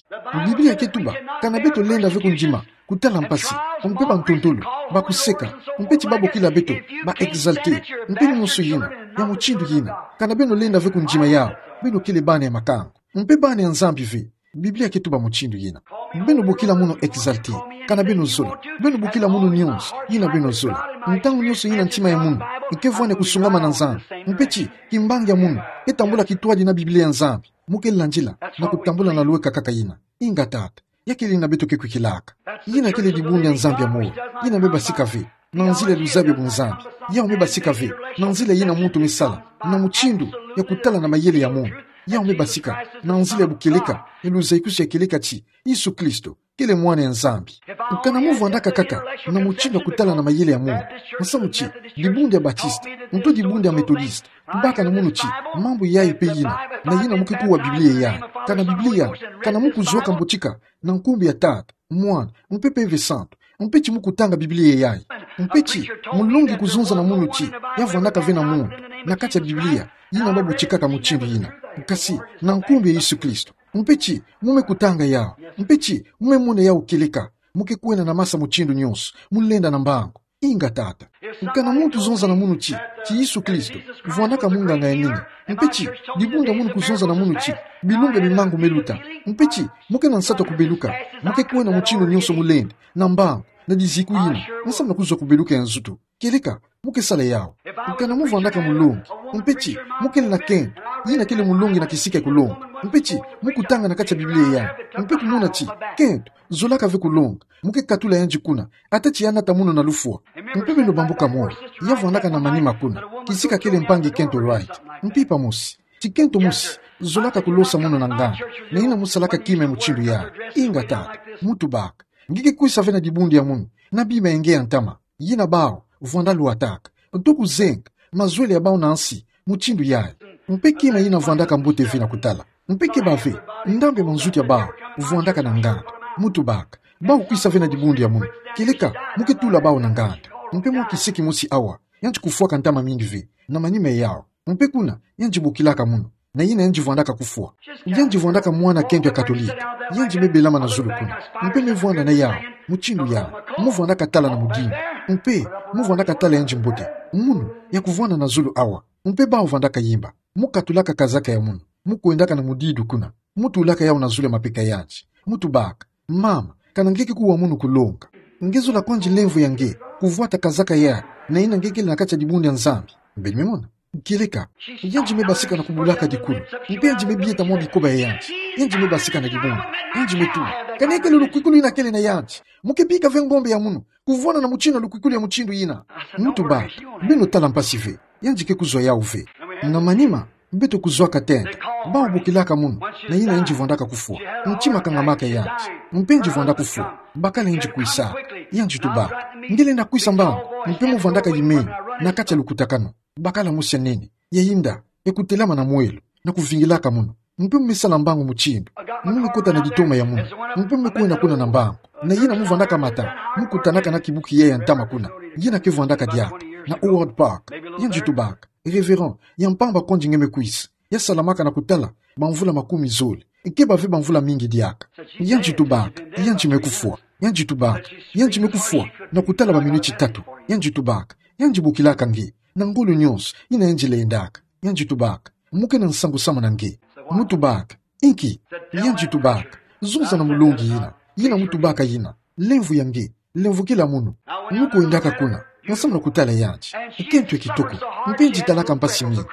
Biblia ke tuba, kana beto lenda ve kundima kutala mpasi, mpe bantontolo, bakuseka, mpe ti babokila beto ba exalté, mpe nyonso yina ya mutindu yina. Kana beno lenda ve kundima yawu, beno kele bana ya makango mpe bana ya Nzambi ve. Biblia ke tuba mutindu yina. Beno bokila munu exalté, kana beno zola. Beno bokila munu nyonso yina beno zola. Ntangu nyonso yina ntima ya munu ke vwani ya kusungama na Nzambi, mpe ti kimbangi ya munu ke tambula kintwadi na Biblia ya Nzambi, mu ke landila na kutambula na lweka kaka yina. Inga tata, ya kele yina beto ke kwikilaka. Yina kele dibundu ya Nzambi ya moyo. Yina me basika ve na nzila ya luzabi ya bunzambi. Yawu me basika ve na nzila yina muntu me sala, na mutindu ya kutala na mayele ya munu. Yawu me basika na nzila ya bukieleka, ya luzaikusu ya kieleka ti Yesu Kristo kele Mwana ya Nzambi. Kana mu vwandaka kaka na mutindu ya kutala na mayele ya munu, nsamu ti dibundu ya Baptiste, nto dibundu ya Methodiste, tubaka na munu ti mambu yai mpe yina, na yina mu ke kuwa Biblia yai. Kana Biblia, kana mu kuzwaka mbotika na nkumbu ya Tata, Mwana, mpe Mpeve Santu, mpe ti mu kutanga Biblia yai. Mpe ti mulongi kuzonza na munu ti ya vwandaka ve na muntu na kati ya Biblia yina babotikaka mutindu yina, kasi na nkumbu ya Yesu Kristo. Mpe ti mu me kutanga yawu. Mpe ti mu me mona yawu kieleka. Mu ke kwenda na masa mutindu nyonso, mu lenda na mbangu. Inga tata. Kana muntu zonza na munu ti, ti Yesu Kristo vwandaka munganga ya nene, mpe ti dibundu ya munu kuzonza na munu ti bilumbu ya bimangu me luta, mpe ti mu ke na nsatu ya kubeluka, mu ke kwenda mutindu nyonso mu lenda na mbangu, na diziku yina, nsamu na kuzwa kubeluka ya nzutu. Kieleka mu ke sala yawu. Kana mu vwandaka mulongi, mpe ti mu kele na kento, yina kele mulongi na kisika ya kulonga, mpe ti mu kutanga na kati ya Biblia yai, mpe kumona ti kento zolaka ve kulonga, mu ke katula yandi kuna, ata ti ya nata munu na lufwa. Mpe beno bambuka moyo, ya vwandaka na manima kuna, kisika kele mpangi kento Wright, mpimpa mosi, ti kento mosi zolaka kulosa munu na nganda, na yina mu salaka kima ya mutindu yai. Inga tata, mu tubaka. Nge ke kwisa ve na dibundu ya munu na bima ya nge ya ntama, yina bawu vwanda lwataka, nto kuzenga mazwele ya bawu na nsi mutindu yai. Mpe kima yina vwandaka mbote ve na kutala. Mpe keba ve ndambu ya manzutu ya bawu vwandaka na nganda. Mu tubaka. Bawu kwisa ve na dibundu ya munu, kieleka mu ke tula bawu na nganda. Mpe mwa kisiki mosi awa, yandi kufwaka ntama mingi ve na manima yawu. Mpe kuna yandi bokilaka munu, na yina yandi vwandaka kufwa. Yandi vwandaka mwana kento ya Katolika. Yandi me belama na zulu kuna, mpe me vwanda na yawu mutindu yai. Mu vwandaka tala na mudingu, mpe mu vwandaka tala yandi mbote. Munu ya kuvwanda na zulu awa. Mpe bawu vwandaka yimba. Mu katulaka kazaka ya munu, mu kwendaka na mudidu kuna, mu tulaka yawu na zulu ya mapeka yandi. Mu tubaka. Mama, kana nge ke kuwa munu kulonga, nge zola kwandi lemvo ya nge kuvwata kazaka yai, na yina nge kele na kati ya dibundu ya Nzambi. Beno me mona? Kieleka, yandi me basika na kubulaka dikulu, mpe yandi me bieta mwa bikoba ya yandi. Yandi me basika na dibundu, yandi me tula. Kana ya kele lukwikulu yina kele na yandi? Mu ke bika ve ngombe ya munu kuvwanda na mutindu ya lukwikulu ya mutindu yina? Mu tubaka. Beno tala mpasi ve. Yandi ke kuzwa yawu ve. Na manima, beto kuzwaka tenta. Bawu bokilaka munu, na yina yandi vwandaka kufwa. Ntima kangamaka yandi, mpe yandi vwanda kufwa. Bakala yandi kwisa. Yandi tubaka. Nge lenda kwisa mbangu, mpe mu vwandaka yimeni na kati ya lukutakanu. Bakala mosi ya nene, ya yinda, ya kutelama na mwelo, na kuvingilaka munu. Mpe mu me sala mbangu mutindu. Mu me kota na ditoma ya munu, mpe mu me kwenda kuna na mbangu. Na yina mu vwandaka mata, mu kutanaka na kibuki yai ya ntama kuna, yina ke vwandaka diaka na Howard Park. Yandi tubaka. Révérend, ya mpamba kwandi nge me kwisa. Ya salamaka na kutala bamvula makumi zole. Keba ve bamvula mingi diaka. Yandi tubaka, yandi me kufwa. Yandi tubaka, yandi me kufwa na kutala baminiti tatu. Yandi tubaka, yandi bokilaka nge na ngolo nyonso yina yandi lendaka. Yandi tubaka, mu ke na nsangu samu na nge. Mu tubaka, inki? Yandi tubaka, zonza na mulongi yina, yina mu tubaka yina. Lemvo ya nge, lemvokila munu. Mu kwendaka kuna, Nsamu na kutala yandi. Kento ya kitoko. Mpe yandi talaka mpasi mingi.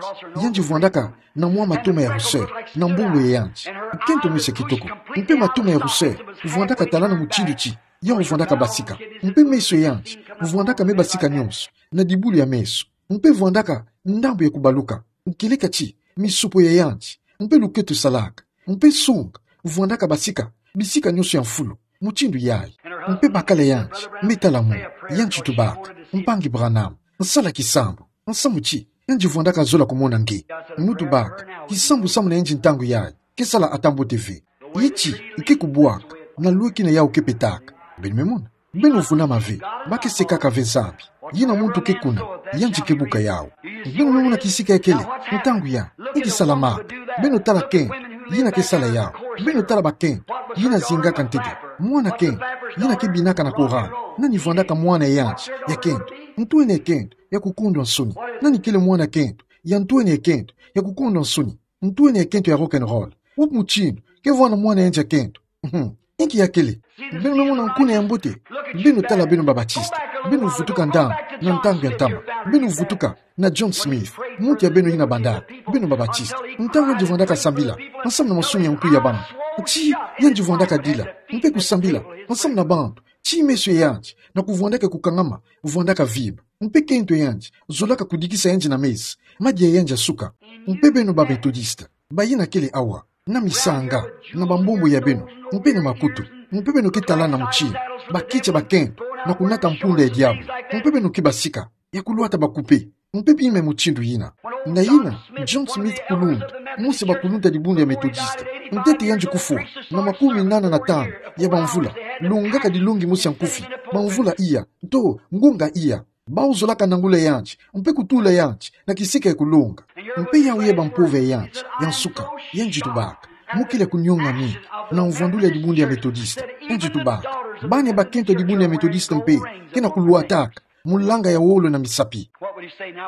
Yandi vwandaka na mwa matoma ya rousseur na mbongo ya yandi. Kento mosi ya kitoko. Mpe matoma ya rousseur vwandaka talana mutindu ti yau vwandaka basika. Mpe meso ya yandi vwandaka me basika nyonso na dibulu ya meso. Mpe vwandaka ndambu ya kubaluka. Kieleka ti misopo ya yandi, mpe luketo salaka, mpe songa vwandaka basika, bisika nyonso ya mfulu, mutindu yayi. Mpe bakala ya yandi me tala munu, yandi tubaka: Mpangi Branham, nsala kisambu. Nsamu ti yandi vwandaka zola kumona nge. Mu tubaka: Kisambu samu na yandi ntangu yayi ke sala ata mbote ve. Ye ti ike kubwaka na lweki na yau ke petaka. Beno me mona? Beno vunama ve, ba ke sekaka ve nzambi. Yina muntu ke kuna, yandi ke buka yau. Beno me mona kisika ya kele, ntangu yayi, inki salamaka? Beno tala kento, yina ke sala yau. Beno tala bakento, yina zingaka ntete. Mwana kento, yina ke binaka na chorale. Nani vwandaka mwana ya yandi ya kento? Ntwenia ya kento ya kukondwa nsoni. Nani kele mwana kento ya ntwenia ya kento ya kukondwa nsoni? Ntwenia ya kento ya rock and roll. Wapi mutindu ke vwanda mwana ya yandi ya kento? Mhm. Inki ya kele? Beno me mona nkuna ya mbote? Beno tala beno ba Baptiste. Beno vutuka ndambu na ntangu ya ntama. Beno vutuka na John Smith, muntu ya beno yina bandaka beno ba Baptiste. Ntangu yandi vwandaka sambila nsamu na masumu ya nkuyu ya bambu, ti yandi vwandaka dila mpe kusambila nsamu na bantu, ti meso ya yandi na kuvwandaka kukangama vwandaka vimba. Mpe kento ya yandi zolaka kudikisa yandi na mezi, madia ya yandi asuka. Mpe beno ba Methodiste, bayina kele awa, na misanga, na bambombo ya beno, mpe na makutu, mpe beno ke talana mutindu bakiti ya bakento na kunata mpunda ya diabulu, mpe beno ke basika ya kulwata ba coupé, mpe bima ya mutindu yina. Na yina John Smith, kuluntu mosi ya bakuluntu ya dibundu ya Methodiste, ntete yandi kufwa na makumi nana na tanu ya bamvula, longaka dilongi mosi ya nkufi, bamvula iya, to ngunga iya. Bawu zolaka nangula yandi mpe kutula yandi na kisika ya kulonga. Mpe yawu ye bampova ya yandi ya nsuka, yandi tubaka: Mu kele ya kunionga mingi na mvwandulu ya dibundu ya Methodiste. Yandi tubaka: Bana ya bakento ya dibundu ya Methodiste mpe ke na kulwataka mulanga ya wolo na misapi.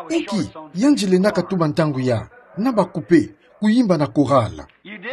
Inki yandi lendaka tuba ntangu yayi? Na ba coupé, kuyimba na chorale.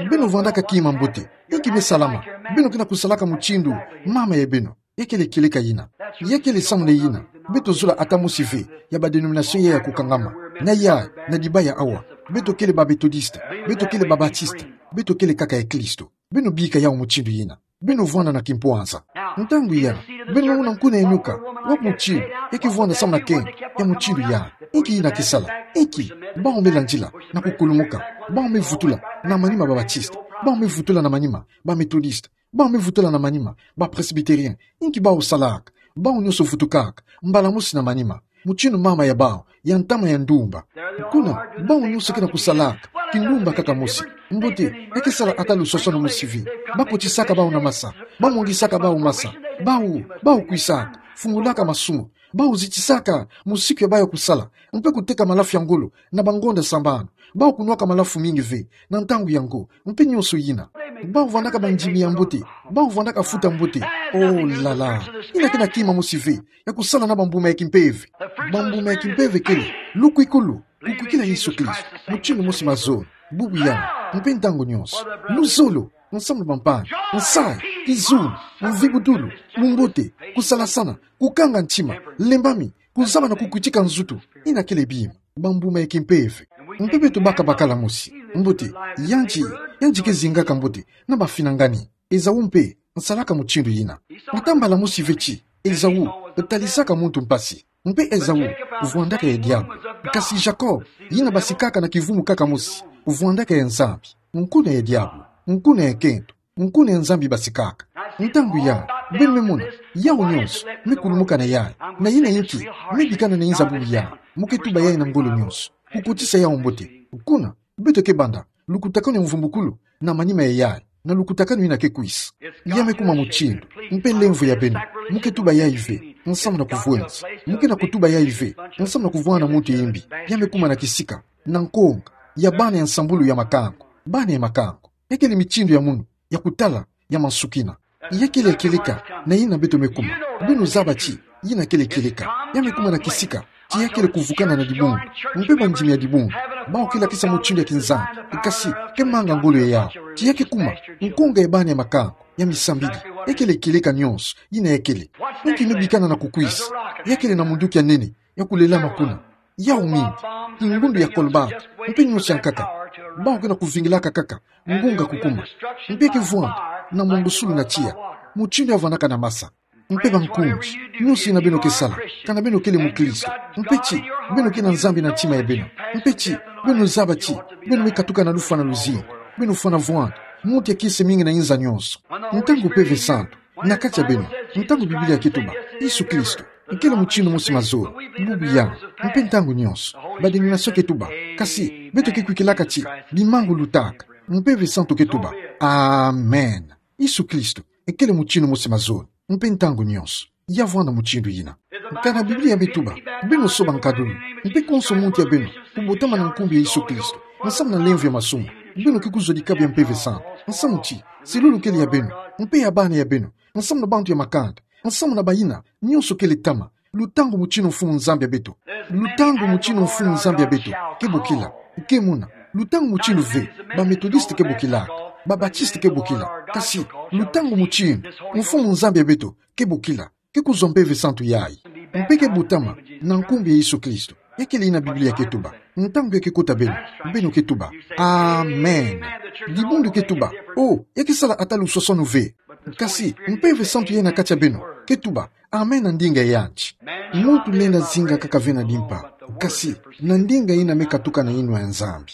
Beno vwandaka kima mbote. Inki me salama? Beno ke na kusalaka mutindu mama ya beno. Ya kele kieleka yina. Ya kele samu na yina beto zola ata mosi ve ya ba dénomination ya ya kukangama. Na yayi, na dibaya awa, beto kele ba Methodiste, beto kele ba Baptiste, beto kele kaka ya Klisto. Beno bika yawu mutindu yina. Beno vwanda na kimpwanza. Ntangu yayi, beno mona nkuna ya nyoka. Wapi mutindu ya ke vwanda samu na kento ya mutindu yayi? Inki yina ke sala? Inki? Bawu me landila na kukulumuka. Bawu me vutula na manima ba Baptiste. Bawu me vutula na manima ba Methodiste. Bawu me vutula na manima ba Presbytérien. Inki bawu salaka? Bawu nyonso vutukaka mbala mosi na manima, mutindu mama ya bawu ya ntama ya ndumba. Kuna, bawu nyonso ke na kusalaka kindumba kaka mosi. Mbote, ya ke sala ata lusosono mosi ve. Bakotisaka bawu na masa. Bamwangisaka bawu masa. Bawu, bawu kwisaka, fungulaka masumu. Bawu zitisaka mosiku ya bawu ya kusala, mpe kuteka malafu ya ngolo na bangonda sambanu. Bawu kunwaka malafu mingi ve na ntangu yango, mpe nyonso yina. Bawu vwandaka bandimi ya mbote. Bawu vwandaka futa mbote. Oh là là. Yina ke na kima mosi ve ya kusala na bambuma ya kimpeve. Bambuma ya kimpeve kele lukwikulu, kukwikila Yesu Klisto mutindu mosi mazono, bubu, yawu, mpe ntangu nyonso. Luzolo, nsamu na bampana, nsayi, kizunu, mvibutulu, bumbote, kusalasana, kukanga ntima, lembami, kuzaba na kukwitika nzutu. Yina kele bima bambuma ya kimpeve. Mpe beto baka bakala mosi. Mbote, yandi, yandi ke zingaka mbote na bafinangani. Esaü mpe asalaka mutindu yina. Ata mbala mosi ve ti Esaü atalisaka muntu mpasi. Mpe Esaü vwandaka ya diabulu. Kasi Jacob, yina basikaka na kivumu kaka mosi, vwandaka ya Nzambi. Nkuna ya diabulu, nkuna ya kento, nkuna ya Nzambi basikaka. Ntangu yayi, beno me mona, yawu nyonso me kulumuka na yayi. Na yina inki? Me bikana na inza bubu yayi. Mu ke tuba yayi na ngolo nyonso, kukotisa yawu mbote. Kuna, beto ke banda lukutakanu ya mvumbukulu na manima ya yayi, na lukutakanu yina ke kwisa. Ya me kuma mutindu, mpe lemvo ya beno, mu ke tuba yayi ve nsamu na kuvwenza. Mu ke na kutuba yayi ve nsamu na kuvwanga na muntu ya imbi. Ya me kuma na kisika, na nkonga ya bana ya nsambulu ya makango. Bana ya makango. Ya kele mitindu ya munu ya kutala ya mansukina. Ya kele kieleka na yina beto me kuma. Beno zaba ti yina kele kieleka. Ya me kuma na kisika ti ya kele kuvukana na dibundu, mpe bandimi ya dibundu. Bawu ke lakisa mutindu ya kinzambi, kasi ke manga ngolo ya yawu. Ti ya ke kuma nkonga ya bana ya makango. ya misambidi, ya kele kieleka nyonso yina ya kele. Nki me bikana na kukwisa? Ya kele na munduki ya nene ya kulelama kuna. Yau mingi, kingundu ya kolbata, mpe nyonso ya nkaka. Bawu ke na kuvingilaka kaka ngunga kukuma. Mpe ke vwanda na mwangusulu na tiya, mutindu ya vwandaka na masa. Mpe bankunzi, nyonso yina beno ke sala, kana beno kele mukristo. Mpe ti, beno ke na Nzambi na ntima ya beno. Mpe ti, beno zaba ti beno me katuka na lufwa na luzingu. Beno fwana vwanda, muntu ya kiese mingi na inza nyonso. Ntangu Mpeve Santu na kati ya beno, ntangu Biblia ke tuba Yesu Kristo kele mutindu mosi mazono, bubu, yambo, mpe ntangu nyonso, ba-dénomination ke tuba, kasi beto ke kwikilaka ti bimangu lutaka. Mpeve Santu ke tuba, amen. Yesu Kristo kele mutindu mosi mazono, mpe ntangu nyonso ya vwanda mutindu yina. Kana Biblia me tuba, beno soba nkaduni, mpe konso muntu ya beno kubotama na nkumbu ya Yesu Kristo, nsamu na lemvo ya masumu, beno ke kuzwa dikabu ya Mpeve Santu. Nsamu ti selulu kele ya beno, mpe ya bana ya beno, nsamu na bantu ya makanda, nsamu na bayina nyonso kele tama, lutangu mutindu Mfumu Nzambi ya beto. Lutangu mutindu Mfumu Nzambi ya beto ke bokila, ke mona. Lutangu mutindu ve ba-Methodiste ke bokila, ba-Baptiste ke bokila. Kasi lutangu mutindu Mfumu Nzambi ya beto ke bokila, ke kuzwa Mpeve Santu yayi. Mpe ke botama na nkumbu ya Yesu Kristo. Ya kele yina Biblia ke tuba. Ntangu ya ke kota beno, beno ke tuba, amen. Dibundu ke tuba, oh, ya ke sala ata luswaswanu ve. Kasi Mpeve Santu yayi na kati ya beno ke tuba, amen, na ndinga yandi. Muntu lenda zinga kaka ve na dimpa, kasi na ndinga yina me katuka na yinwa ya Nzambi.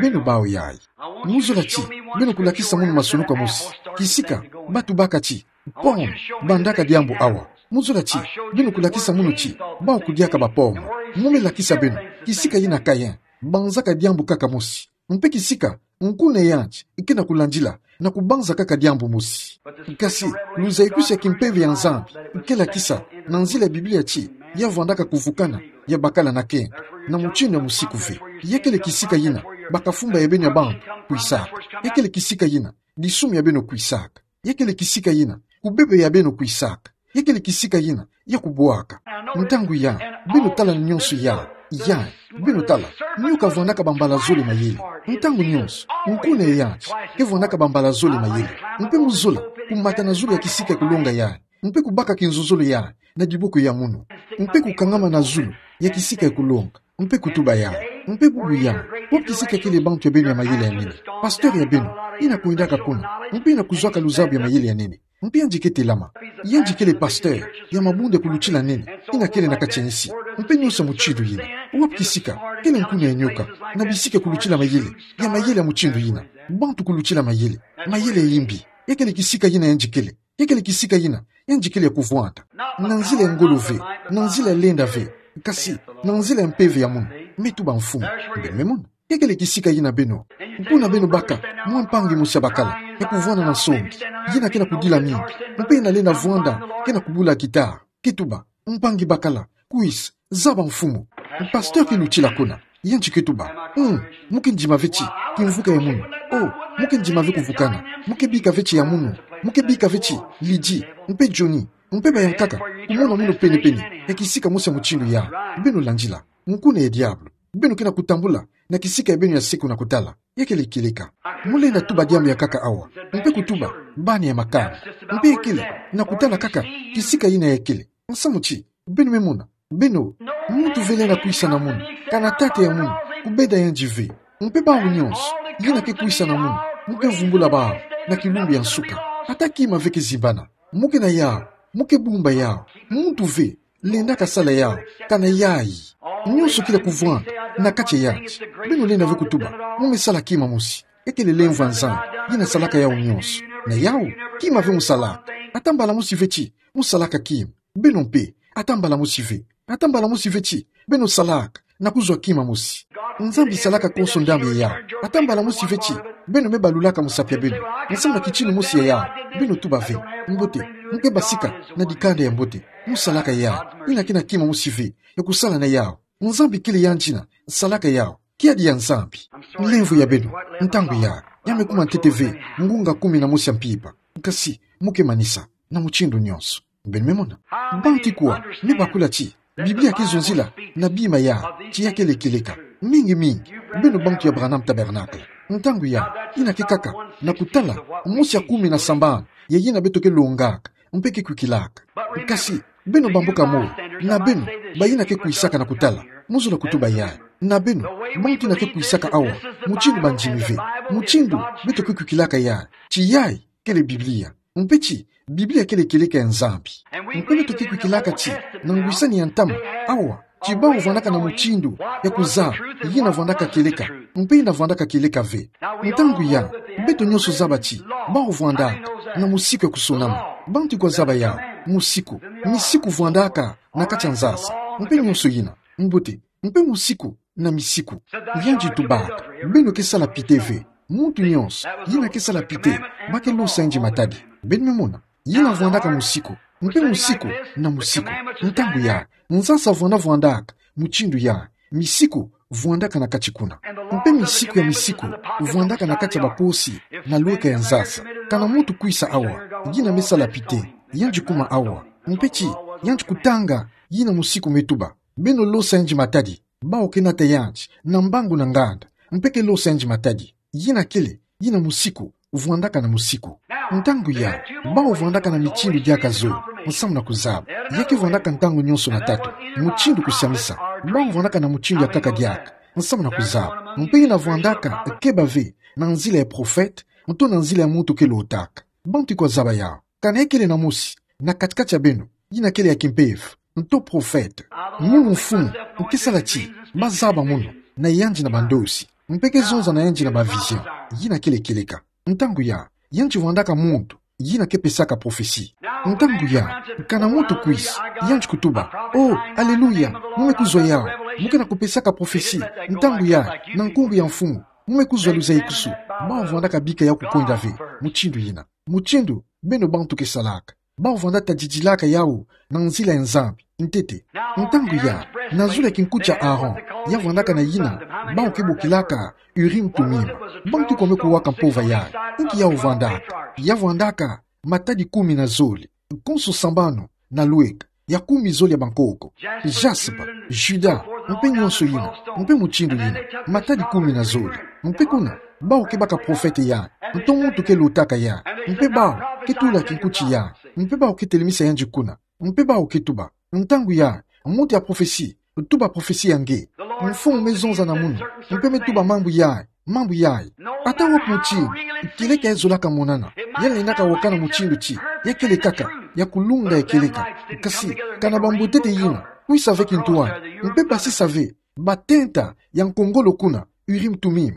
Beno bawu yayi. Mu zola ti beno kulakisa munu masunuku mosi kisika batu baka ti, pon, bandaka diambu awa. Mu zola ti beno kulakisa munu ti bawu kudiaka ba-pomme. Mu me lakisa beno kisika yina Caïn banzaka diambu kaka mosi, mpe kisika nkuna yandi ke na kulandila na kubanza kaka diambu mosi. Kasi luzaikusi ya kimpeve ya Nzambi ke lakisa, na nzila ya Biblia, ti ya vwandaka kuvukana ya bakala na kento na mutindu ya musiku ve. Ya kele kisika yina bakafumba ya beno ya bantu kwisaka. Ya kele kisika yina disumu ya beno kwisaka. Ya kele kisika yina kubebe ya beno kwisaka. Ya kele kisika yina ya kubwaka. Ntangu ya beno tala na nyonso ya, ya beno tala, nyoka avwandaka bambala zole mayele. Ntangu nyonso nkuna yandi ke vwandaka bambala zole mayele. Mpe mu zola kumata na zulu ya kisika ya kulonga yayi, mpe kubaka kinzozolo yayi na diboko ya munu, mpe kukangama na zulu ya kisika ya kulonga, mpe kutuba yayi, mpe bubu yayi, wapi kisika kele bantu ya beno ya mayele ya nene? Pasteur ya beno yina kwendaka kuna, mpe yina kuzwaka luzabu ya mayele ya nene, mpe yandi ke telama. Yandi kele pasteur ya mabunde kulutila nene yina kele na kati ya nsi, mpe nyonso ya mutindu yina. Wapi kisika kele nkuna ya nyoka na bisika kulutila mayele, ya mayele ya mutindu yina? Bantu kulutila mayele, mayele ya yimbi. Ya kele kisika yina yandi kele. Ya kele kisika yina yandi kele ya kuvwanda. Na nzila ya ngolo ve, na nzila ya lenda ve, kasi na nzila ya mpeve ya munu, me tuba Mfumu. Beno me mona. Ya kele kisika yina beno. Kuna beno baka mwa mpangi mosi ya bakala ya kuvwanda na nsongi, yina ke na kudila mingi, mpe yina lenda vwanda, ke na kubula guitare. Ke tuba, mpangi bakala, kwisa, zaba Mfumu. Pasteur ke lutila kuna, yandi ke tuba, mm, mu ke ndima ve ti kimvuka ya munu. Oh, mu ke ndima ve kuvukana. Mu ke bika ve ti ya munu. Mu ke bika ve ti Lydie, mpe Johnny, mpe bayankaka kumona munu pene-pene ya kisika mosi ya mutindu ya. Beno landila nkuna ya diabulu. Beno ke na kutambula na kisika ya beno ya seko na kutala. Ya kele kieleka. Mu lenda tuba diambu ya nkaka awa, mpe kutuba bana ya makanda, mpe ya kele na kutala kaka kisika yina ya kele. Nsamu ti beno me mona, beno, muntu ve lenda kwisa na munu, kana tata ya munu kubenda yandi ve. Mpe bawu nyonso yina ke kwisa na munu, mu ke vumbula bawu na kilumbu ya nsuka. Ata kima ve ke zimbana, mu ke na yawu, mu ke bumba yawu. Muntu ve lendaka sala yawu, kana yayi. Nyonso kele kuvwanda na kati ya yandi. Beno lenda ve kutuba, mu me sala kima mosi. Ya kele lemvo ya Nzambi yina salaka yawu nyonso. Na yawu, kima ve mu salaka. Ata mbala mosi ve ti mu salaka kima. Beno mpe, ata mbala mosi ve. Ata mbala mosi ve ti beno salaka na kuzwa kima mosi. Nzambi salaka konso ndambu ya yawu. Ata mbala mosi ve ti beno me balulaka musapi ya beno nsamu na kitini mosi ya yawu. Beno tuba ve, mbote, mu ke basika na dikanda ya mbote. Mu salaka yawu. Yina ke na kima mosi ve ya kusala na yawu. Nzambi kele yandi yina salaka yawu. Kiadi ya Nzambi. Lemvo ya beno, ntangu ya, ya me kuma ntete ve ngunga kumi na mosi ya mpimpa. Kasi mu ke manisa na mutindu nyonso. Beno me mona. Bantu ikwa me bakula ti Biblia ke zonzila na bima ya, ti ya kele kieleka. Mingi-mingi beno bantu ya Branham Tabernacle. Ntangu ya, yina ke kaka na kutala mosi ya kumi na sambanu ya yina beto ke longaka, mpe ke kwikilaka. Kasi, beno bamboka moi, na beno, bayina ke kwisaka na kutala, mozola kutuba yayi. Na beno, bantu yina ke kwisaka awa, mutindu bandimi ve, mutindu beto ke kwikilaka yayi, ti yayi kele Biblia. Mpe ti, Biblia kele kieleka ya Nzambi. Mpe beto ke kwikilaka ti, na ngwisani ya ntama, awa, ti bawu vwandaka na mutindu ya kuzaba yina vwandaka kieleka, mpe yina vwandaka kieleka ve. Ntangu yayi, beto nyonso zaba ti, bawu vwandaka na mosiku ya kusonama. Bantu kwa zaba yawu, mosiku, misiku vwandaka na kati ya nzasa, mpe nyonso yina, mbote, mpe mosiku na misiku. Yandi tubaka, beno ke sala pite ve. Muntu nyonso yina ke sala pite, ba ke losa yandi matadi. Beno me mona, yina vwandaka mosiku, mpe mosiku na mosiku. Ntangu yayi, nzasa vwanda vwandaka mutindu yayi, misiku vwandaka na kati kuna. Mpe misiku ya misiku vwandaka na kati ya baposi na lweka ya nzasa. Kana muntu kwisa awa, yina me sala pite, yandi kuma awa. Mpe ti, yandi kutanga yina mosiku me tuba. Beno losa yandi matadi. Bawu ke nata yandi na mbangu na nganda, mpe ke losa yandi matadi. Yina kele, yina mosiku vwandaka na mosiku. Ntangu yayi, bawu vwandaka na mitindu diaka zole, nsamu na kuzaba. Ya ke vwandaka ntangu nyonso na tatu, mutindu kusiamisa. Bawu vwandaka na mutindu ya nkaka diaka, nsamu na kuzaba. Mpe yina vwandaka keba ve na nzila ya profete, nto na nzila ya muntu ke lotaka. Bantu kwa zaba yawu. Kana ya kele na mosi na kati-kati ya beno, yina kele ya kimpeve, nto profete. Mono mfumu, nke sala ti ba zaba mono na yandi na bandosi, mpe ke zonza na yandi na ba vision. Yina kele kieleka. Ntangu yayi, yandi vwandaka muntu yina ke pesaka profesi. Ntangu yayi, kana muntu kwisa, yandi kutuba: "Oh, aleluya, mu me kuzwa yawu, mu ke na kupesaka profesi, ntangu yayi, na nkumbu ya mfumu, mu me kuzwa luzayikusu." Bawu vwandaka bika yawu kukwenda ve mutindu yina. Mutindu beno bantu ke salaka. Bawu vwanda tadidilaka yawu na nzila ya Nzambi, ntete. Ntangu yayi, na zulu ya kinkuti ya Aaron, ya vwandaka na yina bawu ke bokilaka Urim Tumim. Bantu kwa me kuwaka mpova yayi. Inki yawu vwandaka? Ya vwandaka matadi kumi na zole, konso sambanu na lweka, ya kumi zole ya bankoko, jaspe, juda, mpe nyonso yina, mpe mutindu yina, matadi kumi na zole. Mpe kuna, bawu ke baka profete yayi, nto muntu ke lotaka yayi, mpe bawu ke tula kinkuti yayi, mpe bawu ke telemisa yandi kuna, mpe bawu ke tuba. Ntangu yayi, muntu ya profesi, tuba profesi ya nge. Mfumu me zonza na mono, mpe me tuba mambu yayi, mambu yayi. Ata wapi mutindu kieleka ya zolaka monana, ya lendaka wakana mutindu ti ya kele kaka, ya kulunda ya kieleka. Kasi, kana bambwetete yina kwisa ve kintwadi, mpe basisa ve batenta ya nkongolo kuna, Urim Tumim.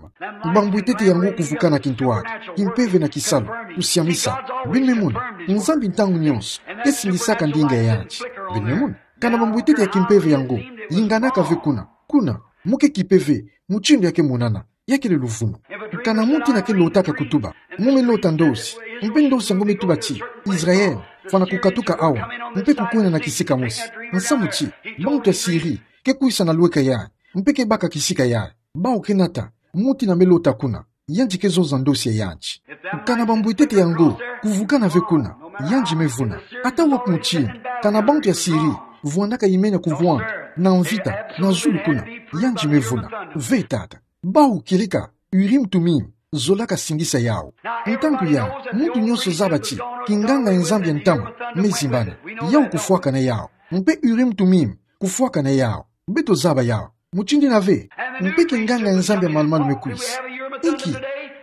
Bambwetete yango kuvukana kintwadi, kimpeve na kisalu, kusiamisa. Beno me mona, Nzambi ntangu nyonso ke singisaka ndinga ya yandi. Beno me mona, kana bambwetete ya kimpeve yango yinganaka ve kuna, kuna, mu ke kimpeve, mutindu ya ke monana, ya kele luvunu. Kana muntu yina ke lotaka kutuba: "Mu me lota ndosi, mpe ndosi yango me tuba ti Israel fwana kukatuka awa, mpe kukwenda na kisika mosi." Nsamu ti, bantu ya Siri ke kwisa na lweka yayi, mpe ke baka kisika yayi. Bawu ke nata muntu yina me lota kuna, yandi ke zonza ndosi ya yandi. Kana bambwetete yango kuvukana ve kuna, yandi me vuna. Ata wapi mutindu, kana bantu ya Siri vwandaka imenya kuvwanda na mvita na zulu kuna, yandi me vuna. Ve tata. Bawu kieleka Urim Tumim zolaka singisa yawu. Ntangu yayi, muntu nyonso zaba ti kinganga ya Nzambi ya ntama me zimbana. Yawu kufwakana yawu. Mpe Urim Tumim kufwakana yawu. Beto zaba yawu. Mutindu yina ve, mpe kinganga ya Nzambi ya malu-malu me kwisa. Inki?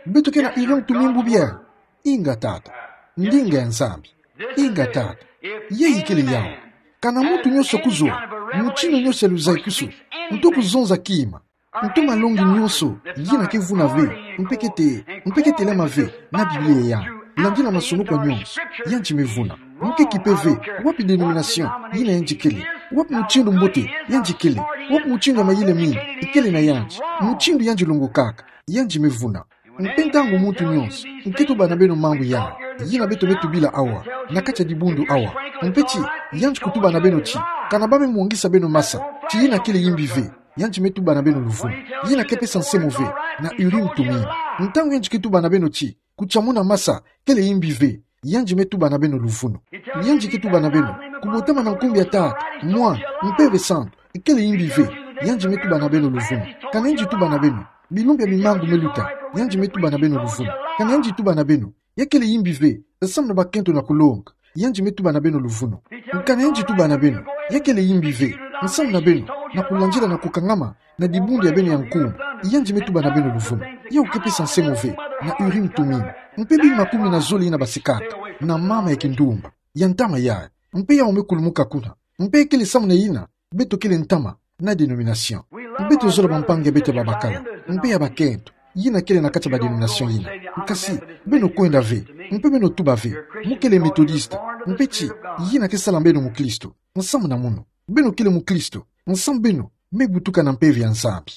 Beto ke na Urim Tumim bubu yayi? Inga tata. Ndinga ya Nzambi. Inga tata. Yayi kele yawu. Kana muntu nyonso kuzwa mutindu nyonso ya luzayikusu, nto kuzonza kima, nto malongi nyonso yina ke vuna ve, mpe ke te, mpe ke telama ve na Biblia yayi, landila masonoko nyonso, yandi me vuna. Mu ke kimpeve wapi dénomination yina yandi kele, wapi mutindu mbote yandi kele, wapi mutindu ya mayele mingi kele na yandi, mutindu yandi longokaka, yandi me vuna. Mpe ntangu muntu nyonso nke tuba na beno mambu yayi, yina beto me tubila awa, na kati ya dibundu awa, mpe ti yandi kutuba na beno ti, kana ba me mwangisa beno masa, ti yina kele yimbi ve, yandi me tuba na beno luvunu. Yina ke pesa nsemo ve na Urim Tumim. Ntangu yandi ke tuba na beno ti kutiamuna masa kele yimbi ve, yandi me tuba na beno luvunu. Yandi ke tuba na beno: "Kubotama na nkumbu ya Tata, Mwana, Mpeve Santu kele yimbi ve," yandi me tuba na beno luvunu. Kana yandi tuba na beno: "Bilumbu ya mimangu me luta," yandi me tuba na beno luvunu. Kana yandi tuba na beno: "Ya kele yimbi ve," nsamu na bakento na kulonga, yandi me tuba na beno luvunu. Kana yandi tuba na beno, ya kele imbi ve, nsamu na beno, na kulandila na kukangama na dibundu ya beno ya nkumbu, yandi me tuba na beno luvunu. Yau ke pesa nsengo ve na Urim Tumim, mpe bima kumi na zole yina basikaka na mama ya kindumba ya ntama yayi, mpe yau me kulumuka kuna. Mpe ya kele samu na yina, beto kele ntama na dénomination. Beto zola bampangi ya beto ya babakala, mpe ya bakento, yina kele na kati ya ba dénomination yina. Kasi, beno kwenda ve, mpe beno tuba ve, mo kele Metodiste, mpe ti, yina ke sala beno Muklisto. Nsamu na munu, beno kele Muklisto, nsamu beno me butuka na mpeve ya Nzambi.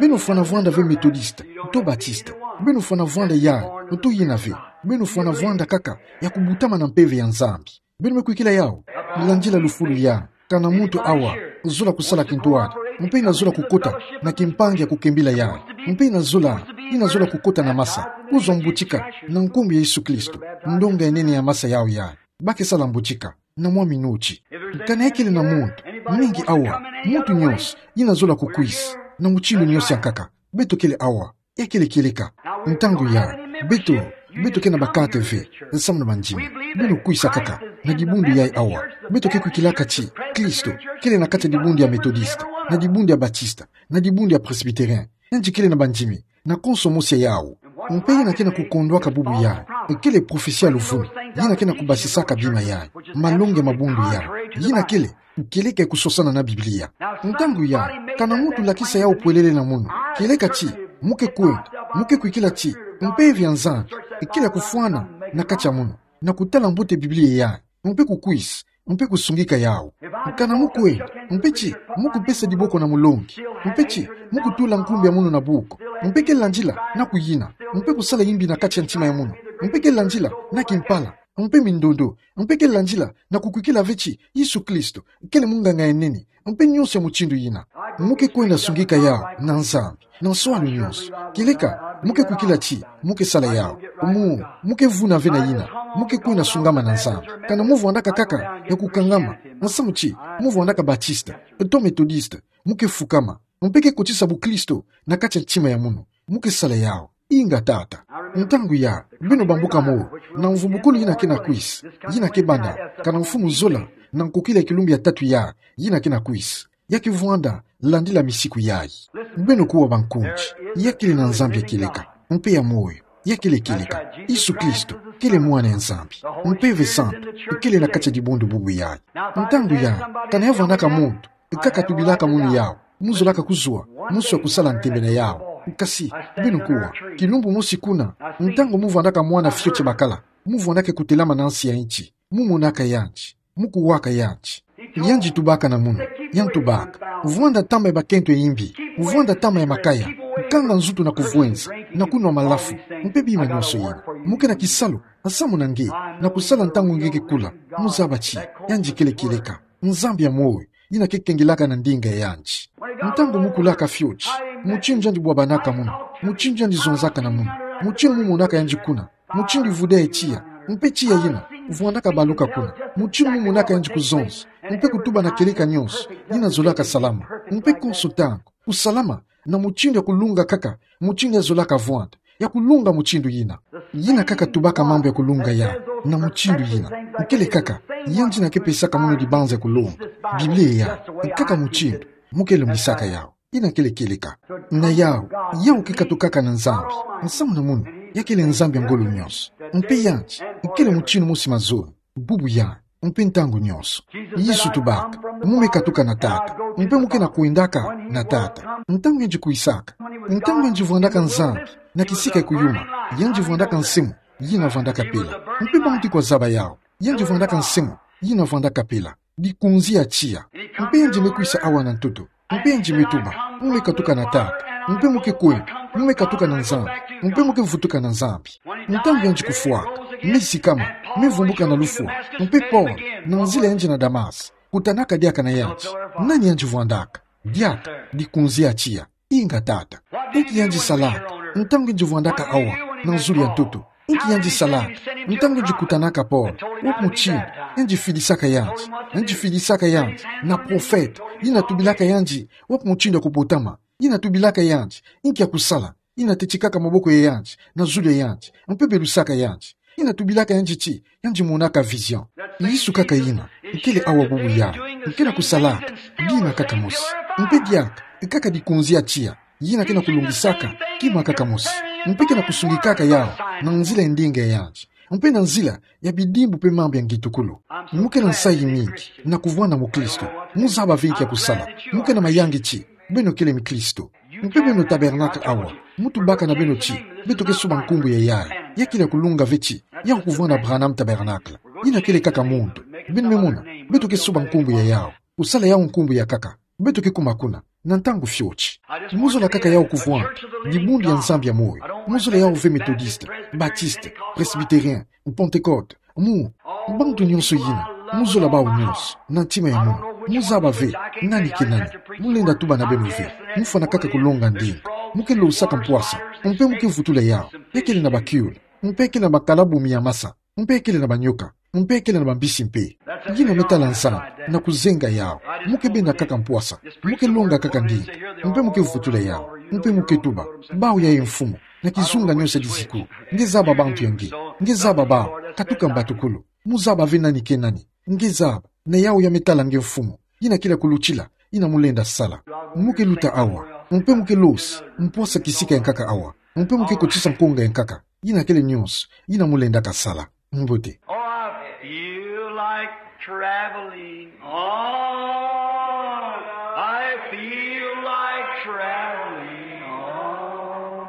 Beno fwana vwanda ve Metodiste, to Batiste. Beno fwana vwanda yayi, to yina ve. Beno fwana vwanda kaka ya kubutama na mpeve ya Nzambi. Beno me kwikila yau? Landila lufulu ya, kana muntu awa, zola kusala kintwari, mpe yina zola kukota na kimpangi ya kukembila yayi, mpe yina zola, yina zola kukota na masa, kuzwa mbutika, na nkumbu ya Yesu Kristo, ndonga ya nene ya masa yau yayi, ba ke sala mbutika, na mwa minuti. Kana ya kele na muntu, mingi awa, muntu nyonso, yina zola kukwisa, na mutindu nyonso ya nkaka, beto kele awa, ya kele kieleka. Ntangu yayi, beto, beto ke na bakate ve, nsamu na bandimi. Beno kwisa kaka na dibundu yayi awa. Beto ke kwikilaka ti Kristo kele na kati ya dibundu ya Metodiste, na dibundu ya Batiste, na dibundu ya Presbytérien. Yandi kele na bandimi na konso mosi ya yau. Mpe yina ke na kukondwaka bubu yayi, kele prophetie ya luvunu, yina ke na kubasisaka bima yayi, malongi ya mabundu yayi, yina kele kieleka ya kusosana na Biblia. Ntangu yayi, kana muntu lakisa yau pwelele na munu, kieleka ti, mo ke kwenda, mo ke kwikila ti mpeve ya Nzambi kele ya kufwana na kati ya munu, na kutala mbote Biblia yayi, mpe kukwisa, mpe kusungika yau. Kana mo kwenda, mpe ti, mo kupesa diboko na mulongi, mpe ti, mo kutula nkumbu ya munu na buku, mpe ke landila na kuyina, mpe kusala imbi na kati ya ntima ya munu, mpe ke landila na kimpala, mpe mindondo, mpe ke landila na kukwikila ve ti Yesu Kristo kele munganga ya nene, mpe nyonso ya mutindu yina. Mo ke kwenda sungika yau na Nzambi na nswalu nyonso. Kieleka mo ke kwikila ti mo ke sala yau, mo, mo ke vuna ve na yina, mo ke kwenda sungama na Nzambi. Kana mo vwandaka kaka ya kukangama, nsamu ti mo vwandaka Batiste to Metodiste, mo ke fukama, mpe ke kotisa bukristo na kati ya ntima ya munu, mo ke sala yau. Inga tata. Ntangu yayi, beno bambuka moyo na mvumbukulu yina ke na kwisa, yina ke banda, kana mfumu zola na nkokila ya kilumbu ya tatu yayi, yina ke na kwisa. Ya ke vwanda landila misiku yayi. Beno kuwa bankunzi, ya kele na Nzambi ya kieleka, mpe ya moyo, ya kele kieleka. Yesu Kristo kele Mwana ya Nzambi. Mpeve Santu kele na kati ya dibundu bubu yayi. Ntangu yayi, kana ya vwandaka muntu, kaka tubilaka munu yau, mo zolaka kuzwa, mo swa kusala ntembe na yau. Kasi, beno kuwa, kilumbu mosi kuna, ntangu mo vwandaka mwana fioti ya bakala, mo vwandaka kutelama na nsi ya nti, mo monaka yandi, mo kuwaka yandi. Yandi tubaka na munu, yandi tubaka: Vwanda ntama ya bakento ya imbi, vwanda ntama ya makaya, kanga nzutu na kuvwenza, na kunwa malafu, mpe bima nyonso yina. Mo ke na kisalu, nsamu na nge, na kusala ntangu nge ke kula. Mo zaba ti yandi kele kieleka, Nzambi ya moyo, yina ke kengelaka na ndinga ya yandi. Ntangu mo kulaka fioti, mutindu yandi bwabanaka munu, mutindu yandi zonzaka na munu, mutindu mo monaka yandi kuna, mutindu vuda ya tiya, mpe tiya yina vwandaka baluka kuna, mutindu mo monaka yandi kuzonza, mpe kutuba na kieleka nyonso, yina zolaka salama, mpe konso ntangu kusalama na mutindu ya kulunga kaka, mutindu ya zolaka vwanda, ya kulunga mutindu yina. Yina kaka tubaka mambu ya kulunga yayi, na mutindu yina. Kele kaka yandi yina ke pesaka munu dibanza ya kulunga. Biblia yayi, kaka mutindu mo ke longisaka yau. Yina kele kieleka. Na yau, yau ke katukaka na Nzambi. Nsamu na munu, ya kele Nzambi ya ngolo nyonso. Mpe yandi kele mutindu mosi mazono, bubu yayi, mpe ntangu nyonso. Yesu tubaka: Mo me katuka na Tata, mpe mo ke na kwendaka na Tata. Ntangu yandi kwisaka, ntangu yandi vwandaka Nzambi na kisika ya kuyuma, yandi vwandaka nsemo yina vwandaka pela. Mpe bantu kwa zaba yau, yandi vwandaka nsemo yina vwandaka pela, dikunzi ya tiya. Mpe yandi me kwisa awa na ntoto, mpe yandi me tuba: Mo me katuka na Tata, mpe mo ke kwenda, mo me katuka na Nzambi, mpe mo ke vutuka na Nzambi. Ntangu yandi kufwaka, me sikama, me vumbuka na lufwa, mpe Paul, na nzila yandi na Damas, kutanaka diaka na yandi. Nani yandi vwandaka? Diaka dikunzi ya tiya. Inga tata. Inki yandi salaka ntangu yandi vwandaka awa na zulu ya ntoto? Inki yandi salaka ntangu yandi kutanaka Paul? Wapi mutindu yandi fidisaka yandi? Yandi fidisaka yandi na profete, yina tubilaka yandi wapi mutindu ya kubotama, yina tubilaka yandi inki ya kusala, yina tetikaka maboko ya yandi na zulu ya yandi, mpe belusaka yandi. Yina tubilaka yandi ti, yandi monaka vision. Yesu kaka yina, nkele awa bubu yayi, nke na kusalaka, dina kaka mosi. Mpe diaka, nkaka dikonzi a tiya, yina ke na kulongisaka, kima kaka mosi. Mpe ke na kusungikaka yawu, na nzila ya ndinga yandi. Mpe na nzila ya bidimbu mpe mambu ya ngitukulu. Mu ke na nsayi mingi, na kuvwanda mukristo. Mu zaba ve nki ya kusala. Mu ke na mayangi ti, beno kele mikristo. Mpe beno tabernacle awa. Mu tubaka na beno ti, beto ke soba nkumbu ya yayi. Ya kele ya kulunga ve ti, yawu kuvwanda Branham Tabernacle. Yina kele kaka muntu. Beno me mona, beto ke soba nkumbu ya yawu. Kusala yawu nkumbu ya nkaka. Beto ke kuma kuna, na ntangu fioti. Mu zola kaka yawu kuvwanda, dibundu ya Nzambi ya moyo. Mu zola yawu ve Methodiste, Baptiste, Presbytérien, Pentecôte. Mu, bantu nyonso yina, mu zola bawu nyonso, na ntima ya munu. Mu zaba ve, nani ke nani. Mu lenda tuba na beno ve. Mu fwana kaka kulonga ndinga. Mu ke losaka mpwasa, mpe mu ke vutula yawu. Ya kele na bakiula, mpe ya kele na bakala bumi ya masa. Mpe ya kele na banyoka, mpe ya kele na bambisi mpe. Yina me tala nzana, na kuzenga yawu. Mu ke benda kaka mpwasa, mu ke longa kaka ndinga, mpe mu ke vutula yawu, mpe mu ke tuba, bawu yayi Mfumu, na kizunga nyonso ya diziku, nge zaba bantu ya nge, nge zaba bawu, katuka mbatukulu, mu zaba ve nani ke nani, nge zaba, na yawu ya me tala nge Mfumu, yina kele ya kulutila, yina mu lenda sala. Mu ke luta awa, mpe mu ke losa, mpwasa kisika ya nkaka awa, mpe mu ke kotisa nkonga ya nkaka, yina kele nyonso, yina mu lendaka sala. Mbote. Oh, I feel like traveling on. I feel like traveling on.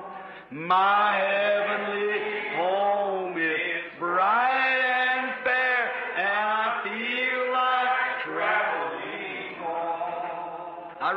My heavenly home is bright and fair, and I feel like traveling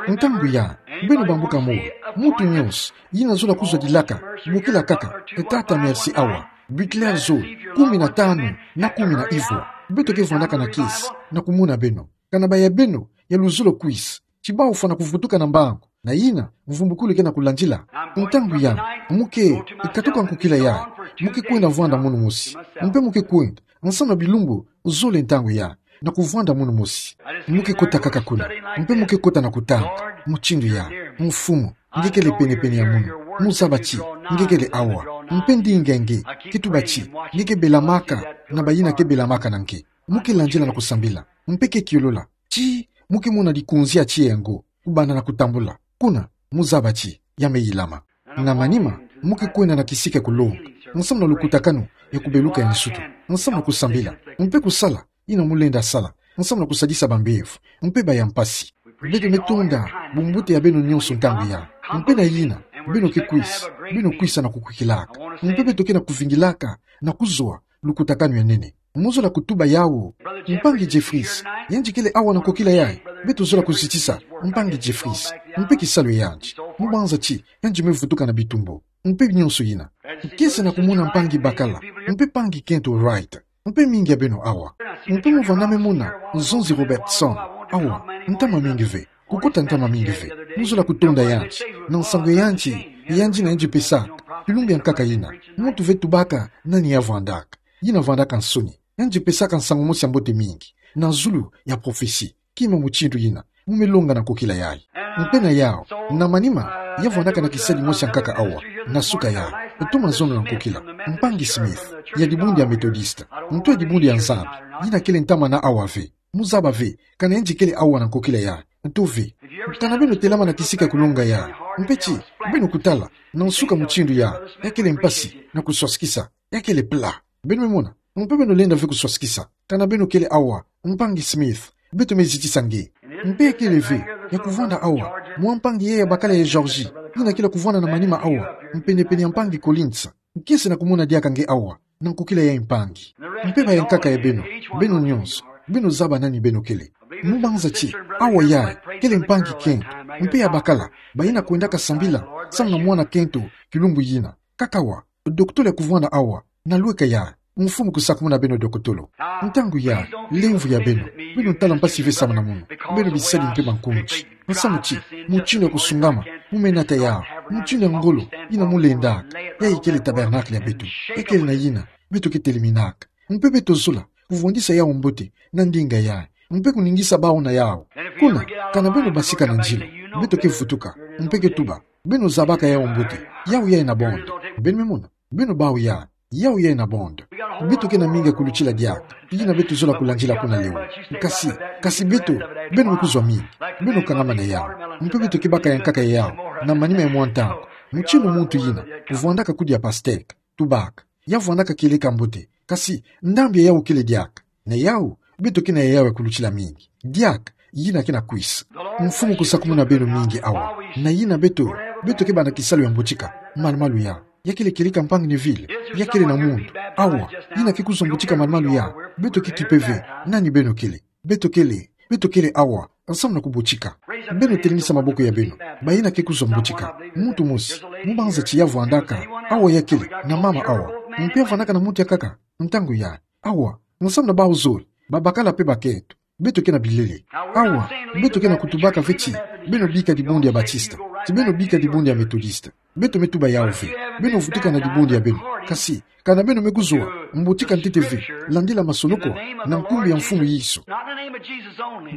on. Ntangu ya, beno bambuka moyo, muntu nyonso, yina zola kuzwa dilaka, bokila kaka, e Tata merci awa, Butler zole, kumi na tanu, na kumi na ivwa. Beto ke vwandaka na kiese, na kumona beno. Kana baya beno, ya luzolo kwisa. Ti bawu fwana kuvutuka na mbangu. Na yina, mvumbukulu ke na kulandila. Ntangu ya, mu ke, katuka nkokila ya, mu ke kwenda vwanda munu mosi. Mpe mu ke kwenda, nsamu na bilumbu, zole ntangu ya. Na kuvwanda munu mosi. Mu ke kota kaka kuna. Mpe mu ke kota na kutanga. Mutindu ya. Mfumu. Nge kele penepene ya munu. Mu zaba ti. Nge kele awa. Mpe ndinga nge. Ke tuba ti. Nge ke belamaka. Na bayina ke belamaka na nge. Mu ke landila na kusambila. Mpe ke kiolola. Ti. Mu ke mona dikonzi ya tiya ya ngo. Kubanda na kutambula. Kuna. Mu zaba ti. Ya me yilama. Na manima, mu ke kwenda na kisika ya kulonga, nsamu na lukutakanu ya kubeluka ya nsutu, nsamu na kusambila, mpe kusala, yina mu lenda sala, nsamu na kusadisa bambevo, mpe baya mpasi. Beto me tonda bumbote ya beno nyonso ntangu ya, mpe na yina, beno ke kwisa, beno kwisa na kukwikilaka, mpe beto ke na kuvingilaka, na kuzwa, lukutakanu ya nene. Mu zola kutuba yawu. Mpangi Jeffries, yandi kele awa na nkokila yayi. Beto zola kuzitisa, mpangi Jeffries. Mpe kisalu ya yandi. Mu banza ti, yandi me vutuka na bitumbu. Mpe nyonso yina. Kiese na kumona mpangi Bakala. Mpe mpangi Kento Wright. Mpe mingi ya beno awa. Mpe mu vanda me mona, Nzonzi Robertson. Awa, ntama mingi ve. Kukota ntama mingi ve. Mu zola kutonda yandi. Na nsangu ya yandi, yandi na yandi pesaka. Kilumbu ya nkaka yina. Muntu ve tubaka, nani ya vwandaka. Yina vwandaka nsoni. Yandi pesaka nsangu mosi ya mbote mingi. Na zulu ya prophetie. Kima mutindu yina. Mu me longa na nkokila yayi. Mpe na yawu. Na manima. Ya vwandaka na kisadi mosi ya nkaka awa. Na suka yayi. Ntoma zono na nkokila. Mpangi Smith. Ya dibundu ya Methodiste. Ntu ya dibundu ya Nzambi. Yina kele ntama na awa ve. Mu zaba ve. Kana yandi kele awa na nkokila yayi. Ntu ve. Kana beno telama na kisika ya kulonga yayi. Mpe ti. Beno kutala. Na nsuka mutindu yayi. Ya kele mpasi. Na kuswasikisa. Ya kele pla. Beno me mona, mpe beno lenda ve kuswasikisa. Kana beno kele awa, mpangi Smith, beto me zitisa nge. Mpe ya kele ve, ya kuvwanda awa, mwa mpangi yayi ya bakala ya Georgie, yina kele kuvwanda na manima awa, mpenepene ya mpangi Collins. Kiese na kumona diaka nge awa, na nkokila yayi mpangi. Mpe bayankaka ya beno, beno nyonso, beno zaba nani beno kele. Mu banza ti, awa yayi, kele mpangi Kento, mpe ya bakala, bayina kwendaka sambila, samu na mwana Kento, kilumbu yina. Kaka awa, dokotolo ya kuvwanda awa, na lweka yayi, mfumu kusakumuna beno dokotolo. Ntangu yayi, lemvo ya beno, beno tala mpasi ve samu na munu, beno bisadi mpe bankunzi. Nsamu ti, mutindu ya kusungama, mu me nata yawu, mutindu ya ngolo, yina mu lendaka, yayi kele tabernacle ya beto, ya kele na yina, beto ke teleminaka. Mpe beto zola, kuvwandisa yawu mbote, na ndinga yayi, mpe kuningisa bawu na yawu. Kuna, kana beno basika na nzilo, beto ke vutuka, mpe ke tuba, beno zabaka yawu mbote, yawu yayi na bondo, beno me mona. Beno bawu yayi, Yau yayi na bondo. Beto ke na mingi ya kulutila diaka yina beto zola kulandila kuna leo. Kasi, kasi beto, beno me kuzwa mingi. Beno kangama na yau. Mpe beto ke baka ya nkaka ya yau na manima ya mwa ntangu. Mutinu muntu yina vwandaka kudia pastèque, tubaka. Ya vwandaka kieleka mbote. Kasi ndambi ya yau kele diaka. Na yau, beto ke na ya yau ya kulutila mingi. Diaka, yina ke na kwisa. Mfumu kusakumuna beno mingi awa. Na yina beto, beto ke banda kisalu ya mbotika malumalu ya. Ya kele kieleka mpangi Neville? Ya kele na mundu awa, yina ke kuzwa mbotika malumalu ya? Beto ke kipe ve nani beno kele. Beto kele, beto kele awa, nsamu na kubotika. Beno telemisa maboko ya beno, bayina ke kuzwa mbotika. Muntu mosi, mubanza ti ya vwandaka, awa ya kele na mama awa. Mpe ya vwandaka na muntu ya nkaka ntangu yayi. Awa, nsamu na bawu zole, babakala mpe bakento. Beto ke na bilele. Awa, beto ke na kutubaka ve ti beno bika dibundu ya Batista, ti beno bika dibundu ya Metodista. Beto me tuba yau ve. Beno vutuka na dibundu ya beno. Kasi, kana beno me kuzwa mbotika ntete ve, landila masonoko na nkumbu ya Mfumu Yesu.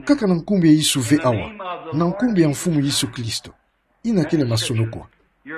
Kaka na nkumbu ya Yesu ve awa. Na nkumbu ya Mfumu Yesu Kristo. Yina kele masonoko.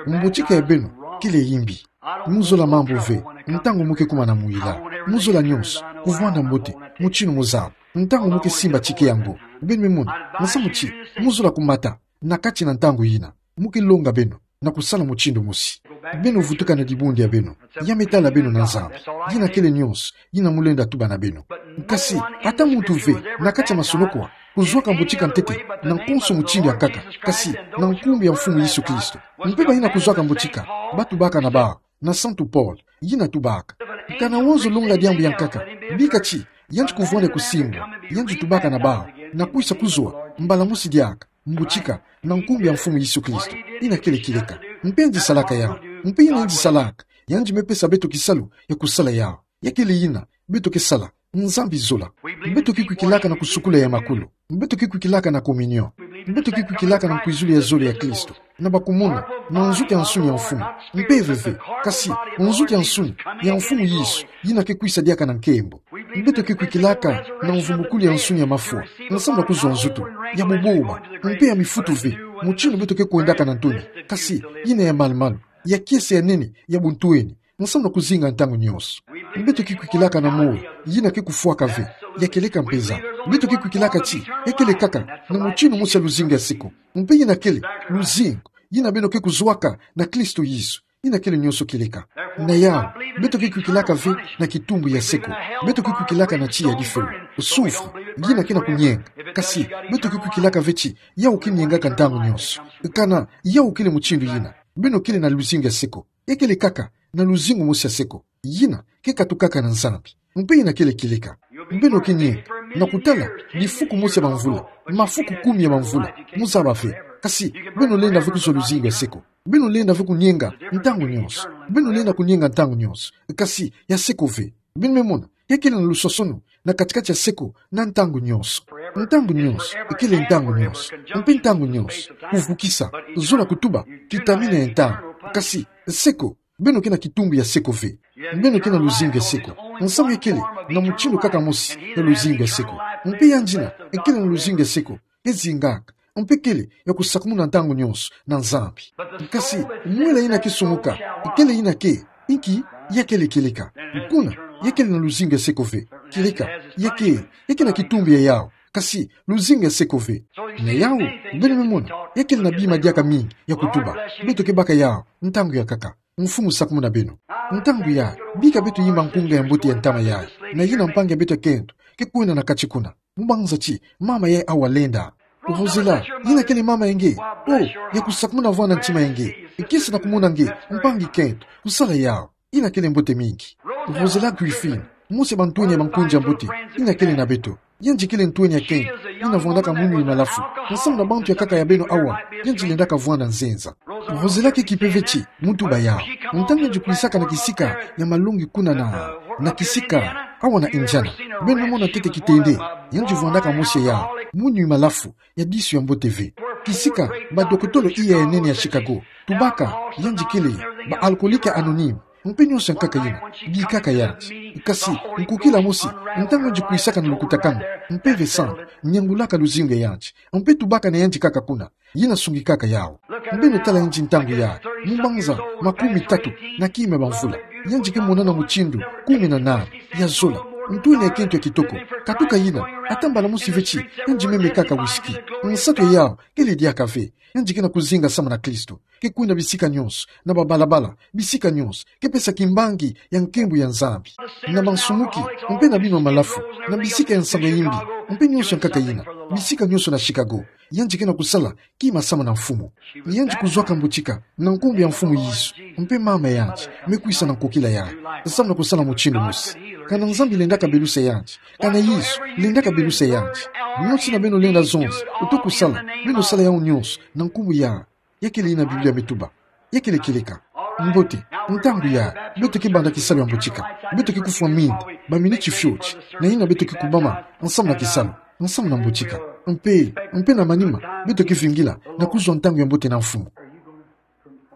Mbotika ya beno kele ya imbi. Muzola mambu ve ntangu mu ke kuma na mwila. Muzola nyonso kuvwanda mbote, mutinu muzaba. Ntangu mu ke simba ticket yango, beno me mona, nsamu ti muzola kumata na kati na ntangu yina. Mu ke longa beno na kusala mutindu mosi. Beno vutuka na dibundu ya beno. Ya me tala beno na Nzambi. Yina kele nyonso yina mu lenda tuba na beno. Kasi, ata muntu ve na kati ya masonoko awa kuzwaka mbotika ntete na nkonso mutindu ya nkaka, kasi na nkumbu ya Mfumu Yesu Kristo. Mpe bayina kuzwaka mbotika, batubaka na bawu na Santu Paul, yina tubaka: Kana wonso longa diambu ya nkaka, bika ti yandi kuvwanda kusimbwa, yandi tubaka na bawu, na kwisa kuzwa mbala mosi diaka mbotika na nkumbu ya Mfumu Yesu Kristo. Yina kele kieleka. Mpe yandi salaka yau. Mpe yina yandi salaka, yandi me pesa beto kisalu ya kusala yau. Ya kele yina beto ke sala. Nzambi zola. Beto ke kwikilaka na kusukula ya makulu. Beto ke kwikilaka na communion. Beto ke kwikilaka na nkwizulu ya zole ya Kristo, na bakumuna, na nzutu ya nsuni ya Mfumu. Mpe veve, kasi nzutu ya nsuni ya Mfumu Yesu, yina ke kwisa diaka na nkembo. Beto ke kwikilaka na mvumbukulu ya nsuni ya mafwa, nsamu na kuzwa nzutu ya buboba, mpe ya mifutu ve, mutindu beto ke kwendaka na ntoni, kasi yina ya malumalu, ya kiese ya nene, ya buntweni, nsamu na kuzinga ntangu nyonso. Beto ke kwikilaka na moyo yina ke kufwaka ve, ya kieleka mpeza. Beto ke kwikilaka ti ya kele kaka na mutindu mosi ya luzingu ya seko. Mpe yina kele luzingu yina beno ke kuzwaka na Kristo Yesu. Yina kele nyonso kieleka. Na yau, beto ke kwikilaka ve na kitumbu ya seko. Beto ke kwikilaka na tiya ya difelo, souffre. Yina ke na kunyenga. Kasi beto ke kwikilaka ve ti yau ke nyengaka ntangu nyonso. Kana yau kele mutindu yina, beno kele na luzingu ya seko. Ya kele kaka na luzingu mosi ya seko, yina ke katukaka na Nzambi. Mpe yina kele kieleka. Beno ke nyenga na kutala bifuku mosi ya bamvula, mafuku kumi ya bamvula, mu zaba ve. Kasi beno lenda ve kuzwa luzingu ya seko. Beno lenda ve kunyenga ntangu nyonso. Beno lenda kunyenga ntangu nyonso. Kasi ya seko ve. Beno me mona, ya kele na lusosono na kati-kati ya seko na ntangu nyonso. Ntangu nyonso, kele ntangu nyonso. Mpe ntangu nyonso kuvukisa, zola kutuba kitamina ya ntangu. Kasi seko, beno ke na kitumbu ya seko ve. Beno ke na luzingu ya seko. Nsamu ya kele na mutindu kaka mosi ya luzingu ya seko. Mpe yandi yina kele na luzingu ya seko, ke zingaka, mpe kele ya kusakumuna ntangu nyonso na Nzambi. Kasi mwela yina ke sumuka, kele yina ke, inki, ya kele kieleka. Kuna, ya kele na luzingu ya seko ve. Kieleka, ya ke, ya ke na kitumbu ya yau, kasi luzingu ya seko ve. Na yau, beno me mona, ya kele na bima diaka mingi ya kutuba. Beto ke baka yau ntangu ya nkaka. Mfumu sakumuna beno. Ntangu yayi, bika beto yimba nkunga ya mbote ya ntama yayi, na yina mpangi ya beto ya kento ke kwenda na kati kuna. Mubanza ti mama yayi awa lenda. Rosela, yina kele mama ya nge. Oh, ya kusakumuna vwanda ntima ya nge, kiese na kumona nge mpangi kento kusala yau. Yina kele mbote mingi. Rosela Griffin, mosi ya bantweni ya bankunzi ya mbote yina kele na beto. Yandi kele ntweni ya kento yina vwandaka munyu malafu. Nsamu na bantu ya nkaka ya beno awa, yandi lendaka vwanda nzenza. Rosela ke kipe ve ti mu tuba yau. Ntangu yandi kwisaka na kisika ya malongi kuna na, na kisika awa na Indiana, beno mona ntete kitende, yandi vwandaka mosi ya yau, munyu malafu, ya disu ya mbote ve. Kisika badokotolo iya ya nene ya Chicago tubaka yandi kele ba alcoolique anonyme. Mpe nyonso ya nkaka yina bikaka yandi. Kasi nkukila mosi, ntangu yandi kwisaka na lukutakanu, mpeve santu niangulaka luzingu ya yandi, mpe tubaka na yandi kaka kuna. Yina sungikaka yau. Beno tala yandi ntangu yayi, mubanza makumi tatu na kima ya bamvula. Yandi ke monana mutindu kumi na nani ya zola. Ntu ina ye kento ya kitoko. Katuka ina, ata mbala mosi ve ti, yandi me mekaka whisky. Nsatu yau, kele diaka ve. Yandi ke na kuzinga samu na Kristo. Ke kwenda bisika nyonso, na babalabala, bisika nyonso, ke pesa kimbangi ya nkembo ya Nzambi. Na bansumuki, mpe na bima malafu, na bisika ya nsangu ya yimbi, mpe nyonso ya nkaka ina, bisika nyonso na Chicago. Yandi ke na kusala kima samu na Mfumu. Yandi kuzwaka mbotika na nkumbu ya Mfumu Yesu. Mpe mama yandi me kwisa na nkokila yandi samu na kusala mutindu mosi. Kana Nzambi lendaka belusa yandi, kana Yesu lendaka belusa yandi. Nyonso ina beno lenda zonza, uto kusala, beno sala yawu nyonso na nkumbu ya, ya kele ina Biblia me tuba. Ya kele kieleka. Mbote, ntangu ya, beto ke banda kisalu ya mbotika. Beto ke kufwa minda, baminiti fioti, na ina beto ke kubama nsamu na kisalu, nsamu na mbotika. Mpe, mpe na manima, beto ke vingila na kuzwa ntangu ya mbote na Mfumu.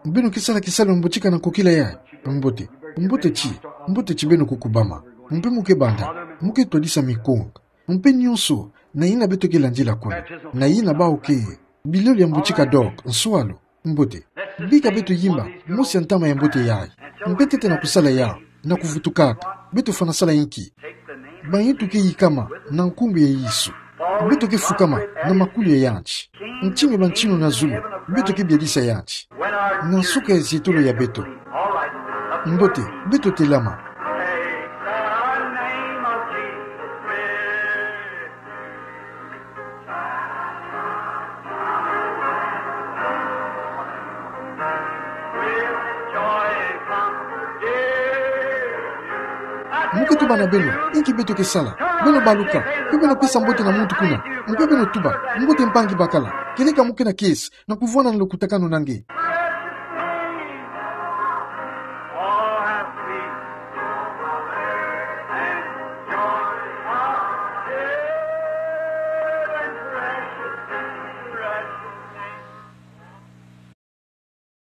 Beno ke sala kisalu ya mbotika na nkokila yayi? Mbote, mbote ti, mbote ti beno kukubama. Mpe mo ke banda, mo ke twadisa mikongo. Mpe nyonso na ina beto ke landila kuna, na ina bawu ke, bilolo ya mbotika donc, nswalu. Mbote. Bika beto yimba mosi ya ntama ya mbote yayi. Mpe ntete na kusala yawu, na kuvutukaka, beto fwana sala inki? Bayi tuke yikama na nkumbu ya Yesu. Beto ke fukama na makulu ya yandi. Ntinu ya bantinu na zulu, beto ke biadisa yandi. Na nsuka ya zietolo ya beto. Mbote, beto telama. Mo ke tuba na beno, inki beto ke sala? Beno baluka, mpe beno pesa mbote na muntu kuna, mpe beno tuba, mbote mpangi bakala, kieleka mo ke na kiese, na kuvwanda na lokutakanu na nge.